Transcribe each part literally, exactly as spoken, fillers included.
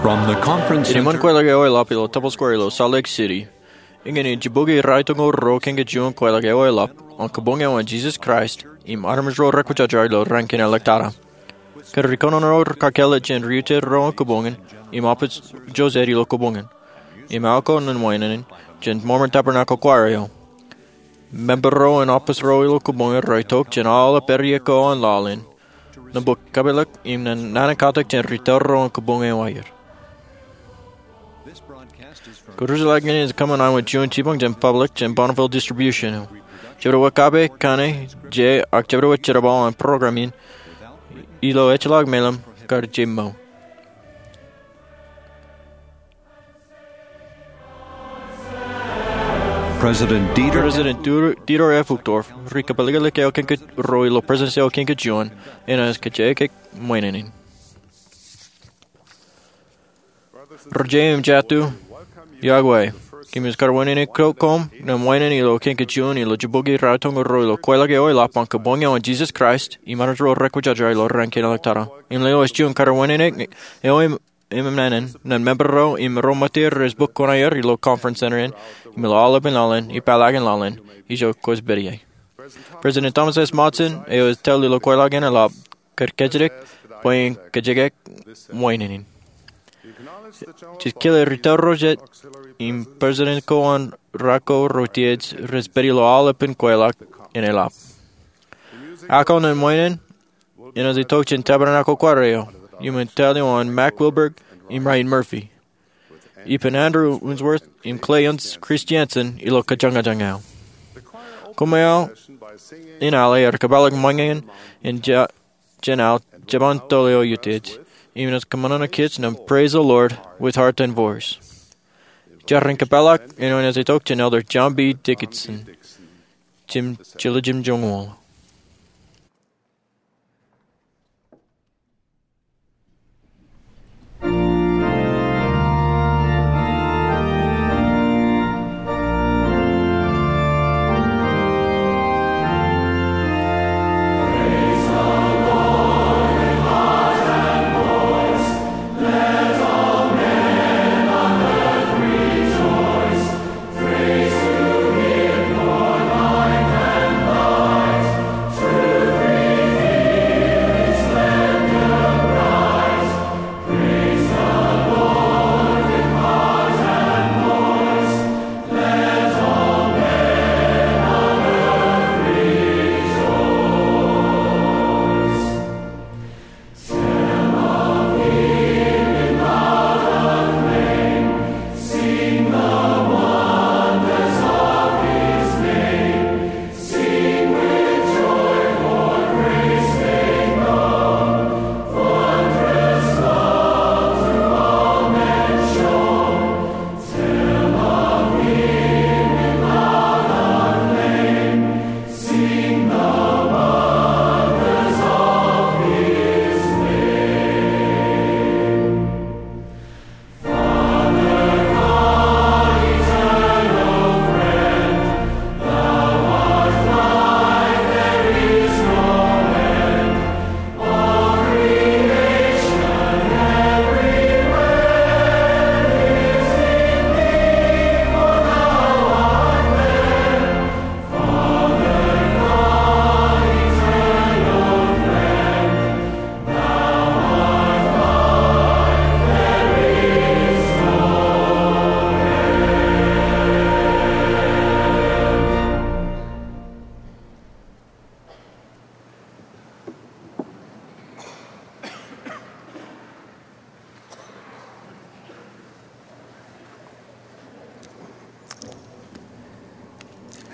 From the conference Inaaj center. Kweilọk eo eḷap ilo Temple Square ilo Salt Lake City. Eñin ej jibukwi ratimjuonñoul ruo kōn kōj juon kweilọk eo eḷap an kabuñ eo an Jesus Christ im armej ro rekwōjarjar ilo raan kein ḷọk tata. Kōn ri kōnono ro kakōḷḷe jān ri-utiej ro an kabuñ in im apōj joseph ilo kabuñ in. Im aō ko ṇe wāween in jān Mormon Tabernacle Choir eo. Member ro an apōj ro ilo kabuñ in rej itok jān aolep ārie ko an laḷ in. Ṇe bōk kapeḷḷọk im naan in katak jān ri-tōl ro an kabuñ eo aer. Kojuon ḷọk in ej kōṃṃan aṃ juon jipañ jān public jān Bonneville Distribution eo. Jebdewōt kape, kōṇe, je, ak jebdewōt jerbal an program in ilo ejjeḷọk meḷeḷe kar jemṃōo. President Dieter President Dieter F. Uchtdorf, ri kōpeḷḷọk eo kōn kōj ruo ilo Presidents eo kōn kōj juon, enaaj kajjitōk ṃweinenin. Ri-jeiū im jatū, iọkwe. Kōmij kar wāween in kōm ṇe wāween in ilo kōn kōj juon ilo jibukwi ratimjuonñoul ruo ilo kweilọk eo eḷap an kabuñ eo an Jesus Christ im armej ro rekwōjarjar ilo raan kein ḷọk tata. Im lewōj juon kar wāween in eo im eṃṃan in, ṇe member ro im ro ṃōttan rej bōk kuṇaer ilo Conference Center in, im ilo aolepen laḷ in, ippaḷọk in laḷ in, ijo kwōj pād ie. President Thomas S. Monson, eo ej tōl ilo kweilọk in eḷap, kar kajjitōk bwe en kajjitōk ṃweinenin. Jej kile ri-tōl ro jet, im president ko an ra ko ro tiej rej pād ilo aolepen kweilọk in eḷap. Ak eo ṇe wāween in, enaaj itok jān Tabernacle Choir eo, iuṃwin tōl eo an Mack Wilberg im Ryan Murphy, ippān Andrew Unsworth im Clay Christensen ilo kōjañjañ eo. Koṃṃool in al ear kōpeḷḷọk ṃōñā in jān al jeban tōl eo utiej, im enaaj kōṃṃan kōj ṇe Praise the Lord with Heart and Voice. Jar in kōpeḷḷọk eo enaaj itok jān Elder John B. Dickinson, jiljilimjuonñoul.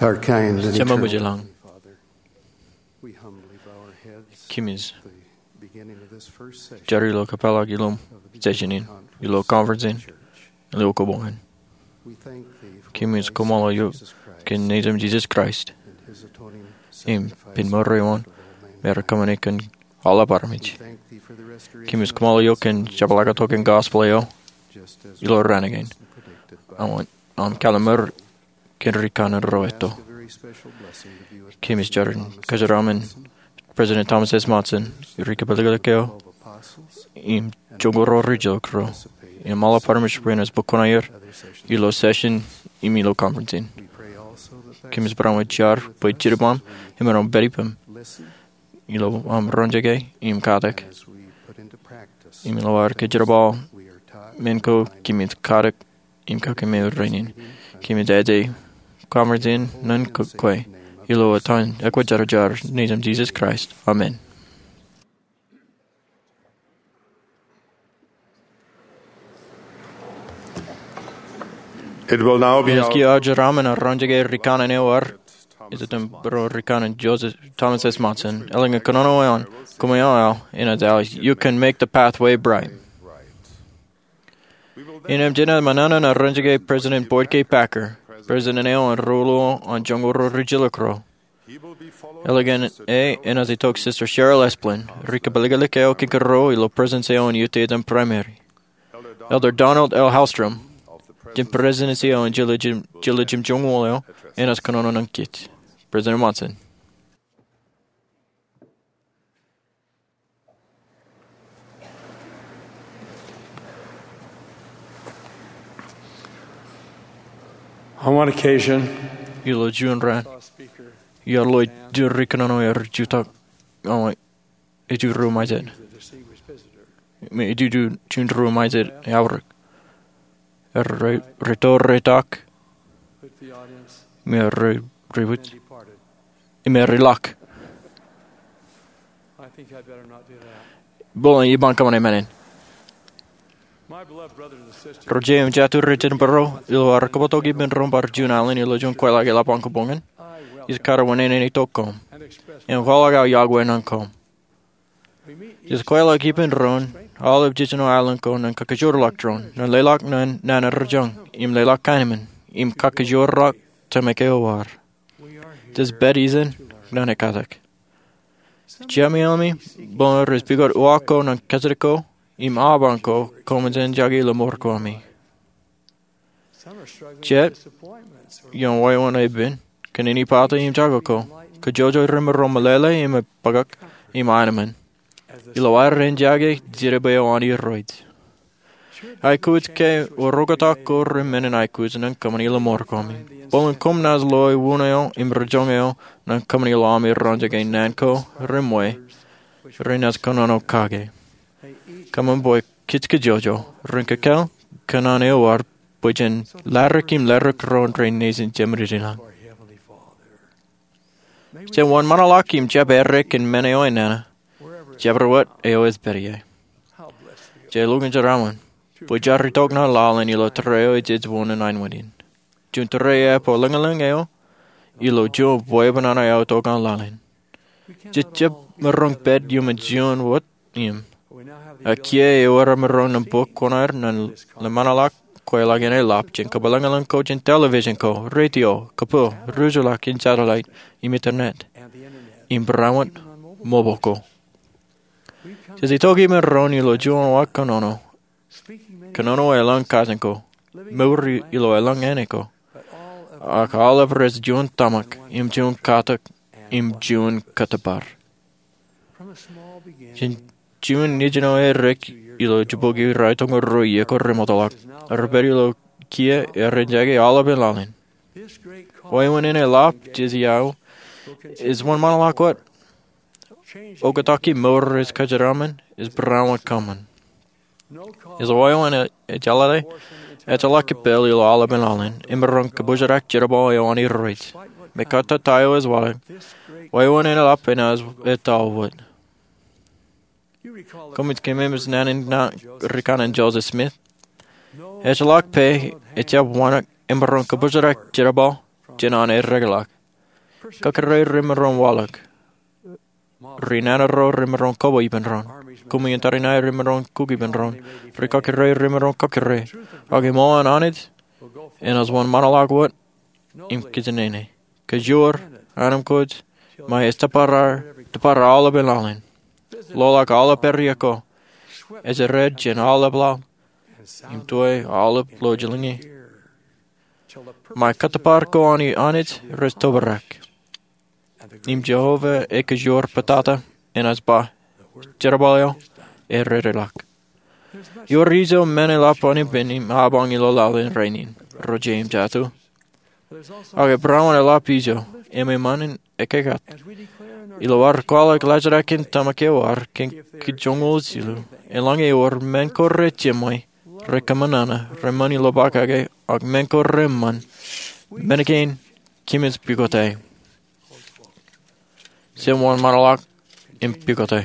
Our kind and Jema eternal mujilōñ. Father, we humbly bow our heads Kōmij at the beginning of this first session jar ilo kōpeḷḷọk ilo session in, ilo conference in, ilo kabuñ in. Kōmij koṃṃool eok kōn Nejūṃ Jesus Christ im pen mour eo an me ear kōṃṃane kōn aolep armej. Kōmij koṃṃool eok kōn jepḷaaktok in gospel eo ilo raan kein. Aṃ kalliṃur kōn ri kanaan ro etto. Kōmij jar in kōjeraaṃṃan President Thomas S. Monson, ri kōpeḷḷọk eo, im joñoul ro ri jok ro. Im aolep armej rein ej bōk kuṇaer ilo session im ilo conference in. Kōmij barāinwōt jar bwe jitōb aṃ im maroñ in pād ippām ilo aṃ roñjake im katak. Im ilo ad kōjerbal men ko, kōmij katak im kake men rainin. Kōmij aje conference in ñan kwe ilo etan ekwe jar jar, ṇe eo ej Jisōs Kraist, amen. It will now be Enaaj kiiō aō jeraaṃṃan roñjake ri kanaan eo ad, ej itok bōro ri kanaan Joseph Thomas S. Monson. Eḷaññe kōnono eoon, koṃeañ aō, enaaj aō, You Can Make the Pathway Bright. Innām jenaaj ṃōṇōṇō in roñjake President Boyd K. Packer, President eo an ri-ruo an joñoul ruo ri-jilkinro. Eḷaññe e, enaaj itok Sister Cheryl Esplin, ri-kōpelikōlik eo kiiō ro ilo Presidency eo an Utah Primary. Elder Donald L. Hallstrom, jān Presidency eo an Jiljilimjuon eo, enaaj kōnono ñan kōj. President Monson. On one occasion, ilo juon raan, iar lo juon ri kōnono ear jutak, aṃ, ej juon ri-mejād. Im ej juon ri-mejād eaorōk. Ear re-, reto reitok. Im ear re-, rebōd. Im ear ilọk. Bōlen iban kōṃṃane men in. Ro jeiū im jatū rej jen bōro, ilo ad kabbokbok ippān doon bar juon alen ilo juon kweilọk eḷap an kōboñ in, ij kar unin itok koṃ im kwaḷọk aō yokwe ñan koṃ. Ij kweilọk ippān doon aolep jiljino alen ko ñan kakkōjparok doon, ñan leḷọk nana ro joñan, im leḷọk kaenōṃṃan, im kakkōjparok tōmak eo ad. Jej pād ijin ñan ekkatak. Jemāmi, bōlen rej pukot uwaak ko ñan kōjatdikdik ko im aban ko koṃ jen jake ilo mour ko ami. Jet ioon wāween epen, kōn inepata im jako ko, kajjojo remaroñ meḷeḷe im epakak im aenōṃṃan. Ilo aer ren jake jidik bwe eo an Irooj. Aikuj ke oktak ko ri men in aikuj ñan kōṃṃani ilo mour ko ami. Bōlen koṃ naaj loe unin eo im ri joñan eo ñan kōṃṃani ilo ami roñjake naan ko reṃṃan renaaj kōnono kake. Kōṃṃan bwe kōj kajjojo ren kōkōl kōṇaan eo ad bwe jen ladik im ladik ro rein nejin Jemedinlañ. Jen wōnṃaanḷọk im jab errā kōn men eo enana, jabdewōt eo ej pād ie. Jej lukkuun jeraaṃṃan bwe jaar itok ñan laḷ in ilo tōre eo jej wōn ñan wōt in. Juon tōre eo epād lōñlōñ eo ilo juon bwebwenato eo itok ñan laḷ in. Jej jab maroñ pād iuṃwin juon wōt im. Ak kiiō ewōr aō maroñ nōṃba kuṇaer ñan ḷōṃaanḷọk kweilọk in eḷap jān kōpeḷḷọk ko jān television ko, radio, kōpooj, ruj ḷọk in satellite, im internet, im barāinwōt mobile ko. Jej itok ippān doon ilo juon uwaak kōnono, kōnono eḷaññe kajin ko, mour ilo eḷaññe āne ko, ak aolep rej juon tōmak, im juon katak, im juon kōttōpar. Jān juon nejin eo erik ilo jibboñ raar tōñoul ruo iiō ko remootḷọk. Rej pād ilo kiiō ren jake aolepān laḷ in. Wāween in eḷap jej iiō ej wōnṃaanḷọk wōt. Oktak ke mour ej kōjeraaṃṃan, ej barāinwōt kōṃṃan. Ej wāween ejjeḷọk, ejjeḷọk kōppān ilo aolepān laḷ in, im maroñ kōbōjrak jerbal eo an Irooj. Mekkata ta eo ej waḷọk, wāween in eḷap enaaj etto wōt. Koṃij kōmemej naan in ri kanaan Joseph Smith. Ejjeḷọk pā ejjab wānōk emaroñ kōbōjrak jerbal jān an eddekḷọk. Kakōrā remaroñ waḷọk. Ri nana ro remaroñ koba ippān doon. Kōmij tōre ṇae remaroñ kūk ippān doon. Ri kakōrā remaroñ kakōrā. Ak eṃṃan an Anij enaaj wōnṃaanḷọk wōt im kōjatnene. Kōjwōj, anemkwōj, ṃae ej tōpar, tōpar aolepān laḷ in. Loḷọk aolep pād iiō ko. Ejjirād jān aolep laḷ im tuwe aolep lọjilñi. Ṃae kōttōpar ko an Anij rej tōprak. Im Jeova ej kōjwōj pātata, enaaj ba, jerbal eo eddekḷọk. Ewōr ijo men eḷap an ippān im apañ ilo laḷ in rainin, ro jeiū im jatū. Ak ebra wōt eḷap ijo, im eṃṃan in ekkā. Ilo ad kwaḷọk laajrak in tōmak eo ad kōn kōj joñoul jilu, eḷaññe ewōr men ko rejeṃṃan, rekōṃṃan, reṃṃan ilo pakake, ak men ko reṃṃan, men kein kōmij pukot aō. Jemwōj ṃōṇōḷọk im pukot aō.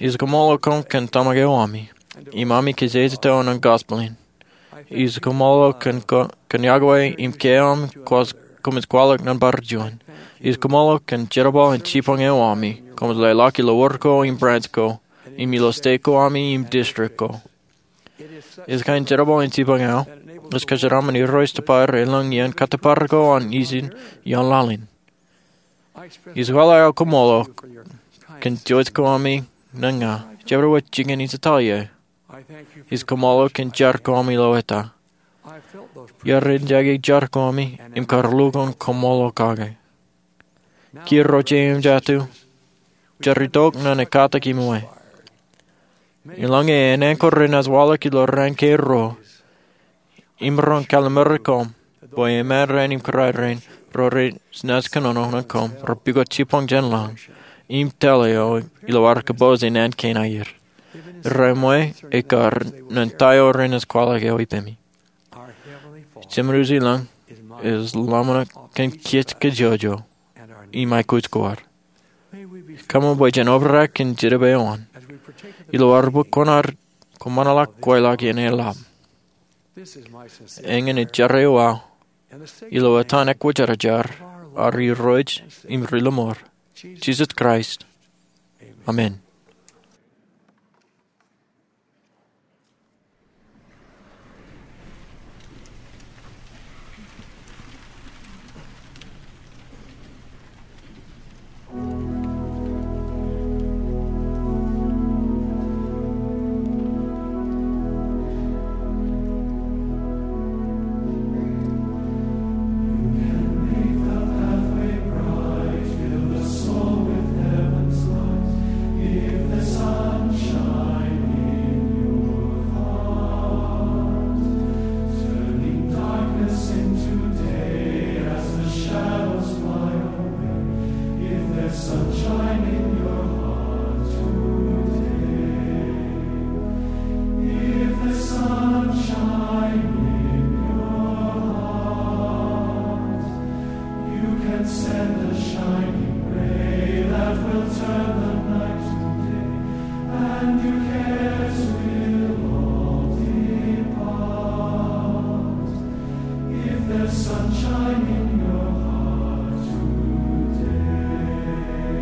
Ij kaṃṃoolol koṃ kōn tōmak eo ami, im ami kōjatdikdik eo an gospel in. Ij kaṃṃoolol koṃ kōn yokwe im kiiō aṃ kwōj, koṃij kwaḷọk nōṃba juon. Ij kaṃṃoolol koṃ kōn jerbal in jibboñ eo ami, koṃij leḷọk ilo wōr ko im branch ko, im ilo state ko ami im district ko. Ij kain jerbal in jibboñ eo ej kōjeraaṃṃan Irooj Tōpar elōñ iien kōttōpar ko an ijin ioon laḷ in. Ij kwaḷọk aō kaṃṃoolol kōn jouj ko ami ñan ña, jabdewōt jikin ij ettoḷọk. Ij kaṃṃoolol kōn jar ko ami ilo eta. Iar ejjake jar ko ami im kar lukkuun kaṃṃoolol kake. Kiiō ro jeiū im jatū, jar itok ñan ekkatak im uwe. Eḷaññe en anchor renaaj waḷọk ilo raan kein ruo, im ren kallim̧ur koṃ bwe eṃṃan raṇ im kōrā raṇ ro renaaj kōnono ñan koṃ rej pukot jibboñ jān lañ im tōl eo ilo ad kōpooj naan kein aer. Reṃṃan ekar ñan ta eo renaaj kwaḷọk eo ippemi. Jemān wōt ilañ ej lọmọọr kōn kōj kajjojo im aikuj ko ad. Kaṃṃoolol bwe jen obrak kōn jidik eo an ilo ad bōk kuṇaad kōṃanḷọk kweilọk iien eḷap. Eñin ej jar eo aō ilo etan ekwōjarjar ad Irooj im Ri-lọmọọr, Jisōs Kraist. Amen. If there's sunshine in your heart, you can send a shining ray that will turn the night to day, and your cares will all depart. If there's sunshine in your heart today.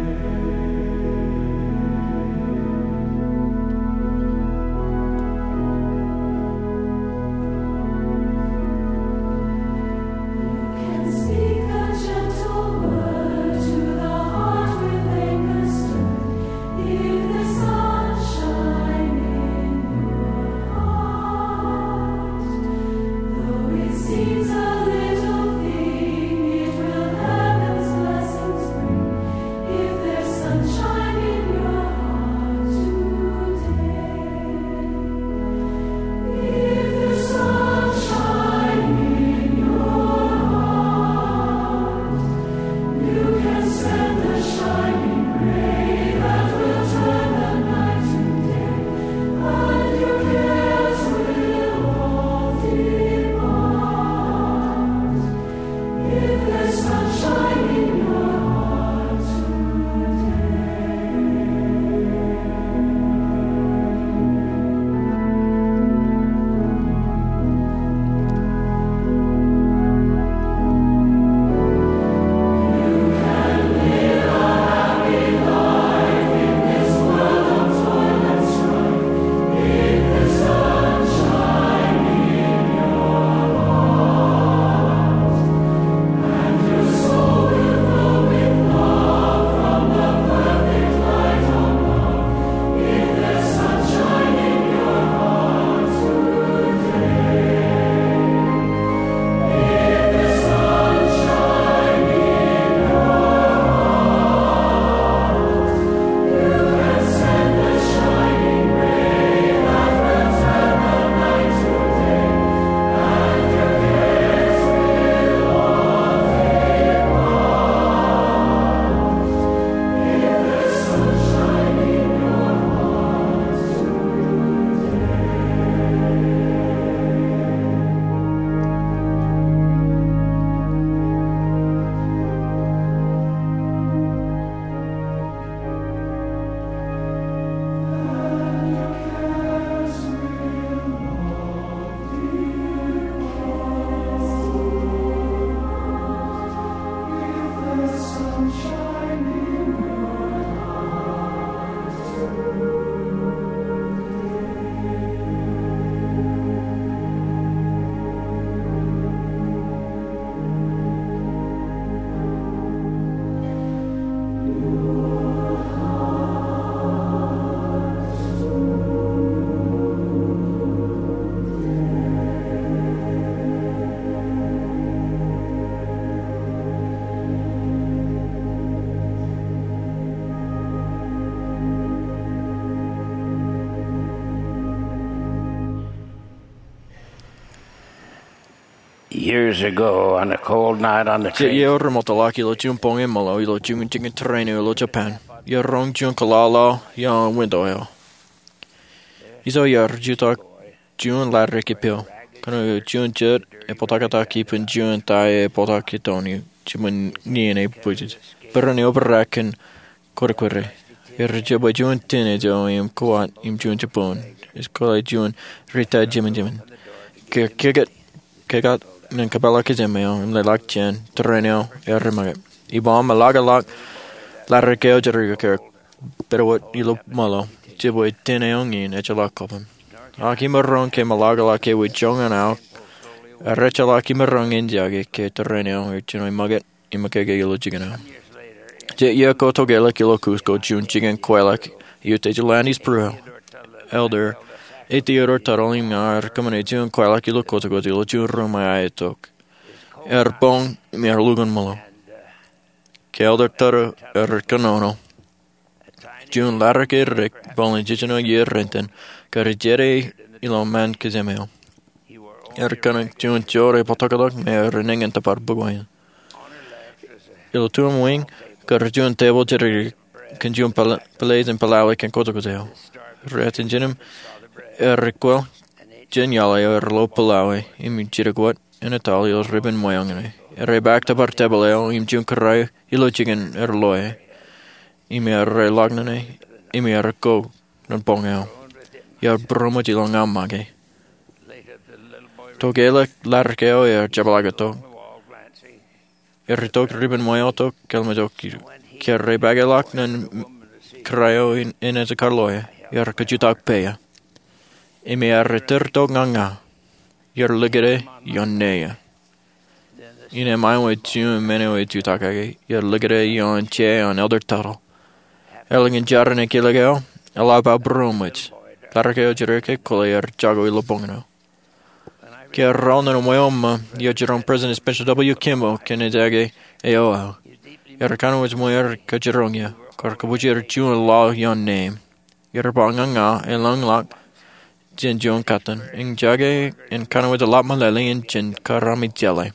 Years ago, on a cold night on the Jet train, iiō remootḷọk ilo juon boñ eṃṃanḷọk ilo juon jikin tūrin eo ilo Japan. Iiō roñ juon kōḷaḷḷaḷ ioon winto eo. Ijo iiō rej jutak juon laḷ rej kippeḷ. Kōnke juon jet ej bōktak ippān juon ta ej bōktak itoon, jibwin ñiin ej bwijin. Bōran eo bōk kōn kwōdkwōde. Rej jab juon tin eo im kōwōt im juon jibboñ. Ej kōḷḷā juon rita jimjim. Ke, ke, kōkā ñan kōpeḷḷọk kōjām eo im leḷọk jān tūrin eo rej make. Iba im ḷak ḷọk laḷ eo rej kippeḷ, pād wōt ilo ṃōḷo. Jibwe tin eo ñiin ejjeḷọk kobōṃ. Ak imaroñ ke ṃōḷaḷḷaḷ ke ewi joñan aō, rej jeḷā imaroñ in jake ke tūrin eo ej jino make im make ilo jikin eo. Jet iiō ko tokālik ilo Cusco, juon jikin kweilọk, ij utiej ilo Andes Brew. Elder A. Theodore Tuttle im ña rej kōṃṃane juon kweilọk ilo kōjkōj ilo juon ruum eo itok. Ear boñ im ear lukkuun ṃōḷo. Ke Elder Tuttle ear kōnono, juon laḷ rej kippeḷ, bōlen jiljino iiō renten, kar jete ilo ṃaan kōjām eo. Ear kōṇak juon jood ej bōktok tok me ear eñin tōpar bukwe in. Ilo tuṃ wiñ kar juon tebōḷ jidikdik kōn juon pāl-, pāleej in pālaḷ kōn kōjkōj eo. Rej jino im ear kwōl jān iaḷ eo ear lo pālaḷ im jidik wōt enaaj etal ilo ribin ṃweo ñan e. Rej paak tōpar tebōḷ eo im juon kōrā eo ilo jikin ear loe. Im ear ḷak ñan e, im ear ko ñan boñ eo. Ear būroṃōj ilo ña make. Tokālik laḷ eo ear jepḷaak itok. Ear itok ribin ṃweo tok, kōḷmāntok. Ke rej paak e ḷọk ñan kōrā eo in, enaaj kar loe, ear kajutak peia. Im ear itok ñan ña. Ear likūt e ioon neia. Innām āinwōt juon men eo ej jutak kake, ear likūt e ioon je an Elder Tuttle. Eḷap ñan jar in ekilōk eo, eḷap aō būroṃōj. Laḷ eo jidikdik kwōle ear jako ilo boñ eo. Ke ear ro ñan ṃweo ṃōk, ear jiroñ President Spencer W. Kimball kōn ejake eo aō. Ear kōnono ṃōk im kajiroñ eō, kar kōpooj er juon laḷ ioon neeiṃ. Ear ba ñan ña, eḷap ḷọk jān juon kōttan, im jake im kōnono ḷap meḷeḷe in jān kar ami jeḷā.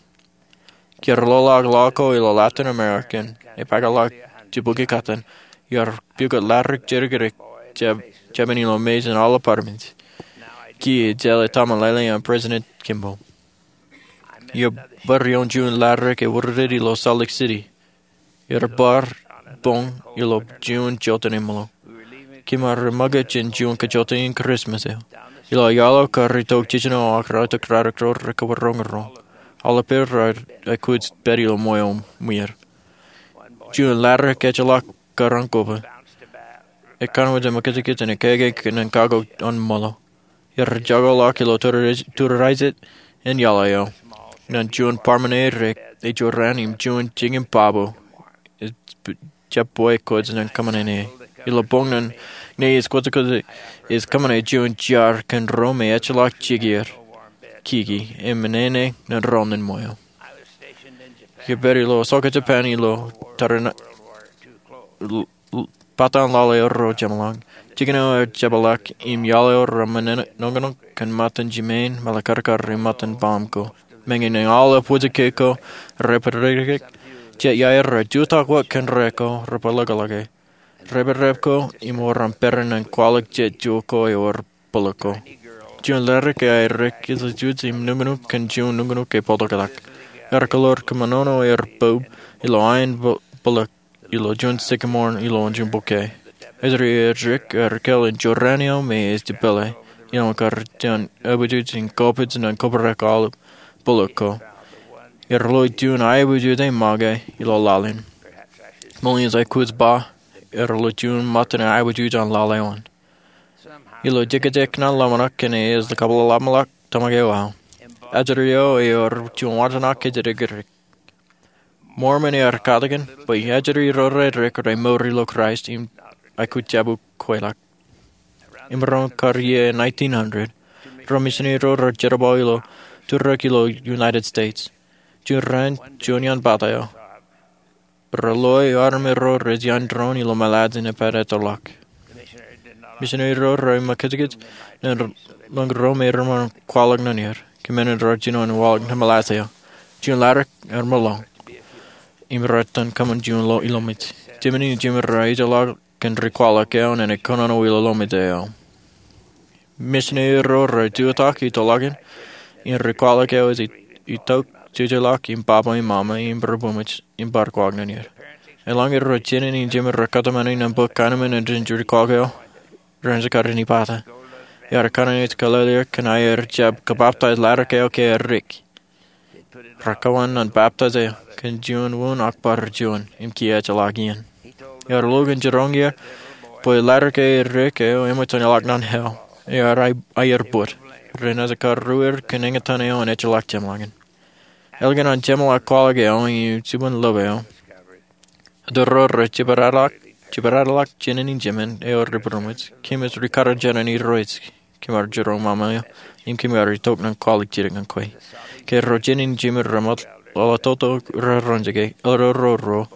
Ke ear lo ḷọk laḷ ko ilo Latin American, epaak ḷọk jibukwi kōttan, ear pukot laḷ rej jidikdik, jab-, jabōn ilo mejān aolep apartment. Kiiō ejjeḷā ta meḷeḷe an President Kimball. Iiō bar ioon juon laḷ rej wūrwūded ilo Salt Lake City. Ear bar boñ ilo juon jota eṃṃanḷọk. Kōm ar ṃōk jān juon kajjojo in Christmas eo. Ilo iaḷ eo kar itok jiljino ak raorōk ro rej kōbōr roñoul. Aolep er raar aikuj pād ilo ṃweo ṃwier. Juon laḷ rej kōjjeḷọk kar an koba. Ekanooj eo ṃōkajkōj in ekāākā kōn kakkok an ṃōḷo. Ear jako ḷọk ilo tūraijet in iaḷ eo. Ñan juon bar ṃōṇōṇō rej jorrāān im juon jikin baba eo. Ej jab bwe kwōj ñan kōṃṃane. Ilo boñ ñan neia ej kōjkōj ej kōṃṃane juon jar kōn ro me ejjeḷọk jikier kiki im ṃōṇōṇō ñan ro ñan ṃweo. Iiō pād ilo Osaka, Japan ilo tōre in l-, l-, pād an laḷ eo rej jeṃḷọk. Jikin eo ej jepḷaak im iaḷ eo rej ṃōṇōṇō kōn ṃōttan jimein, meḷekarkar im ṃōttan baaṃ ko. Meñe ñan aolep wōjke ko rej pād dik, jet iaer rej jutak wōt kōn rek ko rej pād ḷọkḷọk e. Rej pād rep ko im wōr an peran ñan kwaḷọk jet juon ko ewōr bōḷ ko. Juon laḷ rej aikuj ilo juon nuknuk kōn juon nuknuk ej bōktok tok. Ear kōḷḷoor kōṃṃanono er bōb ilo ain bō-, bōḷ ilo juon sycamore ilo juon bukwe. Ej ri edik ear kōḷḷā in jorrāān eo me ej jepḷe ilo kar juon abujuj in kōpij ñan kōprak aolep bōḷ ko. Ear lo juon abujuj eo make ilo laḷ in. Ṃool in ej aikuj ba ear lo juon ṃōttan abujuj an laḷ eo an. Ilo jekjek ñan ḷōmṇak kōn ej kabōḷaḷḷaḷ tōmak eo aō. Ajri eo ewōr juon wajnak ej jidikdik. Mormon ear katakin bwe ajri ro rej edik rej mour ilo Kraist im aikuj jab kweilọk. Imaroñ kar iiō nineteen hundred, ro misineri ro rej jerbal ilo tūrōk ilo United States. Juon raan, juon iaan pata eo, rej loe armej ro rej iaan doon ilo moḷaaj in epād ettoḷọk. Misineri ro rej ṃōkajkōj ñan ro me reṃṃan kwaḷọk ñan er. Kōmān in rej jino in waḷọk ñan moḷaaj eo. juon ḷaddik ear meḷọñ im raar itōn kōṃṃan juon ilo ilomej. Jemān in jimeer rej ejjeḷọk kōn ri kwaḷọk eo ñan e kōnono ilo ilomej eo. Misineri ro rej jutak ilo tōl in, im ri kwaḷọk eo ej itok jejeḷọk im baba im mama im ri-būmwōj im bar kwaḷọk ñan er. Eḷaññe ro jenin in jimeer rej kōtmāne ñan bōk kanmān in ri kwaḷọk eo, ren jekar in ipata. Ear kōnono ej kōlele er kōn aer jab kabaptaij ḷaddik eo ke erik. Rej kōṃṃan ñan baptaij eo kōn juon wūn ak bar juon im kiiō ejjeḷọk iien. Ear lukkuun jiroñ er bwe ḷaddik erik eo eṃōj an ilọk ñan hell. Ear aier bōd. Ren ejekar ruer kōn eñtaan eo an ejjeḷọk jeṃḷọkin. Ālikin an jeṃḷọk kwaḷọk eo im jibwin lōb eo, otro ro rej jibadadḷọk jenin in jimeer eo ri būmwōj. Kōmij ri kar jeran Irooj, kōm ar jiroñ mama eo, im kōm ar itok ñan kwaḷọk jidik ñan kwe. Ke ro jenin in jimeer rej ṃōttan ḷọk toto rej roñjake, otro ro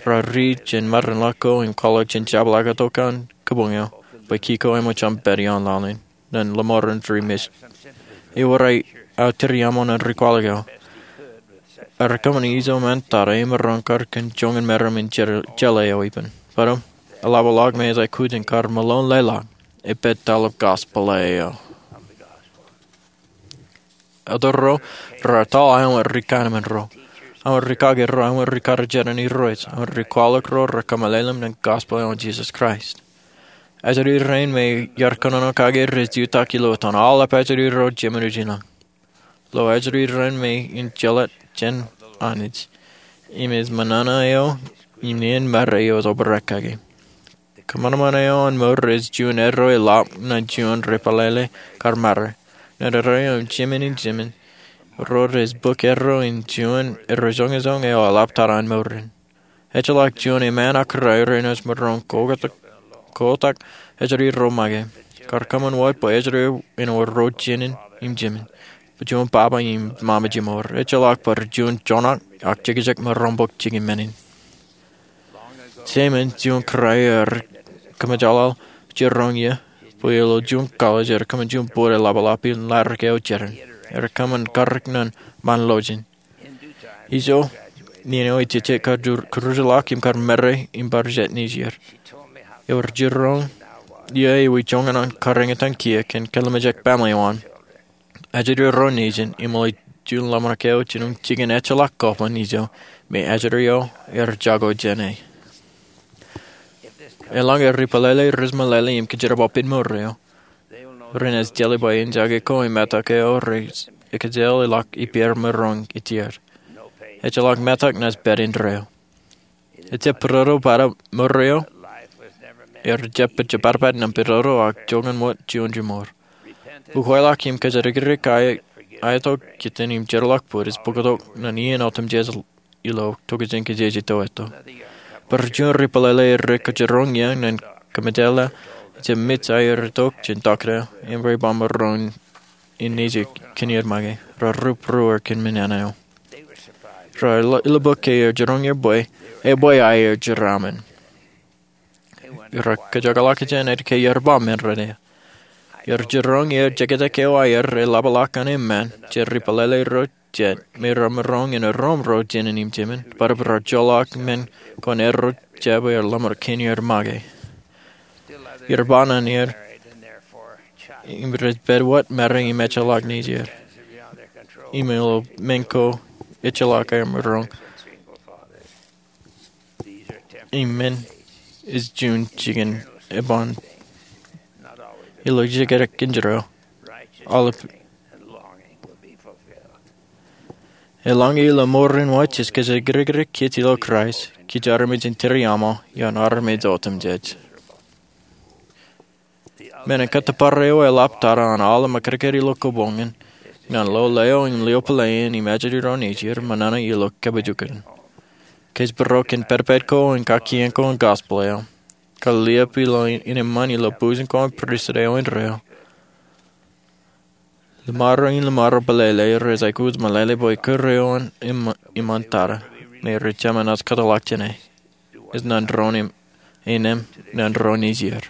raar ri jān māranḷọk ko im kwaḷọk jān jabḷọk tok an kōbuñ eo, bwe ki ko eṃōj aṃ pād ioon laḷ in ñan lọmọọren ri-mission. Ewōr aō tūriaṃo ñan ri kwaḷọk eo. Ear kōṃṃan ijo ṃaan tata im maroñ kar kōn joñan meram in jeḷā eo ippān. Bōtab eḷapḷọk me ej aikuj in kar meḷeḷe ḷọk, epād taḷap gospel eo. Otro ro raar tōl aō ri kanmān ro, aō ri kake ro, aō ri kar jeran Irooj, aō ri kwaḷọk ro rej kōmeḷeḷeim ñan gospel eo an Jesus Christ. Ajri rein me iar kōnono kake rej jutak ilo etan aolep ajri ro jeṃaan ijin. Lo ajri rein me in jeḷā jān Anij im ej ṃōṇōṇō eo im nien mare eo ej obrak kake. Kōṃanṃan eo an mour ej juon erro eḷap ñan juon rej pālele kar mare. Ñan erro eo im jeṃaan in jimeer ro rej bōk erro in juon erro joñojoñ eo eḷap tata an mour in. Ejjeḷọk juon eṃṃan ak rai renaaj maroñ kotak ajri ro make. Kar kōṃṃan wōt bwe ajri ro en wōr ro jenin im jimeer, bwe juon baba im mama jimour. Ejjeḷọk bwe rej juon joñak ak jekjek maroñ bōk jikin men in. Jeṃaan juon kōrā ear kōmōjaḷaḷ jiroñ ie bwe ilo juon college ear kōṃṃan juon bōd eḷapḷọk in ḷaddik eo jeran. Ear kōṃṃan karōk ñan ṃaan lọjien. Ijo, nien eo ej jejjet kar kūrjilọk im kar mare im bar jet nejier. Ear jiroñ ie ewi joñan an kar eñtaan kiiō kōn kōḷmānḷọkjeṇ family eo an. Ajri ro nejin im ilo juon ḷōmṇak eo jinoin jikin ejjeḷọk kōban ijo me ajri ro ear jako jāne. Eḷaññe ri pālele rej meḷeḷe im kōjerbal pād mour eo, renaaj jeḷā bwe en jake ko im metak eo rej ekōjel ḷọk ippāer maroñ itier. Ejjeḷọk metak naaj pād indeeo. Ejjab pedodo bōtab mour eo, ejjab pād jepatpat ñan pedodo ak joñan wōt juon jimour. Ukweḷọk im kōjatdikdik aetok kōtien im jeorḷọk bōd ej bōktok ñan iien otemjej ilo tokjān kōjejjet eo etto. Bar juon ri pālele rej kōjiroñ ie ñan kōmejeḷā ejjab mej aer itok jān tokjān im rej ba maroñ in nejū kōn er make. Raar rup ruer kōn men eo. Raar ilo bok ke ear jiroñ er bwe ebwe aer jeraaṃṃan. Raar kōjekḷọk jān āinwōt ke ear ba men ro eo. Ear jiroñ er jekjek eo aer eḷapḷọk an eṃṃan jān ri pālele ro jet me raar maroñ in erom ro jenin im jimeer, bōtab raar joḷọk men ko an erro jab er ḷōmṇak kōn er make. Ear ba ñan er im rej pād wōt mare im ejjeḷọk nejier. Im ilo men ko ejjeḷọk aer maroñ. Im men ej juon jikin eban ilo jekdọọn kōn jero. Aolep. Eḷaññe ilo mour in wōj jej kōjatdikdik kōj ilo Kraist, kōj armej in tūriaṃo ioon armej otemjej. Men in kōttōpar eo eḷap tata an aolep ṃakūtkūt ilo kōbuñ in ñan lo leo im lio pālle in im ajri ro nejier ṃōṇōṇō ilo kōpooj in. Kōjparok kōn pād pād ko im kakien ko an gospel eo. Kaliep ilo innem ṃaan ilo bujen ko an pristut eo indeeo. Ḷōṃaro im ḷōṃaro pālele rej aikuj meḷeḷe bwe kūr eo an eṃṃan tata me rej jemān naaj kōtḷọk jāne. Ej ñan doon innem, ñan doon nejier.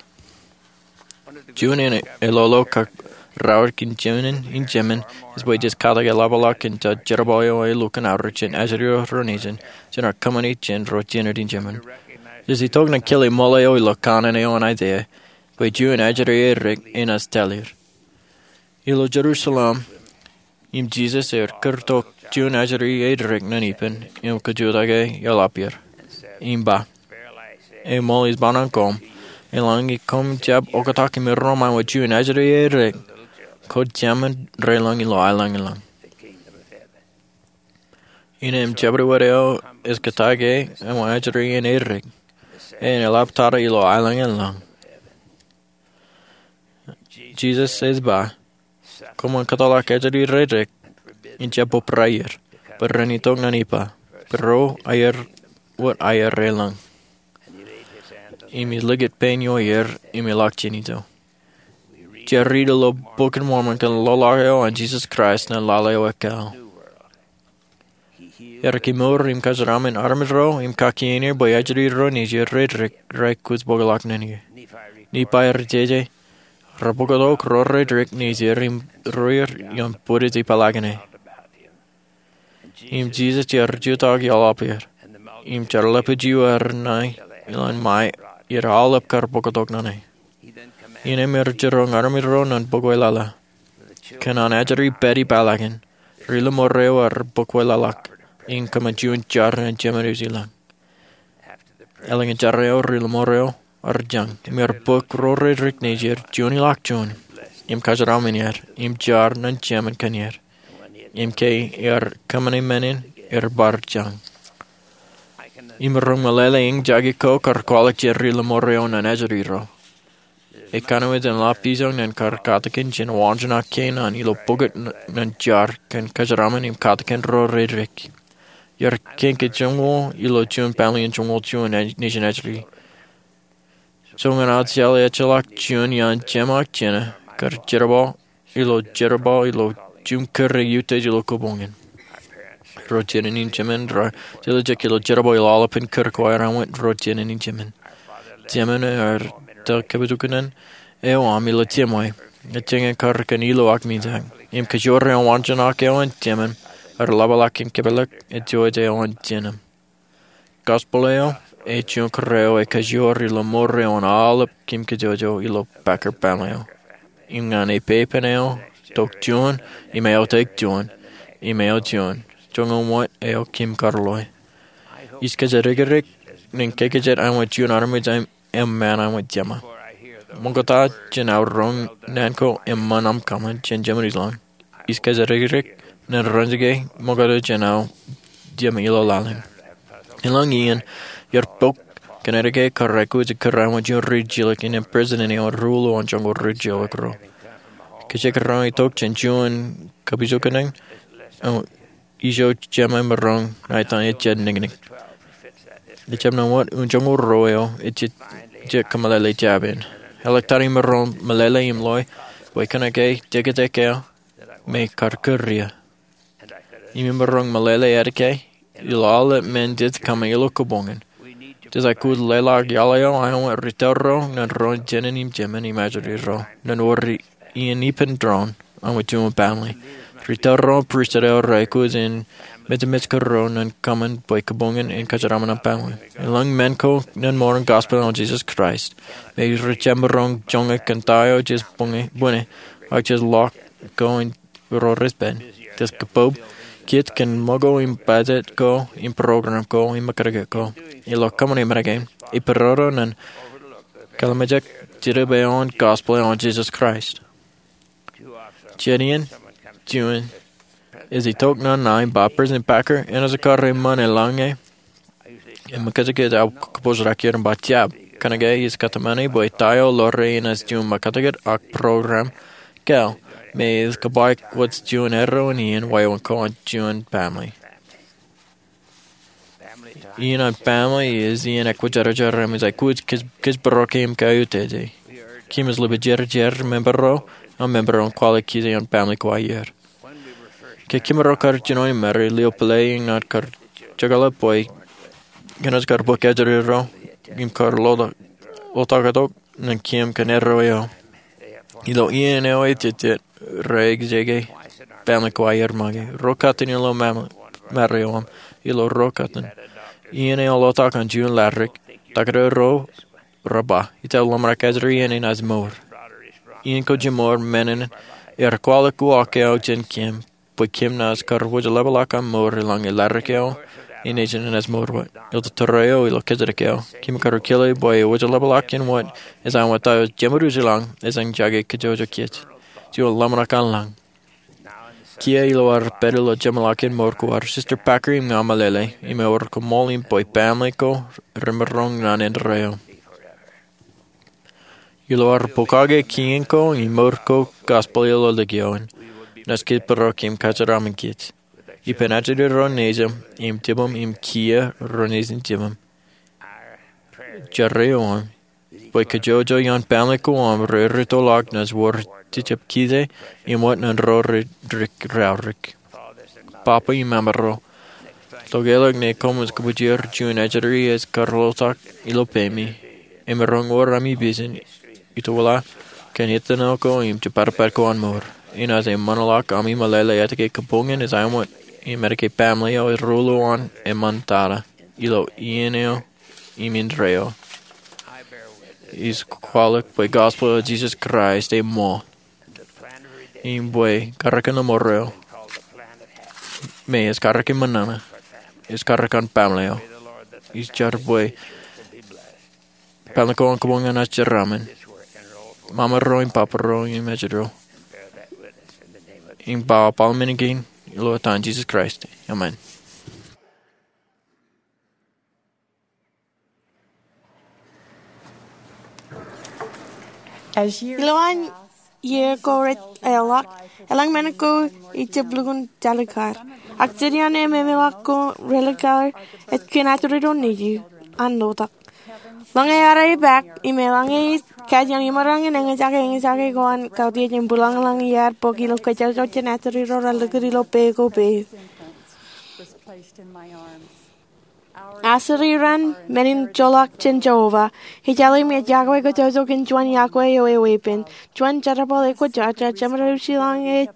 Juon in elolo kak raorōk in jemān in jemān, ej bwe jej katak eḷapḷọk kōn jerbal eo ālikin aorōk jān ajri ro nejin, jān ad kōṃṃani jān ro jined in jemān. Jej itok ñan kile ṃool eo ilo kanaan eo an Aiseia, bwe juon ajri erik enaaj taḷ er. Ilo Jerusalem, im Jisōs ear kūrtok juon ajri erik ñan ippān im kajutake eḷap er, im ba, Eṃool ij ba ñan koṃ, eḷaññe koṃ jab oktak im erom aṃ juon ajri erik, kwōj jemān reḷọñ ilo aelōñlōñ. Innām jabdewōt eo ej kōtake aṃ ajri erik, en eḷap tata ilo aelōñlōñ. Jisōs ej ba, Koṃwin kōtḷọk ajri redik, im jab bōbraer, bwe ren itok ñan ippa, bwe ro aer wōt aer eḷọñ. Im ej likūt pein ioer im eḷak jān ijo. Ij riit ilo Bok in Mormon kōn loḷọk eo an Jisōs Kraist ñan lale eo ekāāl. Ear kemour im kōjeraaṃṃan armej ro im kakien er bwe ajri ro nejid redik rej aikuj bōkḷọk naan in. Nephi ear jeje, rej bōktok ro redik nejid im ruer ioon bwidej ipeḷaakin e. Im Jisōs ear jutak eḷap er, im jar lepḷọk eo ear ṇa ilowaan ṃae, im aolep kar bōktok naan e. Innām ear jiroñ armej ro ñan bōkweḷaḷa. Kōn an ajri pād ipeḷaakin, ri-lọmọọr eo ear bōkweḷọk, im kōṃṃan juon jar ñan Jemān Ilọk. Eḷaññe jar eo, ri-lọmọọr eo ear jañ, im ear bōk ro redik nejid juon ilọk juon, im kōjeraaṃṃan er, im jar ñan Jemān Kōn er. Im ke ear kōṃṃane men in, ear bar jañ. Imaroñ meḷeḷe eñjake ko kar kwaḷọk jān ri-lọmọọr eo ñan ajri ro. Ekanooj en lap ijoñ ñan kar katakin jān wāween ak kein an ilo pukot ñan jar kōn kōjeraaṃṃan im katakin ro redik. Iar kein ke joñoul ilo juon family in joñoul juon nejin ajri. Joñan aō jeḷā ejjeḷọk juon iaan jema ak jena kar jerbal ilo jerbal ilo juon kūr ej utiej ilo kabuñ in. Ro jined in jemān rej jeḷā jet ilo jerbal ilo aolepān kūr ko aer āinwōt ro jined in jemān. Jemān ear tōl kapijuknen eo aṃ ilo jemwe. Ejjeñe kar kōn ilo ak mijak. Im kajoor eo wāween ak eo an jemān ear ḷapḷọk im kōpeḷḷọk ejjeḷọk eo an jined. Gospel eo ej juon kūr eo ej kajoor ilo mour eo an aolep kōm kajjojo ilo Packer family eo. Im ñan ippān eo, tok juon, im eo tok juon, im eo juon. Joñan wōt eo kōm kar loe. Ij kōjatdikdik ñan kōj kajjitōk āinwōt juon armej im eṃṃan āinwōt jema. Ṃokta jān aō roñ naan ko im ṃan aṃ kōṃṃan jān Jemān Ilọk, ij kōjatdikdik ñan ren ke ṃokta jān aō jema ilo laḷ in. Eḷaññe iien, iar bōk Connecticut kar aikuj kūr eo an juon ri-jilōk innām president eo an ruo ilo joñoul ri-jilōk ro. Kōjro kar itok jān juon kapijuknen eo ijo jema emaroñ ṇa etan ejjab niknik. Ejjab ṇa wōt un joñoul ruo eo ejjab kōmeḷeḷe jab in. Eḷak tata imaroñ meḷeḷe im loe bwe kōnke jekjek eo me kar kūr ie. Im imaroñ meḷeḷe etke ilo aolep men jej kōṃṃan ilo kabuñ in, jej aikuj leḷọk iaḷ eo āinwōt ri tōl ro ñan ro jined in jemān im ajri ro ñan wōr iien ippān doon āinwōt juon family. Ri tōl ro pristut eo rej aikuj in mejmej kūr ro ñan kōṃṃan bwe kabuñ in en kōjeraaṃṃan an family. Eḷaññe men ko ñan mour in gospel eo an Jisōs Kraist, me rej jab maroñ joñak kōn ta eo jej bōke, bōne, ak jej ḷọk ko in ro rej pād. Jej kōpob, kiiō kōn ṃōko im budget ko im program ko im mekātkāt ko. Ilo kōṃṃane men kein, ej pedodo ñan kōḷmānjeḷ jidik eo an gospel eo an Jisōs Kraist. Jet iien, juon ej itok ñan ṇa im ba, President Packer, enaaj kar eṃṃan eḷaññe im mekātkāt aō kōpooj ḷọk er? Im ba, Jab, kōnke ij kōtmāne bwe ta eo ḷoor enaaj juon mekātkāt ak program kāāl me ej kōbaik wōj juon erro in iien wāween ko an juon family. Iien an family ej iien ekwōjarjar im ej aikuj kōjparok im kautiej. Kōmij lipjarjar member ro, aṃ member ro kwaḷọk kōj ioon family ko aer. Ke kōmro kar jino im mari, lio pālle ñan kar jekḷọk bwe kōnaaj kar bōk ajri ro im kar ḷotak, ḷotak tok ñan kōm kōn erro eo. Ilo iien eo ejejjet, Rej jake, family ko aer make. Ro kōttan ilo maro eo aṃ, ilo ro kōttan. Iien eo lotak an juon laḷ rik, tōkdeo ro rej ba, ij tōl ḷōmṇak ajri iien in ej mour. Iien ko jiṃor men in, er kwaḷọk uwaak eo jān kōm, bwe kōm naaj kar wōj ḷapḷọk aṃ mour eḷaññe laḷ rik eo, in nejin in ej mour wōt. Ilo tōre eo, ilo kōjatdikdik eo, kōm kar kile bwe wōj ḷapḷọk in wōt, ej aṃ wōt ta eo jeṃaduj ilañ, ej aṃ jake kōjojokaj. Juon ḷōmṇak an lañ. Kiiō ilo ad pād ilo jeṃḷọkin mour ko ad, Sister Packer im ña meḷeḷe, im ewōr koṃṃool im bwe family ko remaroñ naan indeeo. Ilo ad pokake kien ko im mour ko gospel ilo ḷọk eo in, naaj kōjparok im kōjeraaṃṃan kōj. Ippān ajri ro nejūṃ im jibūṃ im kiiō ro nejin jibūṃ. Jar eo aṃ, bwe kōjojokaj an family ko aṃ rej rūttoḷọk naaj wōr jejjab kije im wōt ñan ro rej rūkaki. Papa im Mama ro, ḷọk eo ḷọk ñe koṃij kōpooje juon ajri ej kar lotak ilo peiṃ, im emaroñ wōr ami pijin itoḷọk kōn iien ko im jepatpat ko an mour. Inaaj eṃṃanḷọk ami meḷeḷe etke kabuñ in ej aṃ wōt im etke family eo ej ruo ḷọk an eṃṃan tata ilo iien eo im indeeo. Ij kwaḷọk bwe gospel eo Jesus Christ eṃṃool im bwe karōk in mour eo me ej karōk in ṃōṇōṇō ej karōk an family eo. Ij jar bwe family ko an kabuñ in naaj jeraaṃṃan. Mama ro im papa ro im ejro, im ba aolep men kein ilo etan Jesus Christ, amen. Ilowaan iiō ko rej eḷḷọk, elōñ men ko ejjab lukkuun jalikar. Ak jidiaṃ eṃōṃōḷọk ko relikar ej kōn ajri ro nejū an lotak. Ḷọk ñe ad epaak im eḷaññe ij kajian imaroñ in eñjake eñjake ko an kautiej im būḷañḷọñ iar bōk ilo kōjojokjān ajri ro rej lukkuun ilo peiṃ ko peiṃ. Ajri raṇ men in joḷọk jān Jeova. Ij ālikin iọkwe kajjojo kōn juon iọkwe eo eweeppān. Juon jerbal ekwōjarjar jeṃaduj ilañ ej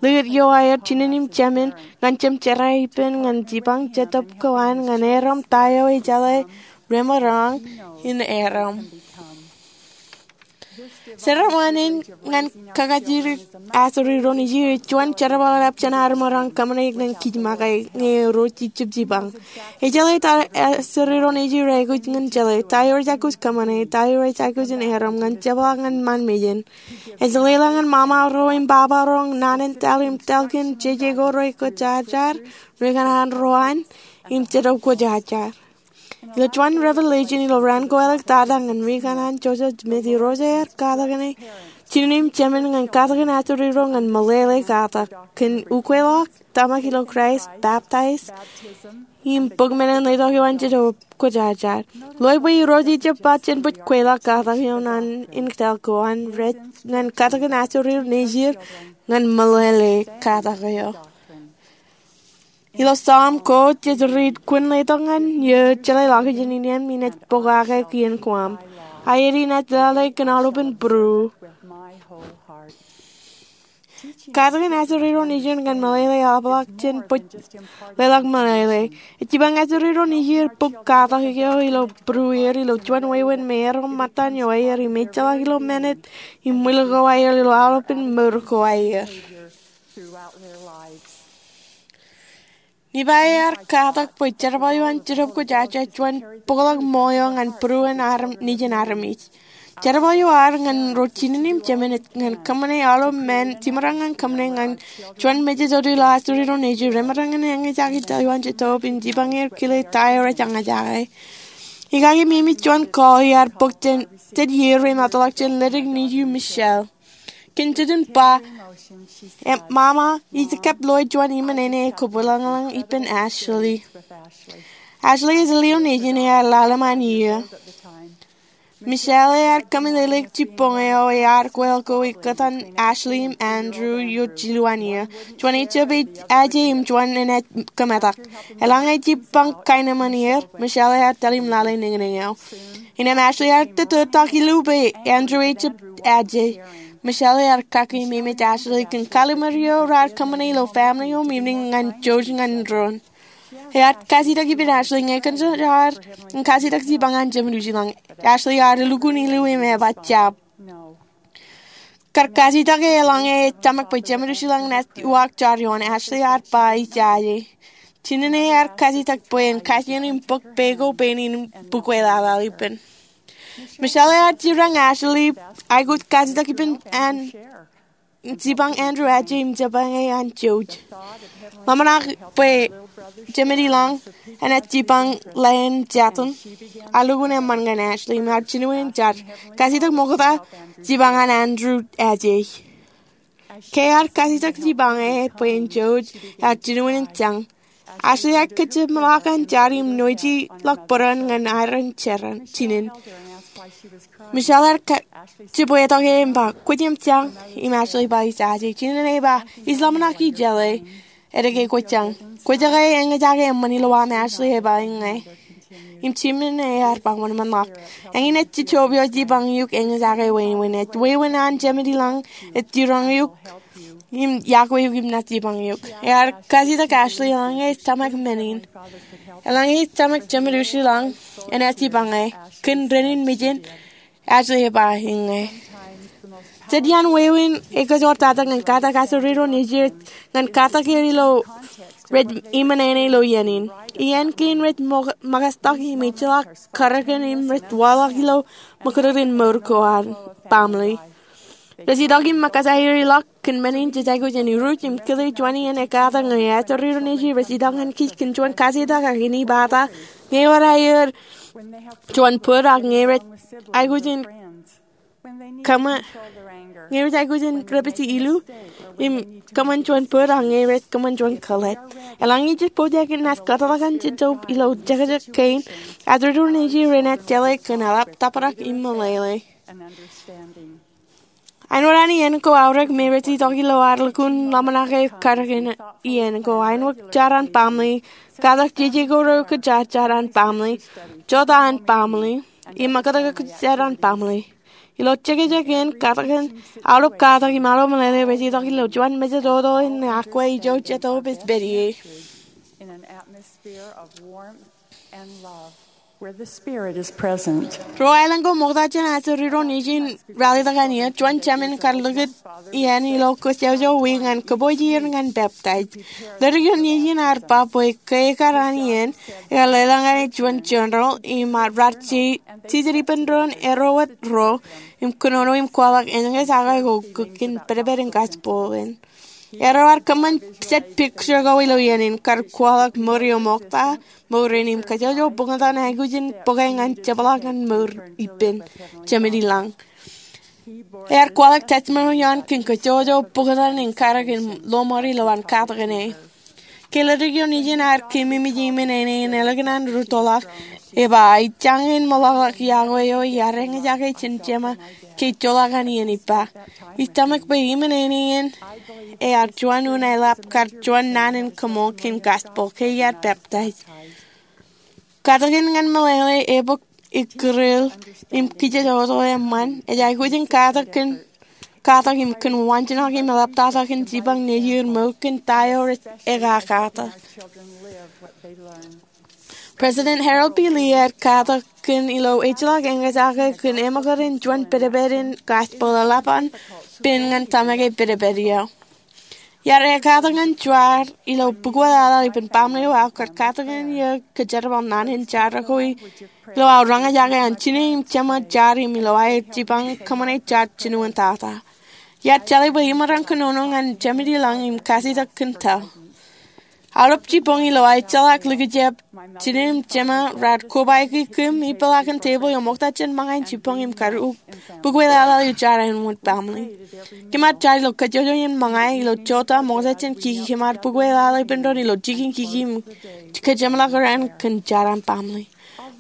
likūt iowaer jinen im jemān ñan jemjerā ippān ñan jipañ jetōb ko an ñan erom ta eo ejeḷā remaroñ in erom. Jeraaṃṃan in ñan kakajidik ajri ro nejū ej juon jerbal ḷap jān ad maroñ kōṃṃane ñan kij make ñe ro jejjab jipañ. Ejeḷā ta ajri ro nejū rej aikuj ñan jeḷā, ta eo rej aikuj kōṃṃane, ta eo rej aikuj in erom ñan jepḷaak ñan ṃaan mejān. Ej leḷọk ñan mama ro im baba ro naan in taḷ im taḷ kōn jeje ko rej kwōjarjar, ri kanaan ro an, im Jetōb Kwōjarjar. Ilo juon Revelation ilo raan ko āliktata ñan ri kanaan Joseph Smith, Irooj ear katak ñan e jinen im jemān ñan katakin ajri ro ñan meḷeḷe katak kōn ukweḷọk, tōmak ilo Kraist, baptize, im bōk men in letok eo an Jetōb Kwōjarjar. Ḷe bwe Irooj ejjab ba jen bōk kweḷọk katak eo naan in taḷ ko an rej ñan katakin ajri ro nejid ñan meḷeḷe katak eo. Ilo Sam ko jej riit, kwōn letok ñan eō jeḷā ḷọkjeṇ in eṇ, im inaaj pokake kien koṃ. Aet, inaaj lale kōn aolepān būruō. Katakin ajri ro nejid ñan meḷeḷe eḷapḷọk jān bōk leḷọk meḷeḷe. Ej jipañ ajri ro nejid bōk katak eo ilo būrueir ilo juon wāween me erom ṃōttan eo aer im ejjeḷọk ilo minit im ṃwil ko aer ilo aolepān mour ko aer. Nifai ear katak bwe jerbal eo an Jetōb Kwōjarjar ej juon bōkḷọk ṃool eo ñan būruon nejin armej. Jerbal eo ad ñan ro jinen im jemān ej ñan kōṃṃane aolep men jiṃṃaṃ ñan kōṃṃane ñan juon mejān ilo ajri ro nejid remaroñ in eñjake ta eo an Jetōb im jipañ er kile ta eo rej eñjake. Ikaki, meñe juon call ear bōk jān jet iiō remootḷọk jān ledik nejū Michelle. Kōn jet in ba, "Mama, ij kab loe juon iṃōn ṇe ej kōpeḷḷọk ippān Ashley." Ashley ej lio nejin ear lale ṃaan iiō. Michelle ear kōmeḷeḷeik jibboñ eo ear kweḷọk ko ekōtan Ashley im Andrew eo jilu an iiō. Juon ejjab aje im juon enaaj kōmetak. Eḷaññe jipañ kaenōṃṃan er, Michelle ear tōl im lale niñniñ eo. Innām Ashley ear tōtōtak ilo peiṃ, Andrew ejjab aje. Michelle ear kaki im emej Ashley kōn kallim̧ur eo raar kōṃṃane ilo family eo im evening ñan jouj ñan doon. Ear kajitak ippān Ashley ñe kōn jaar in kajitak jipañ an Jemedwōj ilañ. Ashley ear lukkuun ilo im ej ba jab. Kar kajitak e eḷaññe ej tōmak bwe Jemedwōj ilañ enaaj uwaak jar ioon. Ashley ear ba ijaje. Jinen ear kajitak bwe en kajjien im bōk pā ko pein in bukwe laḷaḷ ippān. Michelle ear jerañ Ashley aikuj kajitak ippān an jipañ Andrew aje im jipañ e an jouj. Ḷōmṇak bwe jemed ilañ enaaj jipañ ḷeen jatōn ear lukkuun eṃṃan ñan Ashley im ear jinoin jar. Kajitak ṃokta jipañ an Andrew aje. Ke ear kajitak jipañ e bwe en jouj, ear jinoin jañ. Ashley ear kōjjeṃḷọk an jar im nojeḷọk bōran ñan aer in jinen. Michelle ear jibwetok e im ba, "Kwōj jañ?" Im Ashley ba, "Ijaje." Jinen ej ba, "Ij ḷōmṇak ijele. Edeke kwōj jañ. Kwōjake eñjake eṃṃan ilo aṃ." Ashley ej ba, "Iññā." Im jinen ear ba, "Wōnṃaanḷọk. Eñin ej jejjo pio jipañ eok eñjake wāween. Ej wāween an jemed ilañ ej jerañ eok im yokwe eok im naaj jipañ eok." Ear kajitak Ashley eḷaññe ej tōmak men in. Eḷaññe ej tōmak Jemedwōj ilañ enaaj jipañ e. Kōn renin mejān, Ashley ej ba, "Iññā." Jet iaan wāween ekajoor tata ñan katak ajri ro nejū ñan katak er ilo rej iṃōṇōṇō ilo iien in. Iien kein rej ṃōkaj im ejjeḷọk karōkin im rej waḷọk ilo ṃōkūtūtūn mour ko an baaṃle. Rej itok im ṃōkaj aer ḷọk kōn men in jej aikuj in iruj im kile juon iien ekatak ñe ajri ro nejū rej itok ñan kij kōn juon kajitak ak inepata ñe ewōr aer juon bōd ak ñe rej aikuj in kōṃṃan, ñe rej aikuj in repiji ilu im kōṃṃan juon bōd ak ñe rej kōṃṃan juon kōḷḷad. Eḷaññe jej pojak in naaj kōtḷọk an jejjo ilo jekjek kein, ajri ro nejū renaaj jeḷā kōn eḷap tōprak im meḷeḷe. Āinwōt an iien ko aorōk me rej itok ilo ad lukkuun ḷōmṇak e karōkin iien ko, āinwōt jar an baaṃle, katak jeje ko ro kōj jar an baaṃle, jota an baaṃle, im ṃōkaj jar an baaṃle. Ilo jekjek in, katak in aolep katak im aolep meḷeḷe rej itok ilo juon mejatoto in akwe ijo jet opiij pād ie. Ro aelōñ ko ṃokta jān ajri ro nejū in ralitōk an iiō, juon jemān kar likūt iien ilo kōjjojo wiik ñan kōpooj ier ñan peptaij. Ledik eo nejin ear ba bwe ke ekar an iien, ekar leḷọk ñan e juon journal im raar jijet ippān doon erro wōt ro im kōnono im kwaḷọk eñjake ko kōn pedped in gospel in. Erro ear kōṃṃan jet picture ko ilo iien in kar kwaḷọk mour eo ṃokta, mour in im kōjjojo bukot an aikuj in bōke ñan jepḷaak ñan mour ippān jemed ilañ. Ear kwaḷọk testimony eo an kōn kōjjojo bukot an in karōk in lọmọọr ilowaan katakin e. Ke ledik eo nejin ear keememej iṃōṇōṇō in ālikin an rūttoḷọk, ej ba, ij jañin meḷọkḷọk yokwe eo iar eñjake jān Jema ke ejjeḷọk an iien ippa. Ij tōmak bwe iṃōṇōṇō in ear juon unin eḷap kar juon naan in kaṃool kōn gospel ke iar peptaij. Katakin ñan meḷeḷe, ebōk, ikkūrel, im kōjjojo eṃṃan, ej aikuj in katak kōn, katak im kōn waanjoñak im eḷaptata kōn jipañ nejū er mour kōn ta eo rej ekakatak. President Harold B. Lee ear katak kōn ilo ejjeḷọk eñjake kōn eṃōkaj in juon pedped in gospel eḷap an pen ñan tōmak e pedped eo. Iar ekkatak ñan jar ilo bukwe laḷaḷ ippān baaṃle eo aō kar katakin iiō kōjerbal naan in jar ko ilo aō roñjake an jinō im jeṃḷọk jar im ilo aer jipañ kōṃṃane jar jinoin tata. Iar jeḷā bwe iṃōran kōnono ñan jemed ilañ im kajitak kōn ta. Aolep jibboñ ilo aō ejjeḷọk likjab, jinō im jeṃḷọk raar kobaiki kōm im peḷaakin tebōḷ eo ṃokta jān ṃōñā in jibboñ im kar bukwe laḷaḷ ilo jar āinwōt baaṃle. Kōm ar jar ilo kōjjojo in ṃōñā ilo jota ṃokta jān kiki, kōm ar bukwe laḷaḷ ippān doon ilo jikin kiki im kōjeṃḷọk raṇ kōn jar an baaṃle.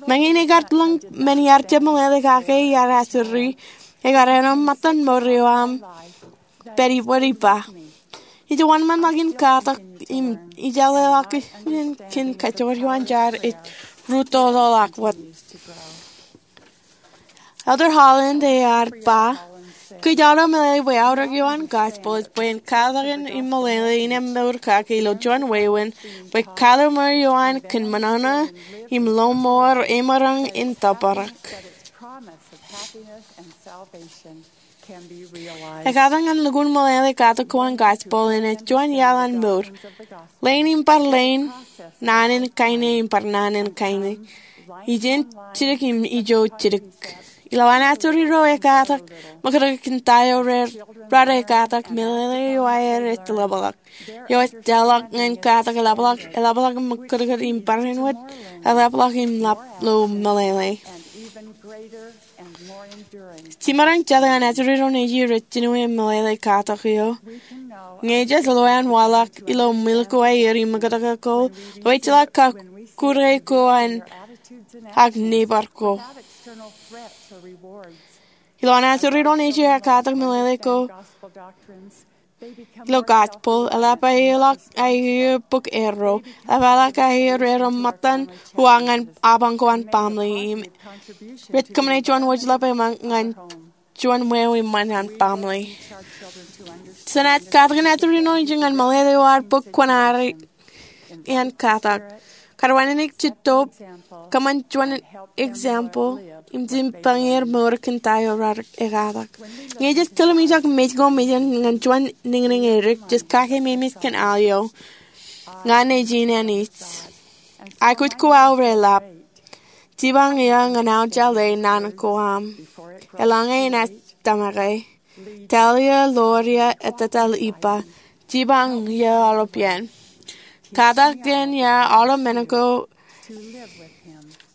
Meñe in ekar lōñ men iar jab meḷeḷe kake iar ajri, ekar āinwōt ṃōttan mour eo aṃ pād ibwid ippa. Ij wōnṃaanḷọk in katak im ij jeḷā ḷọk in kōn kōjjojo eo an jar ej rūttoḷọk wōt. Elder Holland ear ba, Kōj aolep meḷeḷe bwe aorōk eo an gospel ej bwe en katakin im meḷeḷe in mour kake ilo juon wāween bwe kalimur eo an kōn ṃōṇōṇō im lọmọọr emaroñ in tōprak. Ekatakin lukkuun meḷeḷe katak ko an gospel in ej juon iaḷ an mour. Leen im bar leen, naan in kaine im bar naan in kaine, ijeṇ jidik im ijo jidik. Ilowaan ajri ro ekatak, ṃōkaj kōn ta eo raar ekatak, meḷeḷe eo aer ej ḷapḷọk. Eo ej tōprak ñan katak eḷapḷọk, eḷapḷọk im ṃōkaj im barāinwōt, eḷapḷọk im ḷap lo meḷeḷe. Jiṃṃaroñ jet ñan ajri ro nejier rej jino im meḷeḷe katak eo. Ñe jej lo an waḷọk ilo milk ko aer im ṃōkaj ko, lo ejjeḷọk kōn kūrke ko an ak neighbor ko. Ilowaan ajri ro nejier ekatak meḷeḷe ko ilo gospel, eḷap aeḷọk aer bōk erro, eḷap aeḷọk aer erro ṃōttan uwaak ñan apañ ko an baaṃle im rej kōṃṃane juon wōjḷọk eṃṃan ñan juon ṃweo eṃṃan an baaṃle. Jenaaj katakin ajri ro nejier ñan meḷeḷe eo ad bōk kuṇaer in katak. Kar wānōk jitōb, kōṃṃan juon example, im jimjuonñe mour kōn ta eo raar ekatak. Ñe jej tilōmijak mej ko mejān ñan juon niñniñ edik, jej kake memes kōn al eo. Ña nejin Anij. Aikuj ko aō reḷap. Jipañ ia ñan aō jeḷā naan ko aṃ. Eḷaññe enaaj tōmake. Talia, loria, ettōtaḷ ippa. Jipañ ia aolep iien. Katakin ia aolep men ko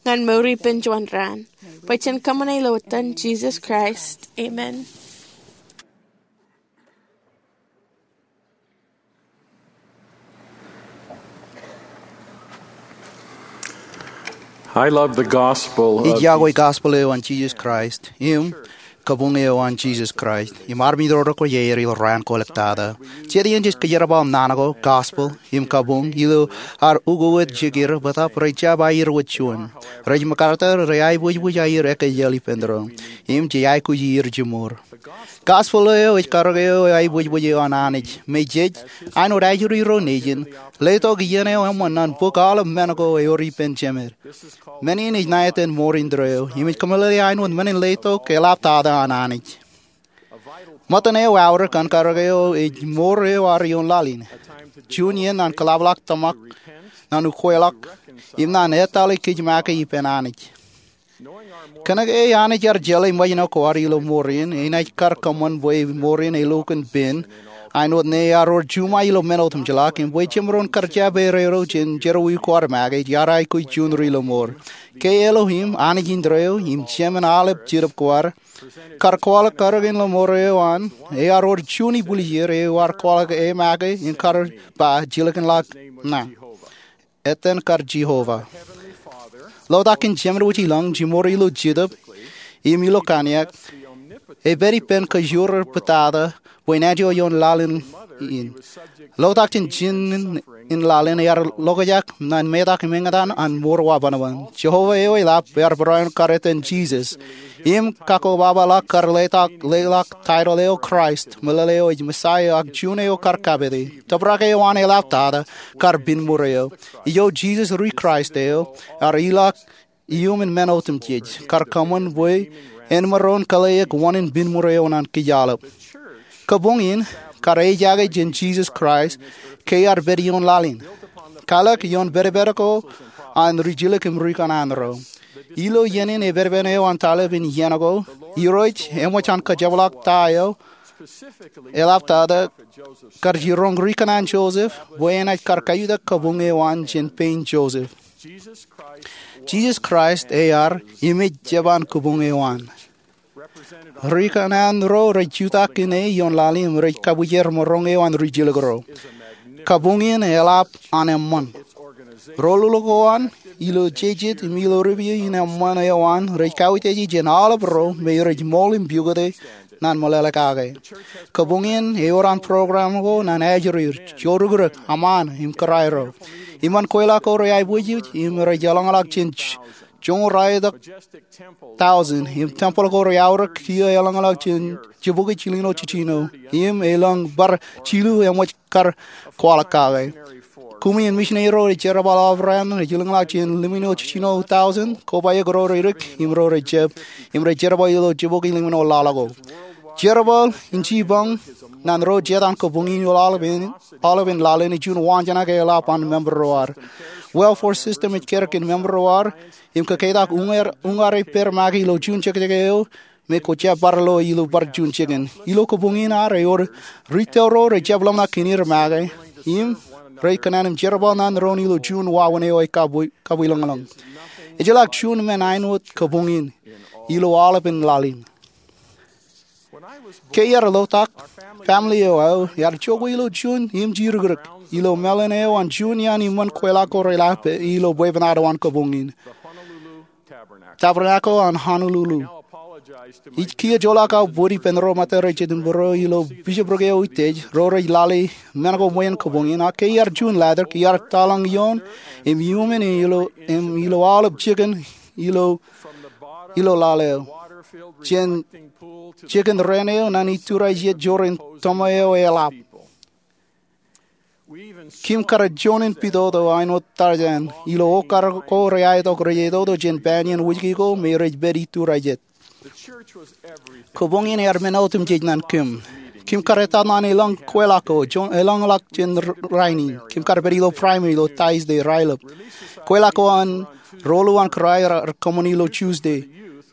ñan mour ippān juon raan. Bwe jen kōṃṃane ilo etan Jisōs Kraist. Amen. I love the gospel of Ij iakwe gospel eo an Jisōs Kraist im kabuñ eo an Jisōs Kraist im armej ro rekwōjarjar ilo raan ko ḷọk tata. Jet iien jej kōjerbal naan ko, gospel im kabuñ ilo ad ukōt jekir bōtab rej jab aier wōt juon. Rej ṃōkarta, rej aiboojoj aier ekkejel ippān doon im jej aikuj ier jimor. Gospel eo ej karōk eo aiboojoj eo an Anij me jej, āinwōt ajri ro nejin, letok iien eo eṃṃan ñan bōk aolep men ko ewōr ippān jemed. Men in ej ṇa etan mour indeeo im ej kōmeḷeḷe āinwōt men in letok eḷaptata an Anij. Ṃōttan eo aorōk an karōk eo ej mour eo ad ioon laḷ in. Juon iien ñan kōḷapḷọk tōmak, ñan ukweḷọk, im ñan etal kōj make ippān Anij. Kōnke Anij ear jeḷā ṃōjṇọ ko ad ilo mour in, enaaj kar kōṃṃan bwe mour in elo kōn pen, āinwōt ñe ear wōr juṃae ilo men otemjeḷọk, im bwe jemaroñ kar jab erreo jān jerọwiwi ko ad make, ear aikuj juon ri ilo mour. Ke Elohim, Anij indeeo, im Jemān aolep jetōb ko ad, kar kwaḷọk karōk in ilo mour eo an, ear wōr juon ibwiljir eo ear kwaḷọk e make, im kar ba jilkinḷọk ṇa. Etan kar Jehovah. Lotak in Jemān wōj ilañ, jimor ilo jetōb im ilo kaniak, epād ippān kajoor eo pād tata bwe enaaj ioon laḷ in. Lotak jān jinen laḷ in ear ḷokjak ñan metak im eñtaan an mour wabanban. Jehovah eo eḷap ear barāinwōt kar etan Jisōs. Im kakkobaba ḷọk kar leḷọk, leḷọk title eo Kraist, meḷeḷe eo ej Messiah ak juon eo kar kapete. Tōprak eo an eḷaptata kar pinmuur eo. Ijo Jisōs ri Kraist eo, ear ilọk iuṃwin men otemjej, kar kōṃṃan bwe en maroñ kōḷḷāik wōṇāān pinmuur eo ñan kōj aolep. Kabuñ in, kar ejaake jān Jisōs Kraist, ke ear pād ioon laḷ in. Kalōk ioon pedped ko an rijjilōk im rikōṇaan ro. Ilo iien in epedped eo an taḷip in iien ko, Irooj eṃōj an kōjepḷọk ta eo eḷaptata kar jiroñ rikōṇaan Joseph bwe enaaj kar kajutak kabuñ eo an jān pein Joseph. Jisōs Kraist ear im ej jeban kabuñ eo an. Rikōṇaan ro rej jutak ine ioon laḷ in im rej kabwijer maroñ eo an rijjilōk ro. Kabuñ in eḷap an eṃṃan. Ro lolok eo an, ilo jejet im ilo ripio in eṃṃan eo an, rej kautiej jān aolep ro me rej ṃool im pukot ñan meḷeḷe kake. Kabuñ in ewōr an program ko ñan ajri, jourukruk, aṃaan, im kōrā ro. Iṃaan kweilọk ko rej aiboojoj im rej eḷọñḷọk jān joñoul ralitōk tọujin, im tempeḷ ko rej aorōk kiiō elōñḷọk jān jibukwi jilñuul jiljino, im elōñ bar jilu eṃōj kar kwaḷọk kake. Kumi in misineri ro rej jerbal aorōk rej ilōñḷọk jān limñuul jiljino tọujin, kobaik ro rej dik im ro rej jab, im rej jerbal ilo jibukwi limñoul laḷ ko. Jerbal in jipañ ñan ro jet an kabuñ in ilo aolepān, aolepān laḷ in ej juon waanjoñak eḷap an member ro ad. Welfare system ej kar kōn member ro ad, im kōkeitak uñaer, uñaer ej pād make ilo juon jekjek eo me kwō jab bar lo ilo bar juon jikin. Ilo kabuñ in ad ewōr retail ro rej jab ḷōmṇak kōn er make, im rej kōṇaan im jerbal ñan doon ilo juon wāween eo ej kabwi, kabwilōñlōñ. Ejjeḷọk juon men āinwōt kabuñ in ilo aolepān laḷ in. Ke iar ḷotak, family eo aō ear jokwe ilo juon im jidikdik ilo mālōn eo an juon iaan iṃōn kweilọk ko reḷap ilo bwebwenato an kabuñ in, Tabernacle an Honolulu. Ij kiiō joḷọk aō bōd ippān ro ṃōttan ro jet im būruō ilo bishopric eo utiej, ro rej lale men ko ṃweien kabuñ in, ak ke iar juon latōk, iar taḷañ ioon im iuṃwin ilo, im ilo aolep jikin ilo, ilo laḷ eo, jān jikin raan eo ñan iturajet joñan toṃa eo eḷap. Kim kar juon in pitoto āinwōt Tarzan ilo okar ko rej aetok, rej aetoto jān pān iien wūjki ko me rej pād iturajet. Kabuñ in ear men otemjej ñan kim. Kim kar etal ñan elōñ kweilọk ko, juon, elōñḷọk jān rainin. Kim kar pād ilo primary ilo Thursday, raelep. Kweilọk ko an roḷọk an kōrā eo rekōṃṃani ilo Tuesday.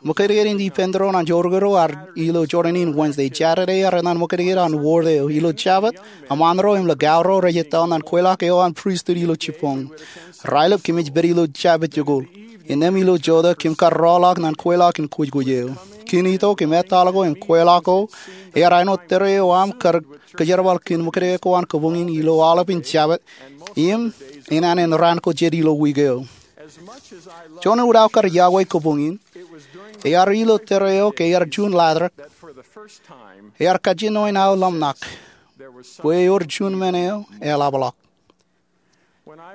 Ṃōkajdik in ippān doon an joorkakpedo ad ilo jorrāān in Wednesday. Saturday ear etal ṃōkajdik an ward eo. Ilo Jabōt, eṃṃaan ro im likao ro rej etal ñan kweilọk eo an pristut ilo jibboñ. Raelep kōmij pād ilo Jabōt jikuuḷ. Innām ilo jota kim kar rọọlḷọk ñan kweilọk in kōjkōj eo. Kōn itok im etal ko im kweilọk ko, ear āinwōt tōre eo aṃ kar kōjerbal kōn ṃōkajdik ko an kabuñ in ilo aolepān Jabōt, im enana in raan ko jet ilo wiik eo. Juon in wiik eo kar iọkwe kabuñ in, ear ilo tōre eo ke ear juon latōk, ear kajjien ṇa aō ḷōmṇak bwe ewōr juon men eo eḷapḷọk.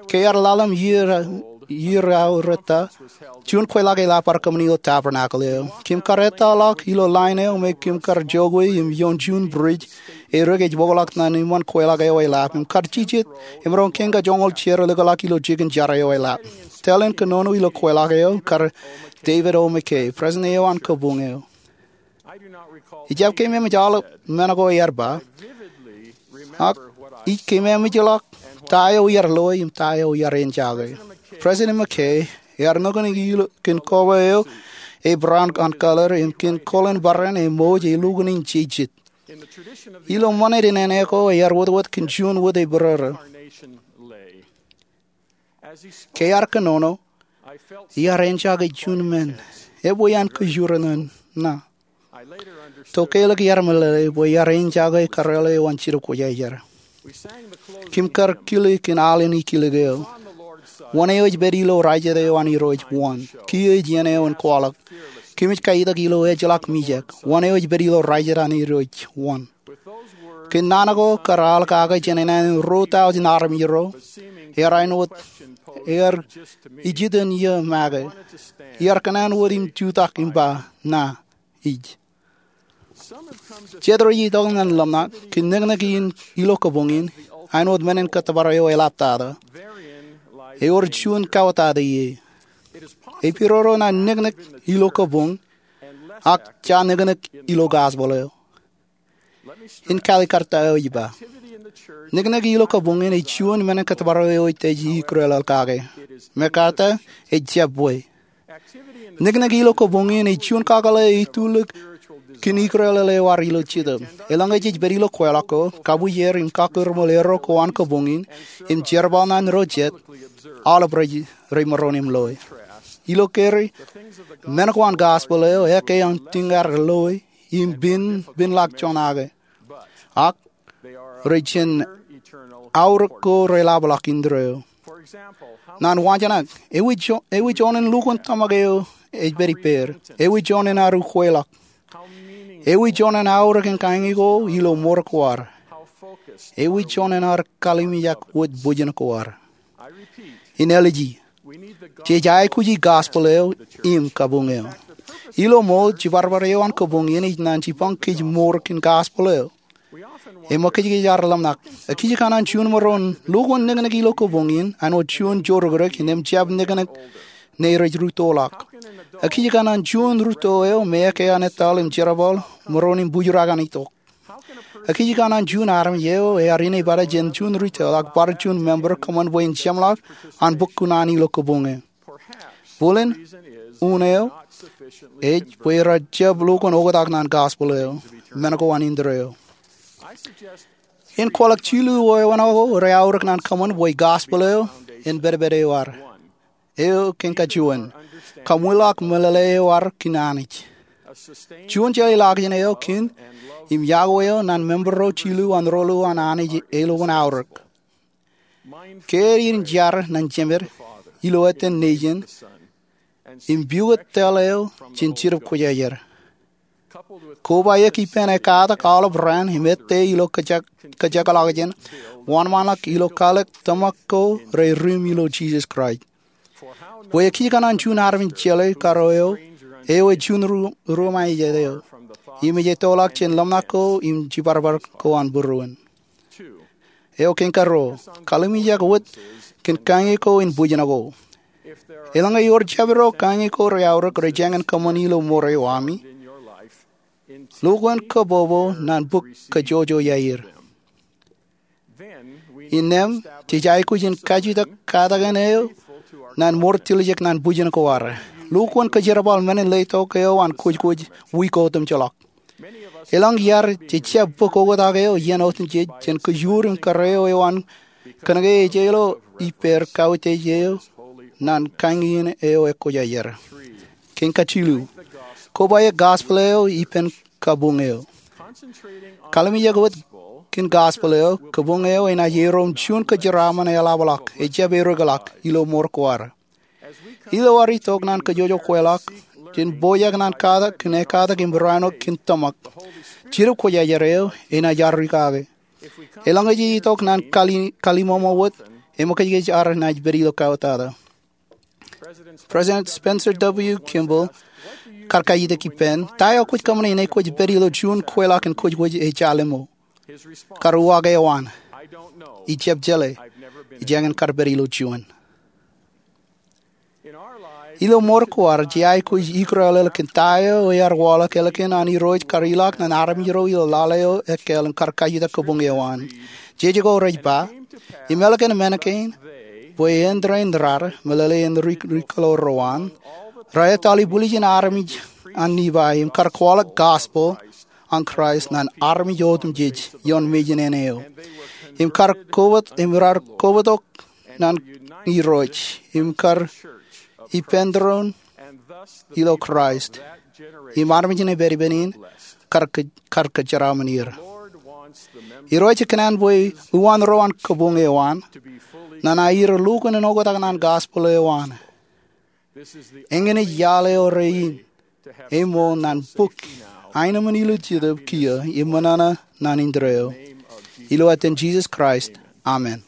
Ke ear ḷalem iiō, iiō eo rōta, juon kweilọk eḷap bar kōṃṃani ilo Tabernacle eo. Kim kar etal ḷọk ilo line eo me kim kar jokwe im ioon juon bridge, erik ej bōkḷọk ñan iṃōn kweilọk eo eḷap, im kar jijet, im roñ kein ka joñoul jar likḷọk ilo jikin jar eo eḷap. Tōl in kōnono ilo kweilọk eo, kar David O. McKay, president eo an kabuñ eo. Ijjab keememej aolep men ko ear ba, ak ij keememej ḷọk ta eo iar loe im ta eo iar āinjake. President McKay ear nōkōn ilo kōn koba eo ej brown an color im kōn koḷan barāinwōt ṃōj ej lukkuun in jejet. Ilo ṃanit in āne ko ear wōtwōt kōn juon wōt ej bōrōrō. Ke ear kōnono, iar āinjake juon men, ebwe an kōjro ñan ṇa. To keḷọk iar meḷeḷe bwe iar āinjake kōrā eo an Jetōb Kwōjarjar. Kim kar kile kōn al in ikilōk eo. Wōn eo ej pād ilo rajet eo an Irooj? Wōn? Kiiō ej iien eo in kwaḷọk. Kōmij kaitak ilo ejjeḷọk mijak. Wōn eo ej pād ilo rajet an Irooj? Wōn? Kōn naan ko kar al kake jān enana in ruo tọujin armej ro, ear āinwōt, ear ijitōn iiō make. Iar kōṇaan wōt im jutak im ba, ṇa ij. Jet rej itok ñan ḷōmṇak kōn niknik in ilo kabuñ in, āinwōt men in kōttōpar eo eḷaptata. Ewōr juon kauwōtata ie. Ej pidodo ñan niknik ilo kabuñ, ak ja niknik ilo gospel eo. In kalikkar ta eo ij ba. Niknik ilo kabuñ in ej juon men in kōttōpar eo ej ikrelel kake. MacArthur, ej jab bwe. Niknik ilo kabuñ in ej juon kakōḷḷe eo itulik kōn ikrelel eo ad ilo Jetōb. Eḷaññe jej pād ilo kweilọk ko, kabwijer im kakūrmol erro ko an kabuñ in, im jerbal ñan ro jet, aolep rej, rej maroñ im loe. Ilo kōrā, men ko an gospel eo, ekkā an tiñgar loe, im pen, penḷọk joñak eo. Ak rej jān aorōk ko reḷapḷọk indeeo. Ñan waanjoñak, ewi jo-, ewi joñan lukkuun tōmak eo ej pād ippāer? Ewi joñan aru kweilọk? Ewi joñan aorōk in kañi ko ilo mour ko ad? Ewi joñan ad kalimjek wōt bōjjān ko ad? In āliji, Jej aikuji gospel eo im kabuñ eo. Ilo ṃool, jibadbad eo an kabuñ in ej naan jipañ kōj mour kōn gospel eo. Eṃōkajkōj ad ḷōmṇak. Ekij kōṇaan juon maroñ lukkuun neknek ilo kabuñ in āinwōt juon joorōkrōk innem jab neknek ṇe rej rūttoḷọk? Ekij kōṇaan juon rūtto eo me eke an etal im jerbal maroñ im bujrak an itok? Ekij kōṇaan juon armej eo ear inepata jān juon rūtto ak bar juon member kōṃṃan bwe en jeṃḷọk an bōk kuṇaan ilo kabuñ eo? Bōlen, unin eo ej bwe rej jab lukkuun oktak naan gospel eo men ko an indeeo. In kwaḷọk jilu eo ewanwōt ko reaorōk naan kōṃṃan bwe gospel eo en pedped eo ad. Eo kein kajuon, kaṃwilaḷọk meḷeḷe eo ad kōn Anij. Juon jeḷā ḷọkjeṇ eo kōn im yokwe eo naan member ro jilu an ro lu an Anij elukkuun aorōk. Ke ear in jar naan jemed ilo etan Nejin im pukot tōl eo jān Jetōb Kwōjarjar, kobaik ippān ekkatak aolep raan im ettā ilo kōjak, kōjakḷọkjeṇ, wōnṃaanḷọk ilo kwaḷọk tōmak ko rej ri im ilo Jisōs Kraist. Bwe ekij kōṇaan juon armej jeḷā kōrā eo, eo ej juon ru, ruōṃaejet eo im ej ettoḷọk jān ḷōmṇak ko im jibadbad ko an būruon. Eo kein karuo, kallimjek wōt kōn kañe ko in bwijin ko. Eḷaññe ewōr jabdewōt kañe ko reaorōk rej jañin kōṃṃan ilo mour eo ami, lukkuun kabbokbok naan bōk kōjojoi aer. Innām, jej aikuj in kajutak katakin eo naan mour tiljek naan bwijin ko ad. Lukkuun kōjerbal men in letok eo an kwōjkwōj wiik otemjej ḷọk. Eḷaññe iar, jej jab bōk oktak eo iien otemjej jān kōjuur im kōrā eo eo an kōnke ejjeḷọk ippāer kautiej eo naan kañin eo ekwōjarjar. Kein kajilu, kobaik gospel eo ippān kabuñ eo. Kallimjek wōt kōn gospel eo, kabuñ eo enaaj erom juon kōjeraaṃṃan eḷapḷọk, ejjab ereḷọk, ilo mour ko ad. Ilo ad itok naan kōjojokweḷọk jān pojak naan katak kōn ekkatak im rāinwōt kōn tōmak, Jetōb Kwōjarjar eo enaaj ar rikaki. Eḷaññe jej itok naan kali, kallimōṃō wōt, eṃōkajkōj ad naaj pād ilo kauwōtata. President Spencer W. Kimball kar kajutak ippān, ta eo kwōj kōṃṃane enaaj kwōj pād ilo juon kweilọk in kwōjkwōj ejja lemñoul? Kar uwaak eo an, ijjab jeḷā. Ijañin kar pād ilo juon. Ilo mour ko ad, jej aikuj ikōrọọl kōn ta eo ear waḷọk ālikin an Irooj kar ilọk naan armej ro ilo lale eo ekkāāl im kar kajutak kabuñ eo an. Jej ko rej ba, im ālikin men kein, bwe en rein rad, meḷeḷe in ri, ri kōḷaer ro an, rej ettoḷọk ibwiljin armej an Nifai, im kar kwaḷọk gospel an Kraist naan armej otemjej ioon mejān eo. Im kar kobōt, im rar kobōtok naan Irooj, im kar ippān tōre ilo Kraist, im armej in epedepen in kar kō, kar kōjeraaṃṃan er. Irooj ekōṇaan bwe uwaan ro an kabuñ eo an, naan aer lukkuun in oktak naan gospel eo an. Eñin ej iaḷ eo rein eṃool naan bōk aenōṃṃan ilo jetōb kiiō im ṃōṇōṇō naan indeeo. Ilo etan Jisōs Kraist, amen.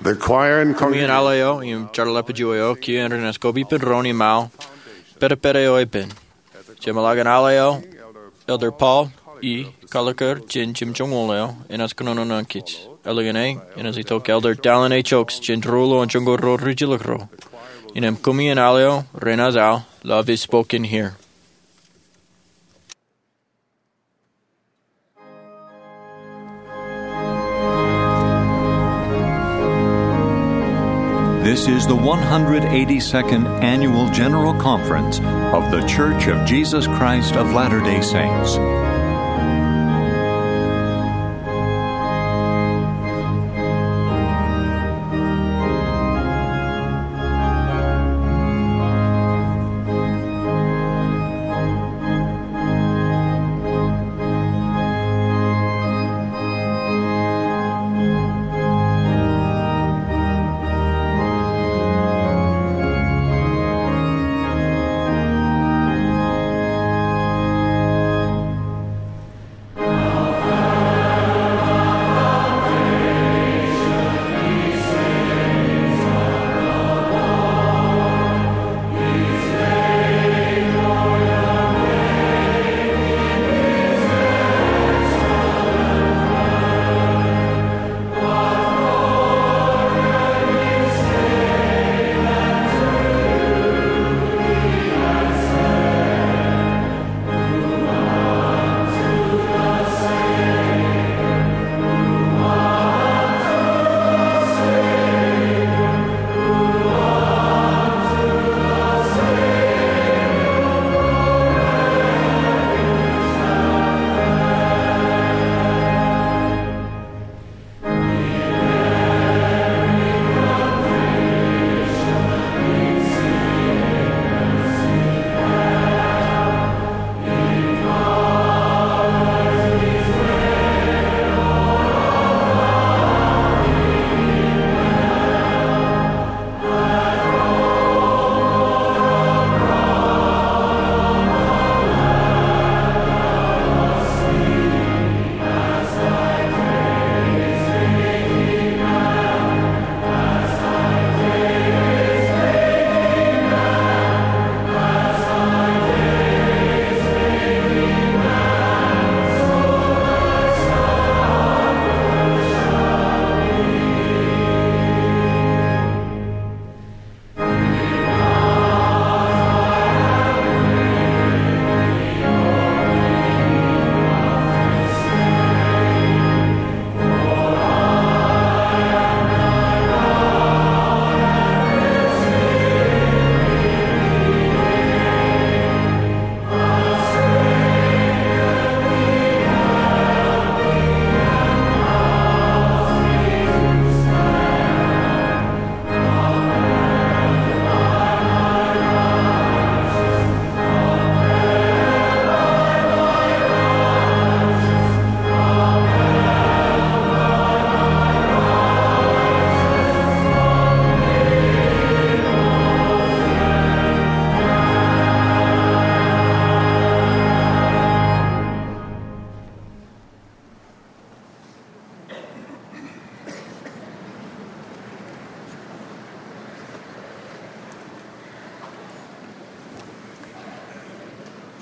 The choir and congregation. Koṃṃool aḷ eo im jeḷā ḷapij eo kiiō enaaj koba ippān doon im aō pedped eo epen. Jeṃḷọkin aḷ eo, Elder Paul E. Gallagher jān jimjuonñoul eo enaaj kōnono nañinmej. Ālikin e enaaj itok Elder Dallin H. Oaks jān ruo ilo joñoul ruo ri jilkinro. Innām koṃṃool aḷ eo renaaj aō Love Is Spoken Here. This is the one hundred eighty-second Annual General Conference of The Church of Jesus Christ of Latter-day Saints.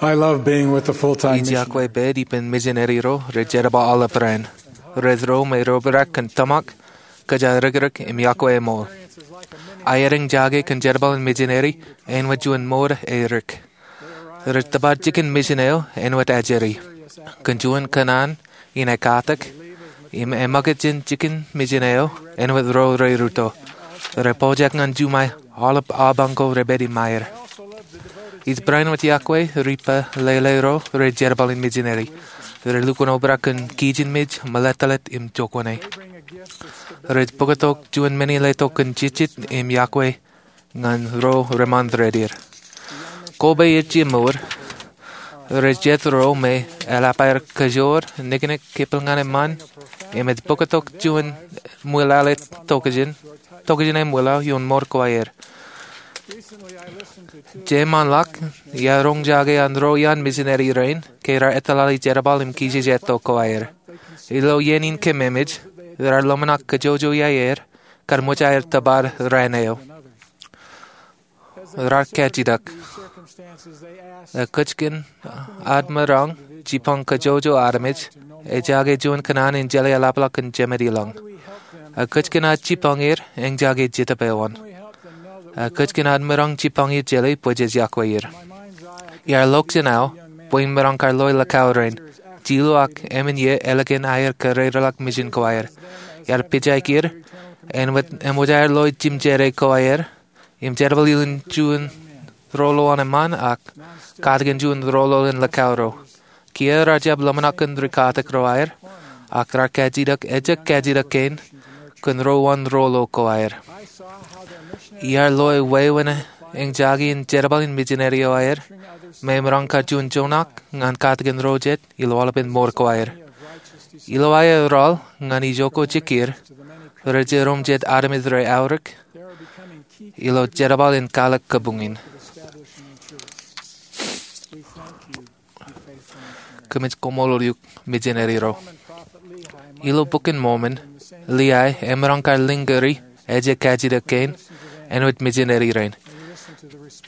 I love being with the full-time Ij missionary. Yokwe pād ippān mijineri ro rej jerbal aolep raan. Rej ro me rej obrak kōn tōmak, kōjatdikdik im yokwe eṃool. Aer eñjake kōn jerbal in mijineri āinwōt juon mour erik. Rej tōpar jikin mission eo āinwōt ajri, kōn juon kōṇaan in ekatak, im eṃōkaj jān jikin mission eo āinwōt ro reruto. Rej pojak ñan juṃae aolep apañ ko repād im aer. Ij barāinwōt yokwe ripalele ro rej jerbal in mijineri. Rej lukkuun obrak kōn kijenmej, meḷeḷe im jokuṇe. Rej bōktok juon men in letok kōn jejjet im yokwe ñan ro reṃṃan dedeir. Kobaik er jemād, rej jet ro me eḷap aer kōjoor niknik kepel ñan eṃṃan, im ej bōktok juon ṃwilaḷ, tokjān, tokjān ṃwilaḷ ioon mour ko aer. Jeṃḷọk, iar roñjake an ro iaan mijineri rein ke raar etalale jerbal im kijejeto ko aer. Ilo iien in kememej, raar ḷōmṇak kōjoojo iaer kar ṃōj aer tōpar raan eo. Raar kajjitōk. Ekōjkan ad maroñ jipañ kōjoojo armej ejake juon kōṇaan in jeḷā eḷapḷọk kōn jemed ilañ. Ekōjkan ad jipañ er eñjake jetōb eo an. Ekōjkan ad maroñ jipañ er jeḷā bwe jej yokwe er. Iar ḷọk jān aō bwe in maroñ kar loe likao rein, jilu ak emān ie ālikin aer kōrereḷọk mission ko aer. Iar pejak er, āinwōt eṃōj aer loe jimjere ko aer, im jerbal ilo juon rōḷḷoul an eṃṃan ak katakin juon rōḷḷoul in likao ro. Kiiō raar jab ḷōmṇak kōn rikatak ro aer, ak raar kajjitōk, ejjab kajjitōk kein, kōn ro wōn rōḷḷoul ko aer. Iar loe wāween eñjake in jerbal in mijineri eo aer, me emaroñ kar juon joñak ñan katakin ro jet ilo aolepān mour ko aer. Ilo aer rọọl ñan ijoko jekir, rej jiroñ jet armej rej aorōk ilo jerbal in kwaḷọk kabuñ in. Kōmij koṃṃool eok, mijineri ro. Ilo Bok in Mormon, Liai emaroñ kar liñgiri ejjab kajjitōk kein āinwōt mijineri rein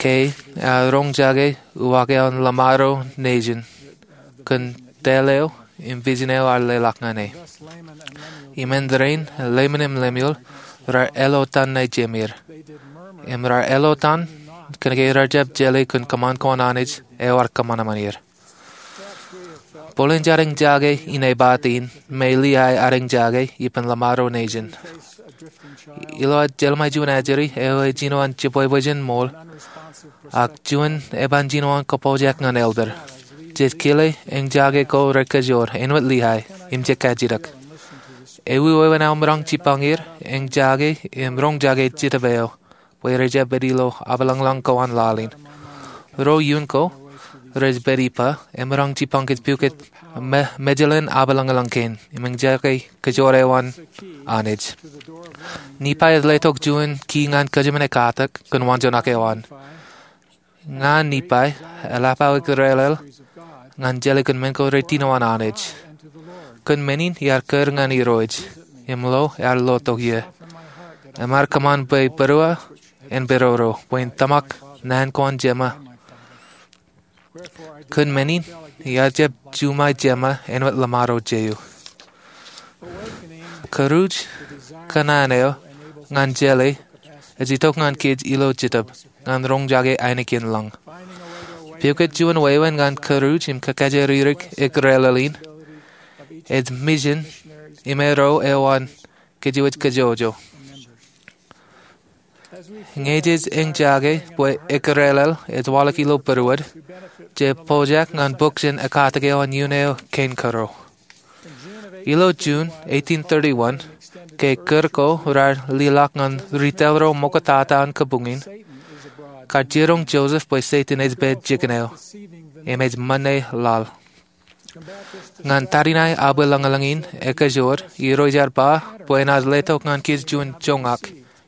ke ear roñjake uwaak eo an Lamaro Nation kōn tōl eo im vision eo ear leḷọk ñan e. Im āindein, Leman im Lemuel raar ālọtan ṇa jemāer. Im raar ālọtan kōnke raar jab jeḷā kōn kōṃṃan ko an Anij eo ear kōṃanṃan er. Bōlen jar eñjake in epād in me Liai ear eñjake ippān Lamaro Nation. Ilo ad jeḷā ṃae juon ajri eo ejino an jibwebwe jān ṃool, ak juon eban jino an kōpojak ñan elder, jej kile eñjake ko rekōjoor āinwōt Liai im jej kajjitōk. Ewi wāween aō maroñ jipañ er eñjake im roñjake jetōb eo bwe rej jab pād ilo apḷōñḷōñ ko an laḷ in? Ro iien ko rej pād ippa emaroñ jipañ kōj pukot me-, mejālen apḷōñḷōñ kein im eñjake kōjoor eo an Anij. Nephi ej letok juon ki ñan kōjmān ekatak kōn waanjoñak eo an. Ña Nephi, eḷap aō ikōrālel ñan jeḷā kōn men ko retino an Anij. Kōn men in iar kūr ñan Irooj, im lo ear lotok ie. Im ear kōṃṃan bwe būruō en pād ro, bwe in tōmak naan ko an Jema. Kōn men in iar jab juṃae Jema āinwōt Lamaro Jehu. Kūruj kōṇaan eo ñan jeḷā ej itok ñan kōj ilo jetōb ñan roñjake ainikien lañ. Pukot juon wāween ñan kūruj im kakajoor ri-ikōrālel in, ej mission im ro eo an kōjwōj kōjwōj. Ñe jej eñjake bwe ikōrālel ej waḷọk ilo būruod, jej pojak ñan bōk jān ekatak eo an iien eo kein kōrā. Ilo June eighteen thirty-one, ke kūr ko raar leḷọk ñan ri-tōl ro ṃoktata an kabuñ in, kar jiroñ Joseph bwe Setan ej pād jikin eo im ej ṃōṇe laḷ. Ñan tariṇae abwilōñlōñ in ekajoor, Irooj ear ba bwe enaaj letok ñan kōj juon joñak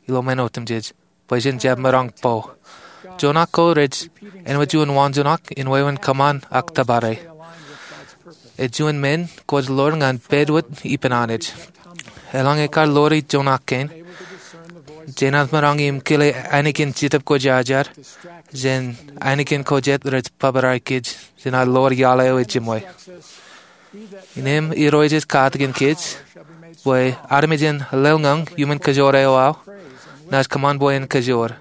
ilo men otemjej bwe jen jab maroñ bo. Joñak ko rej āinwōt juon waanjoñak in wāween kōṃṃan ak tōpare. Ej juon men kwōj ḷoor ñan pād wōt ippān Anij. Eḷaññe kar ḷoori joñak kein, jenaaj maroñ im kile ainikien Jetōb Kwōjarjar jān ainikien ko jet rej bōbrae kōj jān ad ḷoor iaḷ eo ejiṃwe. Innem Irooj ej katakin kōj bwe armej en lōḷñọñ iuṃwin kōjoor eo aō, naaj kōṃṃan bwe en kōjoor.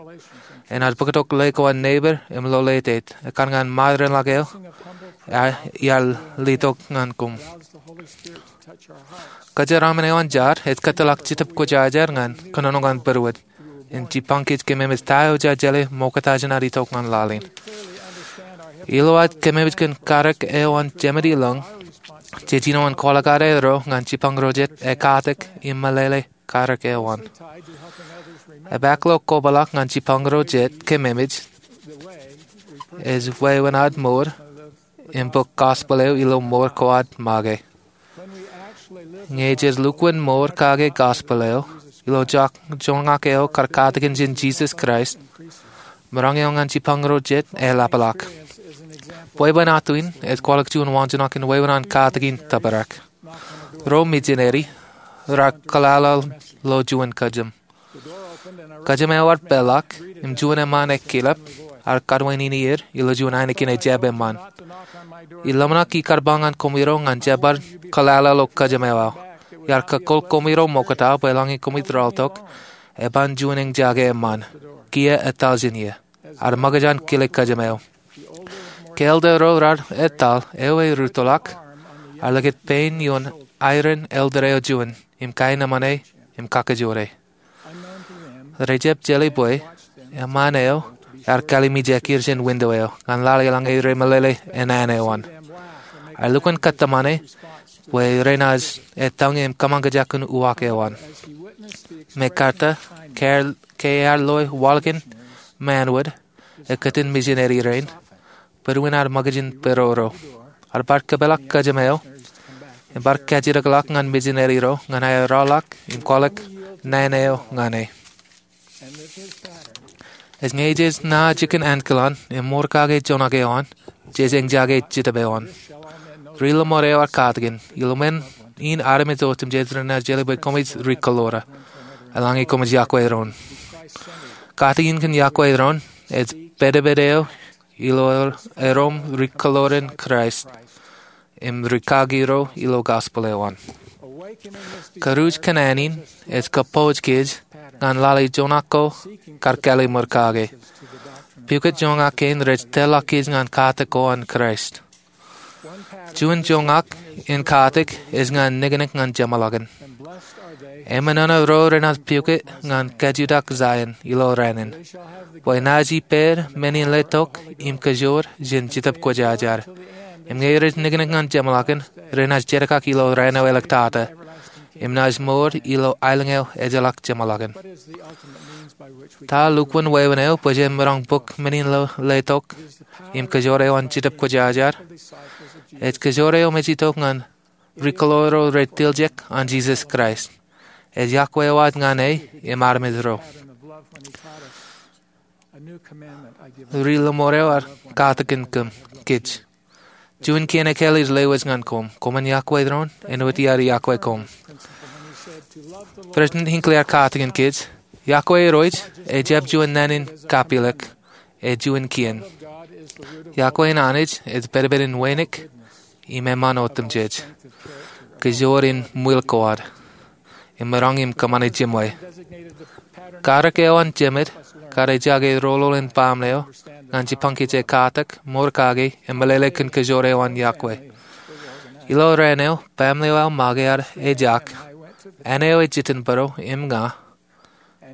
Enaaj bōktok ḷe ko an neighbor im loletaet, ekkar ñan ṃaad renḷọk eo iar letok ñan koṃ. Kōjeraaṃṃan eo an jar ej kōtḷọk Jetōb Kwōjarjar ñan kōnono ñan būruod im jipañ kōj kememej ta eo jaar jeḷā ṃokta jān ad itok ñan laḷ in. Ilo ad kememej kōn karōk eo an Jemān ilọñ, jej jino in kwaḷọk ad aerro ñan jipañ ro jet ekatak im meḷeḷe karōk eo an. Epaak ilo kobaḷọk ñan jipañ ro jet kememej ej wāween ad mour im bōk gospel eo ilo mour ko ad make. Ñe jej lukkuun mour kake gospel eo ilo joñak eo kar katakin jān Jisōs Kraist, maroñ eo ñan jipañ ro jet eḷapḷọk. Bwebwenato in ej kwaḷọk juon waanjoñak in wāween an katakin tōprak. Ro mijineri raar kōḷaḷḷaḷ ilo juon kōjām. Kōjām eo ear peḷḷọk im juon eṃṃaan ekkilep ear kadwaineneer ilo juon ainikien ejab eṃṃaan. Iḷōmṇak ikar ba ñan koṃiro ñan jab bar kōḷaḷḷaḷ ilo kōjām eo aō. Iar kōkol koṃiro ṃokta bwe eḷaññe koṃij rọọltok, eban juon eñjake eṃṃaan. Kiiō etal jān eō. Ear ṃōkaj an kile kōjām eo. Ke elder ro raar etal, eo erūttoḷọk, ear likūt pein ioon airen elder eo juon im kaenōṃṃane im kakajoore. Rejab jeḷā bwe eṃṃaan eo ear kallimjek er jān window eo ñan lale eḷaññe remeḷeḷe ennaan eo an. Ear lukkuun kōttōmāne bwe renaaj etal ñe im kōṃṃan kōjak kōn uwaak eo an. Mekarta, ke ear loe waḷọk in Manwod, ekkōtin mijineri rein, būruon ear ṃōkaj in peroro. Ear bar kōpeḷḷọk kōjām eo im bar kajjitōkḷọk ñan mijineri ro ñan aer rọọlḷọk im kwaḷọk naan eo ñan e. Ej ñe jej nā jikin ankilaan im mour kake joñak eo an, jej eñjake Jetōb eo an. Ri-lọmọọr eo ear katakin, ilo men in armej otemjej renaaj jeḷā bwe koṃij ri-kōḷoor eḷaññe koṃij yokwe doon. Katakin kōn yokwe doon ej pedped eo ilo erom ri-kōḷoor in Kraist im rikaki ro ilo gospel eo an. Kūruj kōn āne in ej kōpooj kōj ñan lale joñak ko kar kālōt mour kake. Pukot joñak kein rej tōrḷọk kōj ñan katak ko an Kraist. Juon joñak in katak ej ñan niknik ñan jeṃḷọkin. Eṃōṇōṇō ro renaaj pukot ñan kajutak Zion ilo raan in, bwe naaj ippāer men in letok im kōjoor jān Jetōb Kwōjarjar. Im ñe rej niknik ñan jeṃḷọkin, renaaj jetkak ilo raan eo āliktata im naaj mour ilo aelōñ eo ejjeḷọk jeṃḷọkin. Ta lukkuun wāween eo bwe jen maroñ bōk men in letok im kōjoor eo an Jetōb Kwōjarjar? Ej kōjoor eo me ej itok ñan ri-kōḷoor ro retiljek an Jisōs Kraist. Ej yokwe eo ad ñan e im armej ro. Ri-lọmọọr eo ear katakin kōm, kōj. Juon kien ekkāāl ij lewōj ñan koṃ. Koṃwin yokwe doon, āinwōt iar yokwe koṃ. President Hinckley ear katakin kōj, yokwe Irooj ejjab juon naan in kapilōk, ej juon kien. Yokwe in Anij ej pedped in wānōk im eṃṃan otemjej. Kōjoor in ṃwiil ko ad im maroñ im kōṃṃane jiṃwe. Karōk eo an jemed kar ejjake roñoul in baaṃle eo ñan jipañ kōj ekatak, mour kake, im meḷeḷe kōn kōjoor eo an yokwe. Ilo raan eo baaṃle eo aō make ear ejak, āne eo ej jitin bōro im ña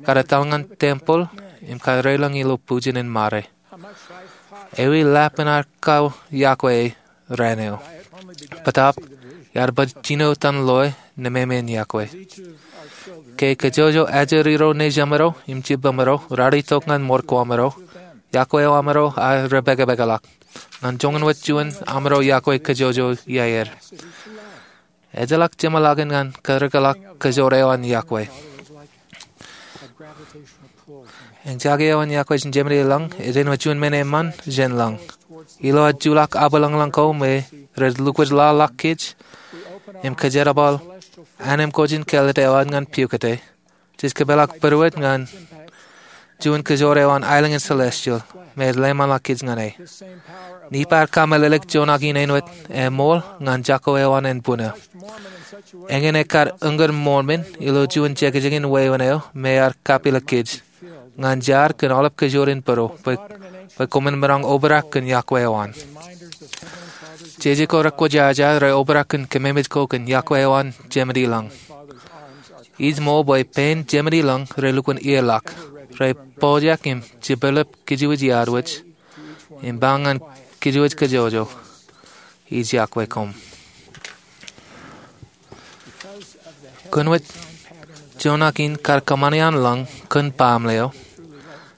kar etal ñan tempeḷ im kar reiḷọñ ilo bujen in ṃare. Ewi lapen ad kau yokwe raan eo? Bōtaab, iar baj jino etan loe nemāmeen yokwe. Ke kōjwōjwō ajri ro nejamro im jibamro raar itok ñan mour ko amro, yokwe eo amro aō repākpākḷọk. Ñan joñan wōt juon amro yokwe kōjwōjwō iaer. Ejjeḷọk jeṃḷọkin ñan karōkḷọk kōjoor eo an yokwe. Eñjake eo an yokwe jān Jemān ilọñ ej āinwōt juon men eṃṃan jān lọñ. Ilo ad juḷọk aō bwilōñlōñ ko me rej lukkuun lọḷọk kōj im kōjerbal anemkwōj in kāālōt eo ad ñan pukot e, Jej kōpeḷḷọk būruod ñan juon kōjoor eo an aelōñ in celestial me ej lōṃaanḷọk kōj ñan e. Nipper kab meḷeḷe in joñak in āinwōt eṃool ñan jako eo an ānbwinnin. Eñin ekar uññūr Mormon ilo juon jekjekin wāween eo me ear kappilōk kōj ñan jaar kōn aolep kōjoor in būruod bwe koṃwin maroñ obrak kōn yokwe eo an. Jeje ko rekwōjaja reobrak kōn kememej ko kōn yokwe eo an Jemedilōñ. Ij ṃool bwe pein Jemedilōñ relukkuun iiō ḷọk, repojak im jepelep kōjwōj iar wōj im ba ñan kōjwōj kōjwōj, ij yokwe koṃ. Kōn wōt joñak in kar kōṃṃani an lōñ kōn baaṃle eo,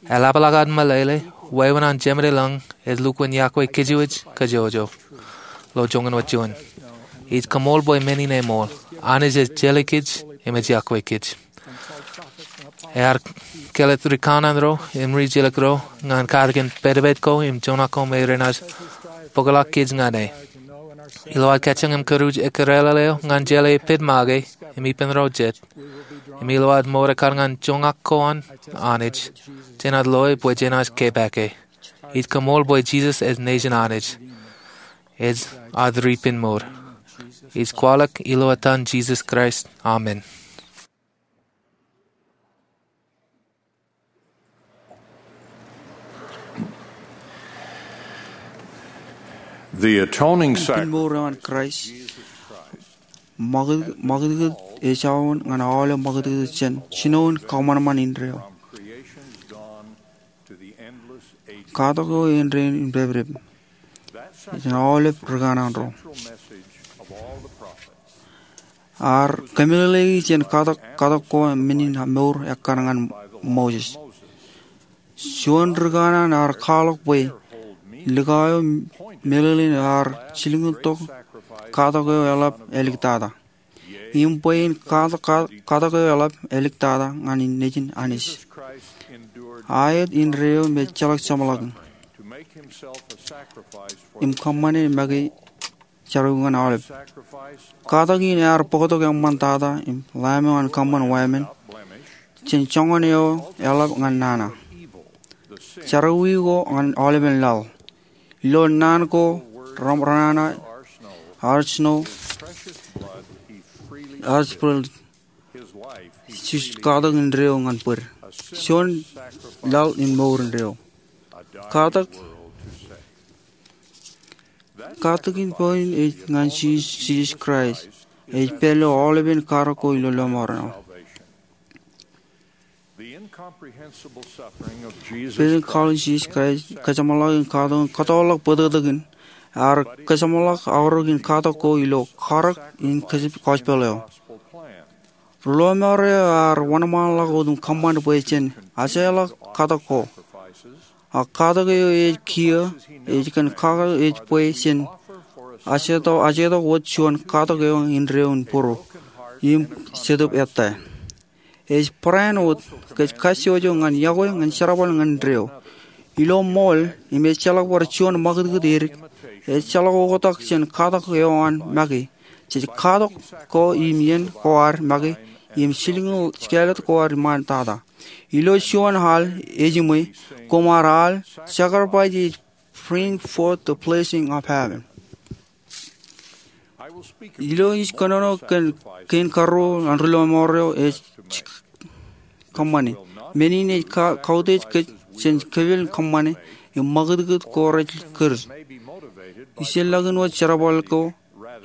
eḷapḷọk ad meḷeḷe wāween an Jemedilōñ ej lukkuun yokwe kōjwōj kōjwōj ilo joñan wōt juon. Ij koṃṃool bwe men in eṃool. Anij ej jeḷā kōj im ej yokwe kōj. Ear kelōt rikanaan ro im ri-jilkinro ñan katakin pedped ko im joñak ko me renaaj bōkḷọk kōj ñan e. Ilo ad kajjioñ im kūr ekkar eo ñan jeḷā pedmake im ippān ro jet, im ilo ad ṃool ekkar ñan joñak ko an Anij, jenaaj loe bwe jenaaj kepaake. Ij koṃṃool bwe Jisōs ej Nejin Anij, ej ad Ripenmour. Ij kwaḷọk ilo etan Jisōs Kraist, amen. The atoning sacrifice. Ripenmour eo an Kraist ṃakūtkūt ej aō ñan aolep ṃakūtkūt jān jinoin kōṃanṃan indeeo. Katak eo āindein in pāpdep jān aolep rikanaan ro. Ear kōmeḷeḷeiki jān katak, katak ko men in mour ekkar ñan Moses. Juon rikanaan ear kwaḷọk bwe likao eo meḷeḷein ear jilkintok katak eo eḷap āliktata. Im bwe in katak, katak eo eḷap āliktata ñan in Nejin Anij. Aet indeeo me ejjeḷọk jeṃḷọk im kōṃṃane make jerọwiwi ñan aolep. Katak in ear bōktok eṃṃantata im Lamb eo an kōṃṃan wāween jān joñan eo eḷap ñan nana. Jerọwiwi ko ñan aolepen laḷ. Ilo naan ko, ram, renana, arjno, arjbwil, Jisōs katak indeeo ñan bōd. Juon laḷ in mour indeeo. Katak, katak in point ej ñan Jisōs, Jisōs Kraist. Ej pād ilo aolepen katak ko ilo lọmọọren aō. Pād in kwaḷ in Jisōs Kraist, kōjeṃḷọk in katak in kōtọọrḷọk bōtōktōkin, ear kōjeṃḷọk aorōk in katak ko ilo karōk in kōjpel eo. Ri-lọmọọr eo ear wōnṃaanḷọk wōt im kōṃṃan bwe jen ajeḷọk katak ko. Ak katak eo ej kiiō, ej kōn kake ej bwe jen ajetok, ajetok wōt juon katak eo indeeo in būruō im Jetōb ettā. Ej barāinwōt kōj kajjojo ñan yokwe ñan jerbal ñan indeeo. Ilo ṃool, im ejjeḷọk bar juon ṃakūtkūt edik, ejjeḷọk oktak jān katak eo an make. Jej katak ko im iien ko ad make, im jilkinḷọk kāālōt ko ad iṃaantata. Ilo juon al, ejiṃwe, koṃ ar al, sacrifice is bring forth the blessing of heaven. Ilo ij kōnono kōn kein karuo an ri-lọmọọr eo ej kōṃṃane. Men in ej ka-, kautiej kōj jān kōpel kōṃṃane im ṃakūtkūt ko rej kūr. Ijellọkin wōt jerbal ko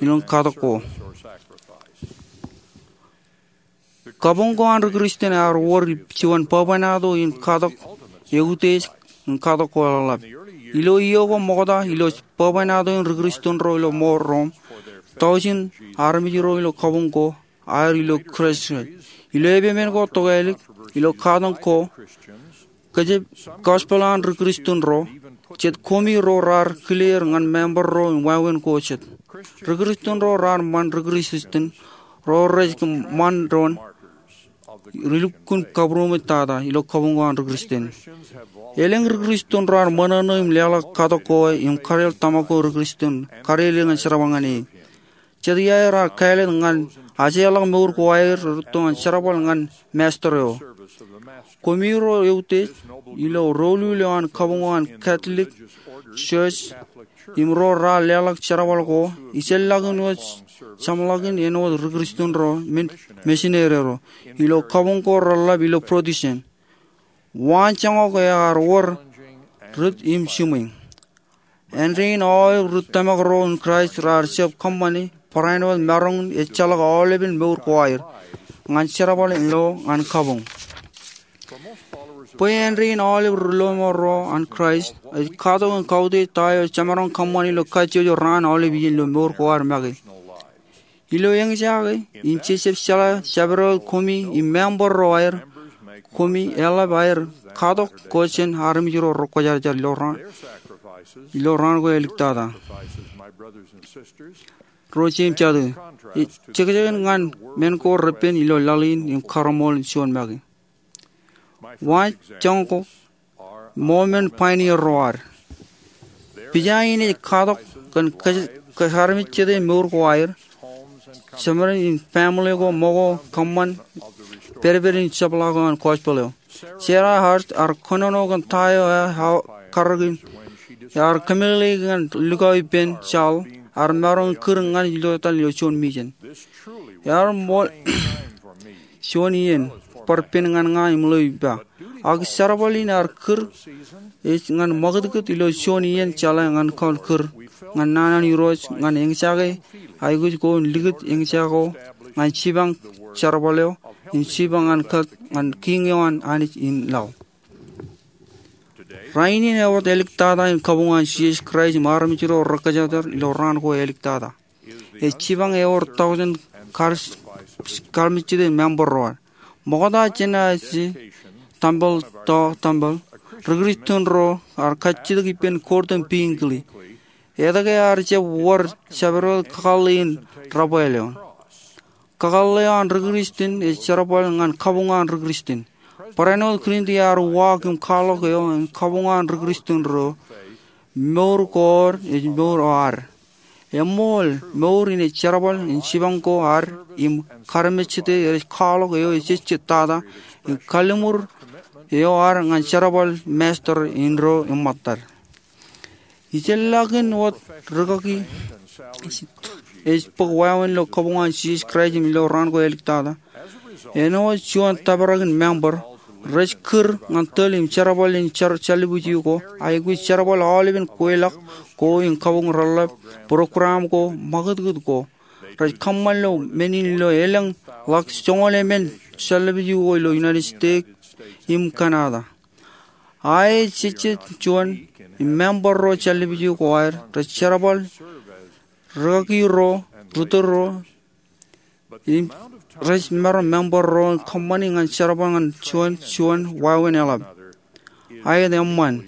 ilo katak ko. Kabuñ ko an ri-Kristian ear wōr juon bwebwenato in katak eutiej im katak ko eḷap. Ilo iiō ko ṃokta ilo bwebwenato in ri-Kristian ro ilo mour ro im tọujin armej ro ilo kabuñ ko aer ilo Christ. Ilo epepen ko tokālik ilo katak ko, kōjepel gospel an ri-Kristian ro, jet koṃi ro raar kile er ñan member ro im wāween ko jet. Ri-Kristian ro raar ṃan ri-Kristian ro rej kōṃṃan doon ri lukkuun kabūroṃōj tata ilo kabuñ ko an ri-Kristian. Elōñ ri-Kristian raar ṃōṇōṇō im leḷọk katak ko im kadeḷ tōmak ko ri-Kristian kadeḷ ñan jerbal ñan e. Jet iaer raar kāālōt ñan Ajeḷọk mour ko aer rūtto ñan jerbal ñan Master eo. Koṃiro eutiej ilo doulul eo an kabuñ eo an Catholic Church im ro raar leḷọk jerbal ko, ijellọkin wōt jeṃḷọkin āinwōt ri-Kristian ro, men, misineri ro, ilo kabuñ ko reḷḷap ilo Protestant. Waanjoñak ear wōr rit im jiṃwe. Āindein aolep ri tōmak ro in Kraist raar jab kōṃṃani barāinwōt maroñ in ejjeḷọk aolepen mour ko aer ñan jerbal ilo ñan kabuñ. Bwe āindein aolep ri lọmọọr ro an Kraist ej katok im kautiej ta eo jemaroñ kōṃṃani ilo kajjojo raan aolep iien ilo mour ko aer make. Ilo eñjake, im jejjab jeḷā jabdewōt koṃi im member ro aer, koṃi eḷap aer katok kōj jān armej ro rekwōjarjar ilo raan, ilo raan ko āliktata. Ro jeiū im jatū, jekjek in ñan men ko repen ilo laḷ in im karemool in juon make. Waanjoñak ko, Mormon pioneer ro ad. Pija in ej katok kōn kōj, kōj armej jete mour ko aer, jeṃaden im family ko, ṃōko, kōṃṃan pedped in jepḷaak eo an gospel eo. Sarah Hart ear kōnono kōn ta eo ear karōk in, ear kōmeḷeḷeik ñan likao ippān Charles, ear maroñ in kūr ñan ilo etal ilo juon mission. Ear ṃool juon iien bar pen ñan ña im ḷeo ippa. Ak jerbal in ear kūr ej ñan ṃakūtkūt ilo juon iien jeḷā ñan kōn kūr ñan naan an Irooj ñan eñjake aikuj ko in likūt eñjake ko ñan jipañ jerbal eo im jipañ an kōk ñan kiiñ eo an Anij in laḷ. Rainin ewōr āliktata in kabuñ an Jisōs Kraist im armej ro rekwōjarjar ilo raan ko āliktata. Ej jipañ ewōr tọujin kar-, karmejjete member ro ad. Ṃokta jān aje tempel to tempel, ri-Kristian ro ar kajjitōk ippān kort im piñkili. Etke ear jab wōr jabdewōt kakōḷḷe in debwāāl eo? Kakōḷḷe eo an ri-Kristian ej jerbal ñan kabuñ an ri-Kristian. Barāinwōt Clint ear uwaak im kwaḷọk eo an kabuñ an ri-Kristian ro, mour ko ad ej mour eo ad. Eṃṃool, mour in ej jerbal in jipañ ko ad im karmejjete rej kwaḷọk eo ejejjet tata im kalliṃur eo ad ñan jerbal Master in ro im ṃōttad. Ijellọkin wōt rūkaki ej bōk wāween ilo kabuñ an Jisōs Kraist im ilo raan ko āliktata. Āinwōt juon tōprak in member, rej kūr ñan tōl im jerbal in jar-, jallibwij ko, aikuj jerbal aolepen kweilọk ko im kabuñ reḷḷap, program ko, ṃakūtkūt ko. Rej kōṃṃan ilo men in ilo elōñ ḷọk joñoul emān jallibwij ko ilo United States im Canada. Aet jejjet juon im member ro jallibwij ko aer rej jerbal rūkaki ro, ri-tōl ro, im rej maroñ member ro kōṃṃani ñan jerbal ñan juon, juon wāween eḷap. Aet eṃṃan.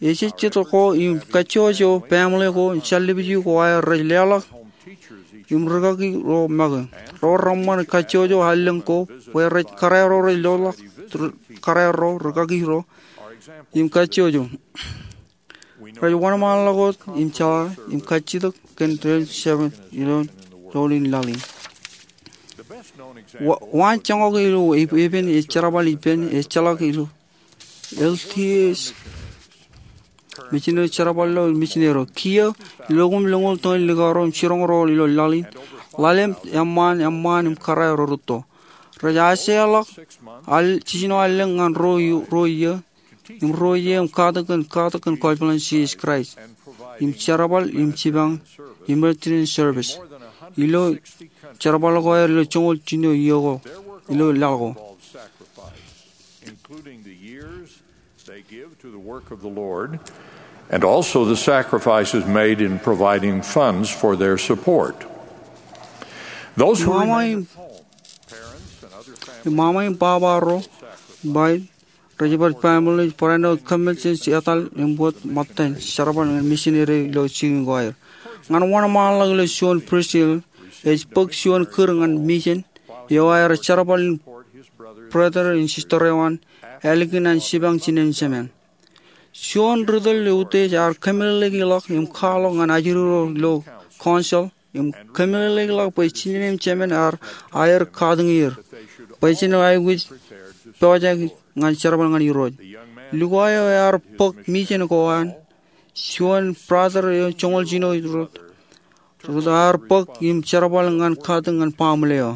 Ejejjet ko im kajjojo family ko im jallibwij ko aer rej leḷọk im rūkaki ro make. Ro reṃṃan kajjojo allōñ ko bwe rej kōrā ro rej leḷọk kōrā ro rūkaki ro im kajjojo. Rej wōnṃaanḷọk wōt im jeḷā im kajjitōk kōn ren jab ilo doulul in laḷ in. Wa-, waanjoñak ilo ep-, epen ej jerbal ippān ejjeḷọk ilo L D S misineri jerbal ilo misineri eo. Kiiō, ilo koṃ lōñoul tōñin likao ro im jiroñ ro ilo laḷ in, ḷalem eṃṃaan eṃṃaan im kōrā ro rūtto. Rej ajeḷọk al-, jiljino allōñ ñan ruo, ruo iiō im ruo iiō im katak kōn, katak kōn gospel in Jisōs Kraist im jerbal im jipañ im emergency service ilo jerbal ko aer ilo joñoul jiljino iiō ko ilo laḷ ko. Including the years they give to the work of the Lord, and also the sacrifices made in providing funds for their support. Those who remain at home, parents and other families, ṃaṃa im baba ro, bai, rej bar family, barāinwōt commitments etal im wōt ṃōttan jerbal ñan misineri ilo jikin ko aer. Ñan wōnṃaanḷọk ilo juon Brazil, ej bōk juon kūr ñan mission eo aer jerbal in brother im sister eo an ālikin an jipañ jinen jemān. Juon ri-tōl eutiej ear kōmeḷeḷeiki ḷọk im kwaḷọk ñan ajri ro ilo council im kōmeḷeḷeikḷọk bwe jinōn im jemān ear aer katakin er bwe jen aikuj pojak ñan jerbal ñan Irooj. Lukwa eo ear bōk mijen ko an juon brother eo joñoul jino Ruth. Ruth ear bōk im jerbal ñan katakin baaṃle eo.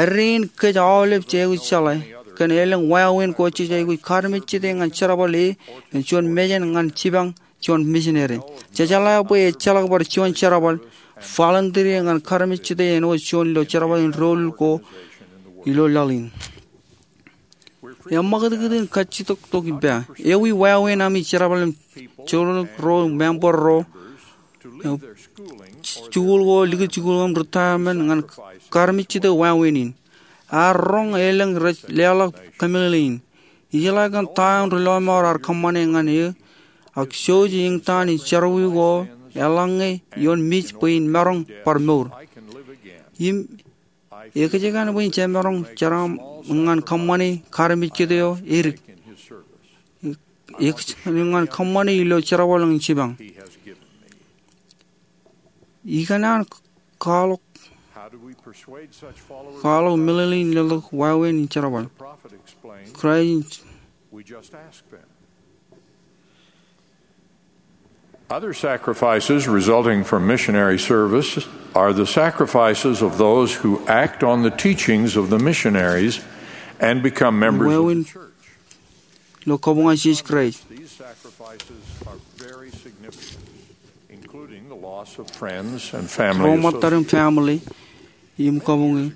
Errein kōj aolep jej aikuj jeḷā kōn elōñ wāween ko jej aikuj karmejjete ñan jerbal e im juon mejān ñan jipañ juon misineri. Jej jeḷā bwe ejjeḷọk bar juon jerbal volunteer ñan karmejjete āinwōt juon ilo jerbal in doulul ko ilo laḷ in. Eṃṃakūtkūt in kajjitōk tok ippa. Ewi wāween ami jerbal im joḷọk ro member ro jikuuḷ ko likūt jikuuḷ im retirement ñan karmejjete wāween in. Ear roñ elōñ rej leḷọk kōmeḷeḷe in. Ijeḷā kōn ta eo ri lọmọọr ear kōṃṃane ñan eō, ak jouj eñtaan in jerọwiwi ko eḷaññe ioon mej bwe in maroñ bar mour. Im ekōjkan bwe in jemaroñ jeraaṃṃan ñan kōṃṃane karmejjete eo edik. Ekōjkan ñan kōṃṃane ilo jerbal in jipañ. Ikōṇaan kwaḷọk, kwaḷọk meḷeḷe in leḷọk wāween in jerbal. Kraist in Other sacrifices resulting from missionary service are the sacrifices of those who act on the teachings of the missionaries and become members of the church. Lo kabuñ an Jisōs Kraist. These sacrifices are very significant, including the loss of friends and family. Ro ṃōttad im family im kabuñ e.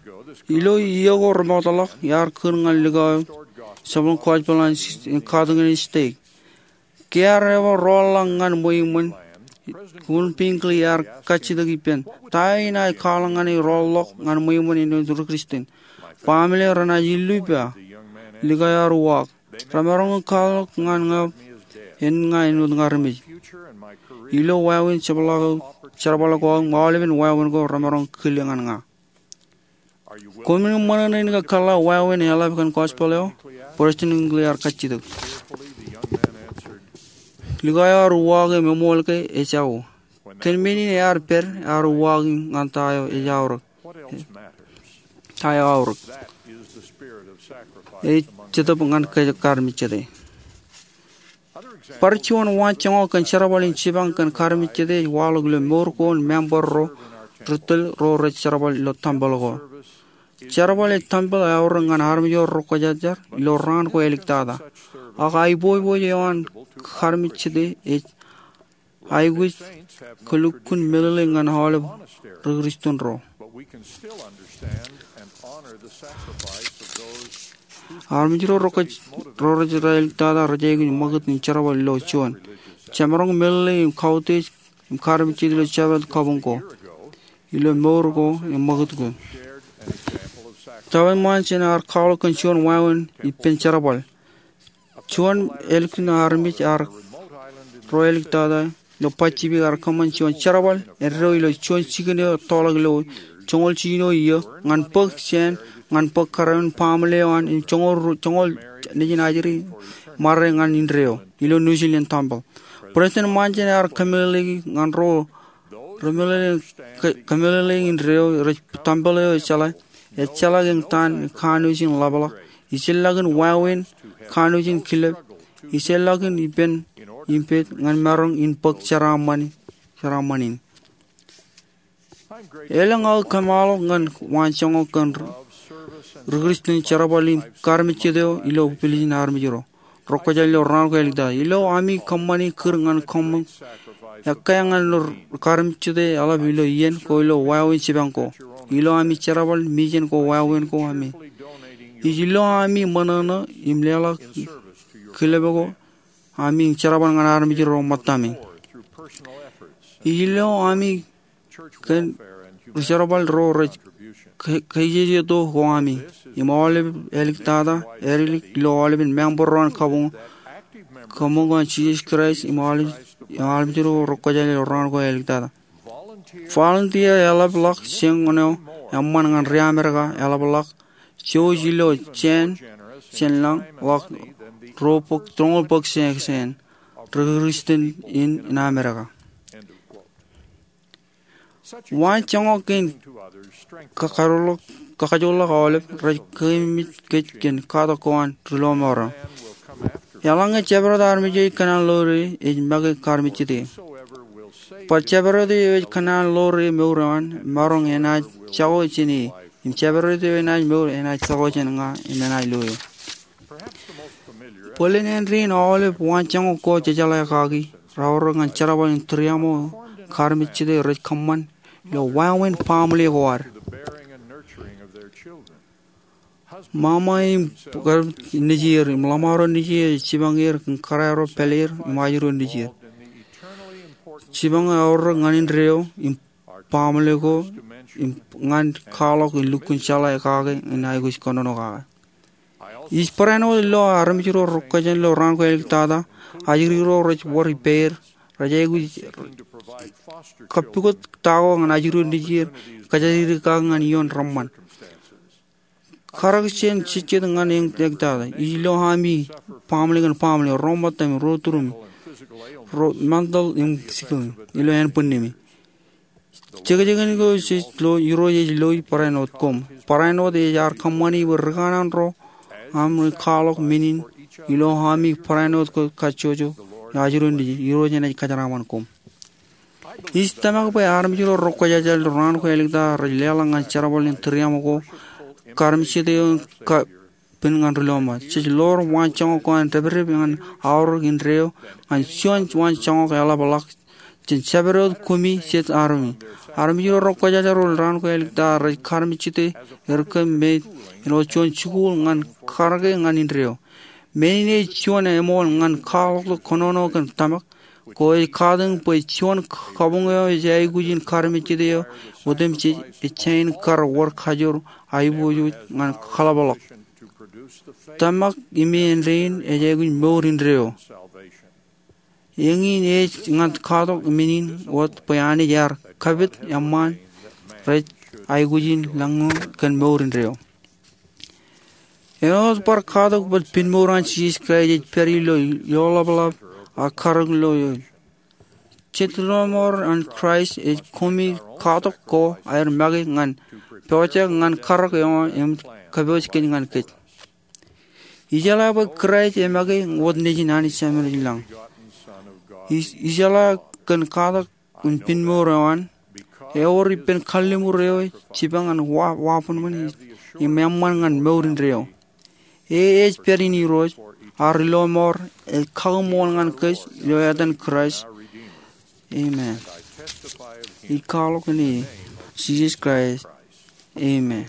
Ilo iiō ko remootḷọk, iar kūr ñan likao eo, jerbal in gospel an katakin in stake. Kiiō ear ebar rọọlḷọk ñan ṃweiṃṃan, Gordon B. Hinckley ear kajjitōk ippān, ta eo inaaj kwaḷọk ñan e rọọlḷọk ñan ṃweiṃṃan āinwōt ri Kristian? Baaṃle eo renaaj illu ippa. Likao eo ear uwaak, remaroñ in kwaḷọk ñan ña en ña āinwōt ña armej. Ilo wāween jerbal ko im aolepen wāween ko remaroñ kile ñan ña. Koṃwin ṃōṇōṇō in ke kōḷḷā wāween eḷap kōn gospel eo? President Hinckley ear kajjitōk. Likao eo ear uwaak im eṃool ke ejako. Kōn men in ear pād, ear uwaak ñan ta eo ej aorōk. Ta eo aorōk. Ej Jetōb ñan Kōj Karmejjete. Bar juon waanjoñak kōn jerbal in jipañ kōn karmejjete ej waḷọk ilo mour ko im member ro ri tōl ro rej jerbal ilo tempel ko. Jerbal ej tempel eaorōk ñan armej ro rekwōjarjar ilo raan ko āliktata. Ak aiboojoj eo an karmejjete ej aikuj kōlukkuun meḷeḷe ñan aolep ri Kristian ro. Armej ro rekwōjarjar ro rej āliktata rej aikuj ṃakūt in jerbal ilo juon. Jemaroñ meḷeḷe im kautiej im karmejjete ilo jabdewōt kabuñ ko, ilo mour ko im ṃakūt ko. Tōre ṃōn jān ear kwaḷọk kōn juon wāween ippān jerbal. Juon ālikin armej ro āliktata ilo Pasifik ear kōṃṃan juon jerbal eddo ilo juon jikin eo ettoḷọk ilo joñoul jino iiō ñan bōk jāān, ñan bōk kōrā in baaṃle eo an im joñoul, joñoul nejin ajri ṃare ñan indeeo ilo New Zealand tempel. President Monson ear kōmeḷeḷeiki ñan ro remeḷeḷe, kō-, kōmeḷeḷeiki indeeo rej tempel eo ejjeḷā, ejjeḷā ke eñtaan kanooj in ḷapḷọk, ijellọkin wāween, kanooj in kilep, ijellọkin ippān im pād ñan maroñ in bōk jeraaṃṃan, jeraaṃṃan in. Elōñ aō kōṃṃan ḷọk ñan waanjoñak kōn ri Kristian jerbal im karmejjete eo ilo pilij in armej ro rekwōjarjar ilo raan ko āliktata. Ilo ami kōṃṃani kūr ñan kōṃṃan ekkā ñan ilo karmejjete eḷap ilo iien ko ilo wāween jipañ ko. Ilo ami jerbal mijen ko wāween ko ami. Ij ilo ami ṃōṇōṇō im leḷọk kilepe ko ami jerbal ñan armej ro ṃōttami. Ij ilo ami kōn ri jerbal ro rej ke-, keijejeto ko ami. Im aolep āliktata, āliktata ilo aolepen member ro an kabuñ, kabuñ an Jisōs Kraist im aolep, im aolep ro rekwōjarjar ilo raan ko āliktata. Volunteer eḷapḷọk jān ñan eo eṃṃan ñan ri Amerika eḷapḷọk jouj ilo jāān, jāān lañ ḷọk ro bōk, joñoul bōk jāān, jāān ri Kristian in, in Amerika. Waan joñak kein kakajoḷọk, kakajoḷọk aolep rej keememej kōj kōn katak ko an ri lọmọọr eo. Eḷaññe jabdewōt armej eo ej kōṇaan ḷoor e ej make karmejjete. Bar jabdewōt eo ej kōṇaan ḷoor e mour eo an, maroñ enaaj jako jān e. Im jabdewōt eo enaaj mour enaaj jako jān ña im enaaj lo eō. Bōlen āindein aolep waan joñak ko jejeḷā kaki, raorōk ñan jerbal in tūriaṃo karmejjete rej kōṃṃan ilo wāween baaṃle ko ad. Ṃaṃa im kar nejier im ḷōṃaro nejier ej jipañ er kōn kōrā ro pāleer im ajri ro nejier. Jipañ eo eorōk ñan indeeo im baaṃle ko im ñan kwaḷọk in lukkuun jeḷā kake in aikuj kōnono kake. Ij barāinwōt lo armej ro rekwōjarjar ilo raan ko āliktata, ajri ro rej wōr ippāer, rej aikuj kappukot ta ko ñan ajri ro nejier, kōjatdikdik kake ñan ioon reṃṃan. Karōk jān jejjet ñan eñtata, ij lo ami baaṃle kōn baaṃle, ro ṃōttam im ro turuṃ, ro mental im physical, ilo ānbwinnemi. Jekjekin ko jej lo, Irooj ej loi barāinwōt koṃ. Barāinwōt ej ear kōṃṃani bwe ri kanaan ro aṃ rej kwaḷọk men in ilo ami barāinwōt kajjojo, ajri ro nejier, Irooj enaaj kōjeraaṃṃan koṃ. Ij tōmak bwe armej ro rekwōjarjar ilo raan ko āliktata rej leḷọk ñan jerbal in tūriaṃo ko karmejjete eo in kapen ñan ri lọmọọr. Jej ḷoor waan joñak ko an depdep ñan aorōk indeeo ñan juon waan joñak eḷapḷọk jān jabdewōt kumi jet armej. Armej ro rekwōjarjar ilo raan ko āliktata rej karmejjete er kōm me ilo juon jikuuḷ ñan karōke ñan indeeo. Men in ej juon eṃool ñan kwaḷọk kōnono kōn tōmak, ko ej katakin bwe juon kabuñ eo ej aikuj in karmejjete eo otemjej ej jañin kar wōr kajoor aiboojoj ñan kaḷapḷọk. Tōmak im āindein ej aikuj mour indeeo. Eñin ej ñan katak men in wōt bwe Anij ear kapit eṃṃaan rej aikuj in laññoul kōn mour indeeo. Āinwōt bar katak bōlen pinmour an Jisōs Kraist ej pād ilo ioḷapḷap ak karōk ilo eoul. Jet lọmọọr an Kraist ej kumi katak ko aer make ñan pojak ñan karōk eo im kōpooj kōj ñan kōj. Ijeḷā bwe Kraist emake wōt nejin Anij Jemedlōñ. Ij-, ijeḷā kōn katak in pinmour eo an, ewōr ippān kalliṃur eo ej jipañ ñan wa-, wabōnbōn im eṃṃan ñan mour indeeo. E ej pād in Irooj, ak ri lọmọọr, ej kaṃṃool ñan kōj ilo etan Kraist. Amen. Ij kwaḷọk ilo etan Jisōs Kraist. Amen.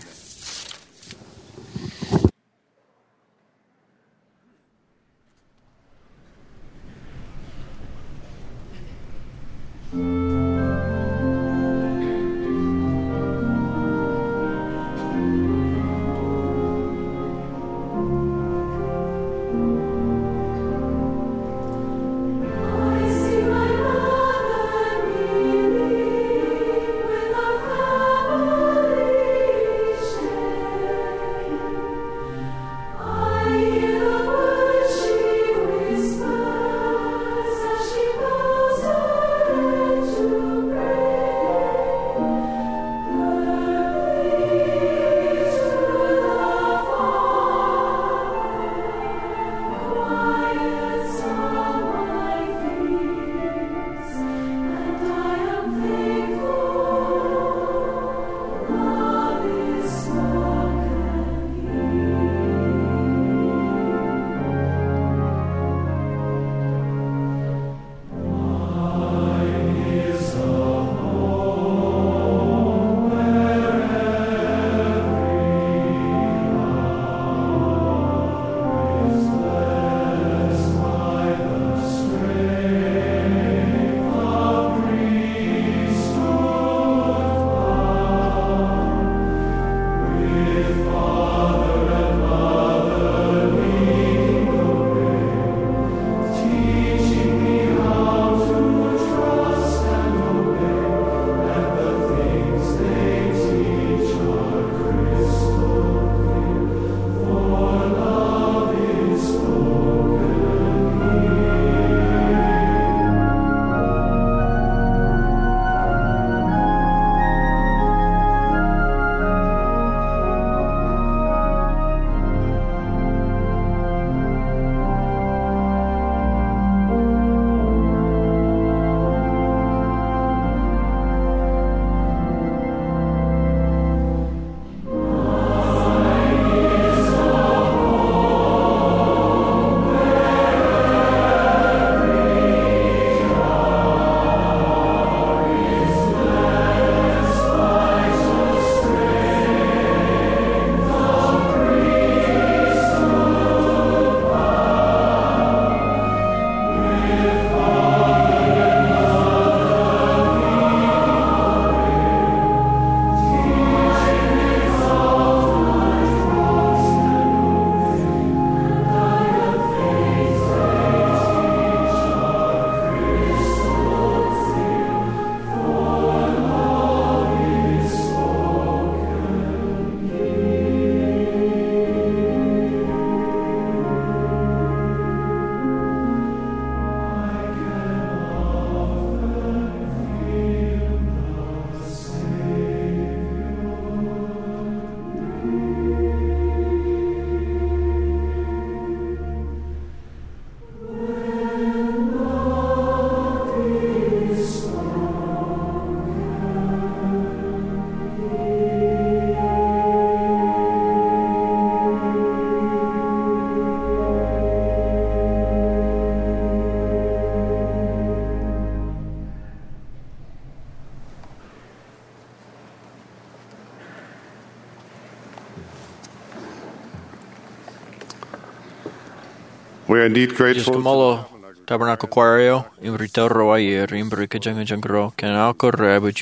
We are indeed grateful. Ij kōṃṃool Tabernacle Choir eo im ri tōre ro aer im ri kōjañjañ ro kōn aō ko reabwōj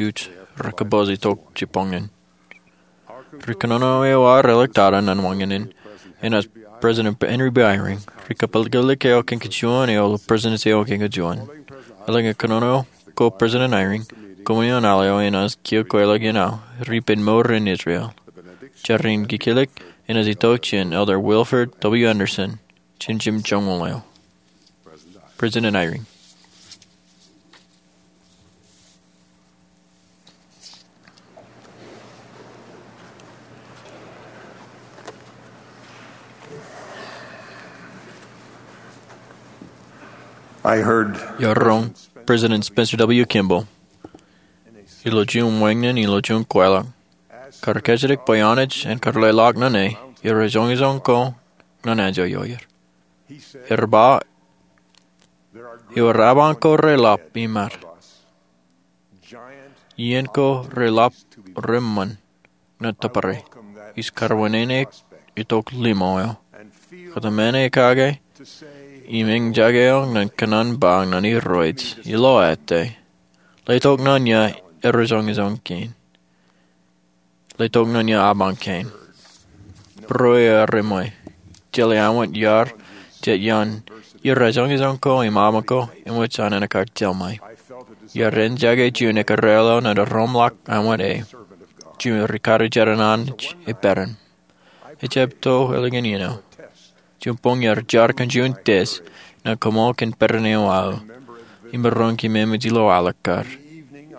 rej compose itok jibboñōn. Ri kōnono eo ear ḷọk tata ñan wañōn in enaaj President Henry B. Eyring. Ri kapālōklōk eo kōn kōjuon eḷap President eo kōn kōjuon. Eḷaññe kōnono ko President Eyring, koṃwin ioon al eo enaaj kiiō kweilọk iien aō, ri ippān mour in Israel. Jar in kikōḷḷe enaaj itok jān Elder Wilford W. Andersen, jān jimjuon eo. President Eyring. I heard Iar roñ President Spencer W. Kimball ilo juon wāñin ilo juon kwaḷọk, kar kajjitōk bwe Anij en kar leḷọk ñan e irrejoñojoñ ko ñan anjọ ioer. Ear ba, ewōr aban ko reḷap im ad, iien ko reḷap reṃṃan ñan tōpare, ij karwinene itok limo eo, kōtmāne kake im eñjake eo ñan kōṇaan ba ñan Irooj ilo ate, letok ñan ia irrejoñojoñ kein. Letok ñan ia aban kein. Būruō eo ear eṃṃan, jeḷā aṃ wōt iar jet iaan irrejoñojoñ ko im aban ko eṃōj an enaaj kar jeḷā ṃōj. Iar eñjake juon ekkar eo ilo roñḷọk aṃ wōt e, juon ri karijer an Anij e peran. Ejjab to ālikin iien eo. Juon boñ iar jar kōn juon test ñan koṃṃool kōn peran eo aō im maroñ ke eṃōj ilo alikkar.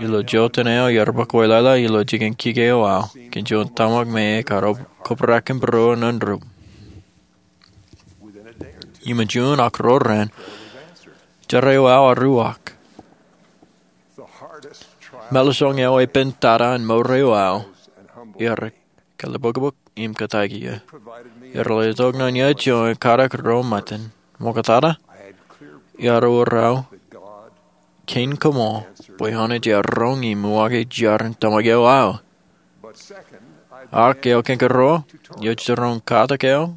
Ilo jota eo iar bōk wōt leḷọk ilo jikin kike eo aō kōn juon tōmak me ekar kobrak kōn būruō ñan rup. Im juon ak ruo raan, jar eo aō ear uwaak. Mālōtlōt eo epen tata an mour eo aō, ear kalbōkbōk im kataiki ia. Ear letok ñan ia juon katak ro ṃōttan. Ṃoktata, ear wōr aō kein koṃṃool bwe Anij ear roñ im uwaake jar in tōmak eo aō. Ak eo kein ruo, ij roñ katak eo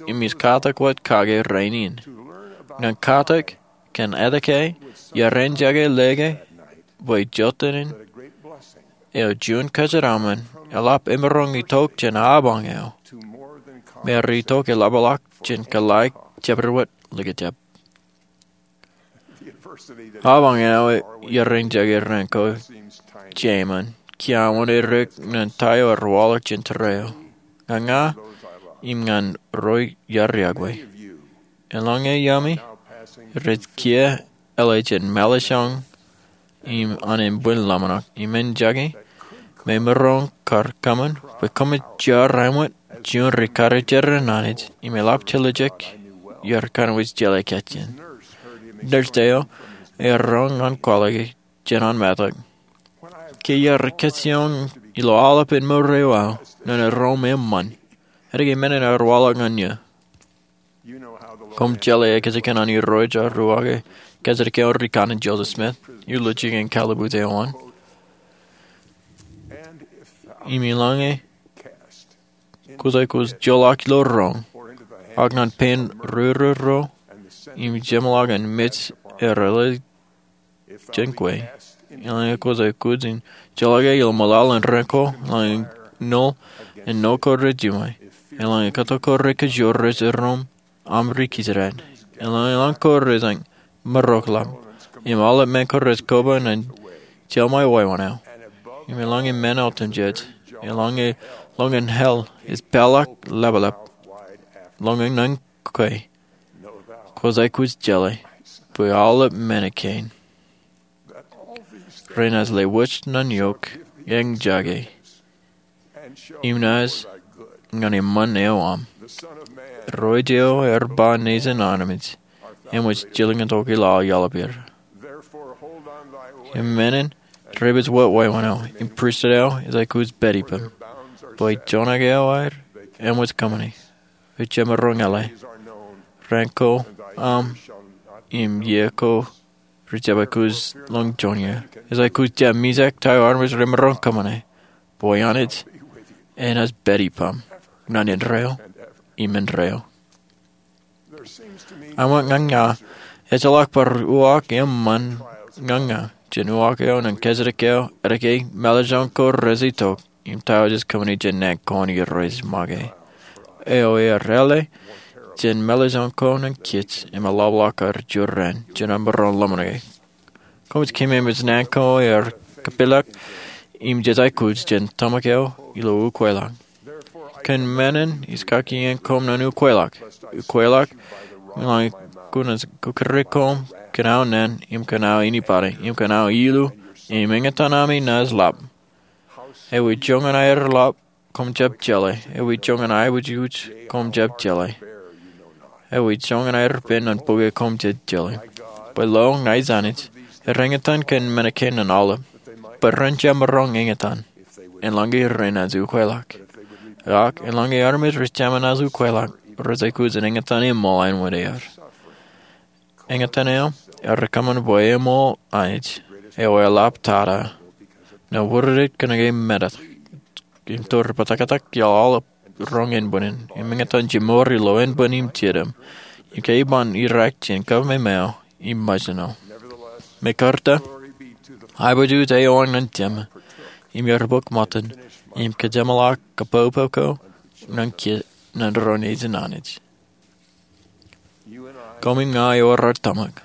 im ij katak wōt kake rainin. Ñan katak kōn etke iar eñjake lōke bwe jota in eo juon kōjeraṃṃan eḷap emaroñ itok jān abañ eo, me ear itok eḷapḷọk jān kōḷḷā jabdewōt likjab. Abañ eo iar eñjake raan ko jeṃaan, kiiō aṃ wōn edik ñan ta eo ear waḷọk jān tōre eo, ñan ña im ñan ro iar iọkwe. Eḷaññe iaami rej kiiō eḷe jān mālōtlōt im an embwin ḷōmṇak im eñjake, me maroñ kar kōṃṃan bwe koṃij jar aṃ wōt juon ri karijer an Anij im eḷap jeḷā jek iar kōnwōj jeḷā kajjien. Nurse eo ear roñ ñan kwaḷọk e jān an metak, ke iar kajjioñ ilo aolepān mour eo aō ñan erom eṃṃan, etke men in ear waḷọk ñan eō? Koṃ jeḷā ekkejel an Irooj ear uwaake kajjitōk eo ri kanaan Joseph Smith ilo jikin kalabut eo an. Im eḷaññe kwōj aikuj joḷọk ilo roñ, ak ñan pein rūrū ro im jeṃḷọkin mej ear eḷe jān kwe, eḷaññe kwōj aikuj in joḷọk e ilo ṃōḷaḷ in raan ko, eḷaññe ṇoḷ in ṇo ko rej jiṃwe, eḷaññe kōto ko rej kōjro rej erom aṃ ri kijeraṇ, eḷaññe lañ ko rej maroñ ḷap, im aolep men ko rej koba ñan jeḷā ṃōj wāween eo, im eḷaññe men otemjej, eḷaññe ḷōñin hell ej pālọk ḷapḷap, ḷōñin ñan kwe, kwōj aikuj jeḷā bwe aolep men kein renaaj lewōj ñan eok, eñjake, im naaj ñan eṃṃan eo aṃ. Irooj eo ear ba nejin armej eṃōj jilkintok ilo aō iọḷapāer. Im men in, rej pād wōt wāween eo, im pristut eo ej aikuj pād ippām, bwe joñak eo aer eṃōj kōṃṃane, rej jab maroñ eḷe. Raan ko aṃ im iiō ko rej jab aikuj ḷọk juon iiō. Ej aikuj jab mijak ta eo armej rej maroñ kōṃṃane, bwe Anij enaaj pād ippām ñan indeeo im indeeo. Aṃ ña ña, ejjeḷọk bar uwaak eṃṃan ña ña jān uwaak eo ñan kajjitōk eo, eddōk ke mālōtlōt ko rej itok im ta eo ej kōṃṃani jān naan ko an Irooj make. Eo ear āle jān mālōtlōt ko ñan kōj im eḷapḷọk ad jurrāān jān aṃ maroñ ḷōmṇake. Koṃij keememej naan ko ear kapeḷḷọk im jej aikuj jān tōmak eo ilo ukweḷọk. Kōn men in ij kaki iien koṃ ñan ukweḷọk. Ukweḷọk, ñan kōn kōjatdikdik koṃ kōn aō naan im kōn aō anybody im kōn aō ilu, im eñtaan ami naaj lap. Ewi joñan aer lap koṃ jab jeḷā. Ewi joñan aer aikuj koṃ jab jeḷā. Ewi joñan aer pen ñan bōke koṃ jab jeḷā. Bwe lo ña ij Anij, er eñtaan kōn men kein ñan aolep, bwe ren jab maroñ eñtaan, eḷaññe renaaj ukweḷọk. Ak eḷaññe armej rej jab naaj ukweḷọk, rej aikuj in eñtaan eṃool āinwōt er. Eñtaan eo, ear kōṃṃan bwe eṃool Anij, eo eḷap tata, ñan wūrdik kōnke metak im tōre bōtōktōk iaḷ aolep roñ ānbwinnin, im eñtaan jemour ilo ānbwin im jedem, im ke ej ban irak jān kab me meo im mejān eo. Mekarta, aiboojoj eo an ñan Jema, im ear bōk ṃōttan, im kōjeṃḷọk kōpopo ko ñan kōj ñan ro nejin Anij. Koṃ im ña ewōr ad tōmak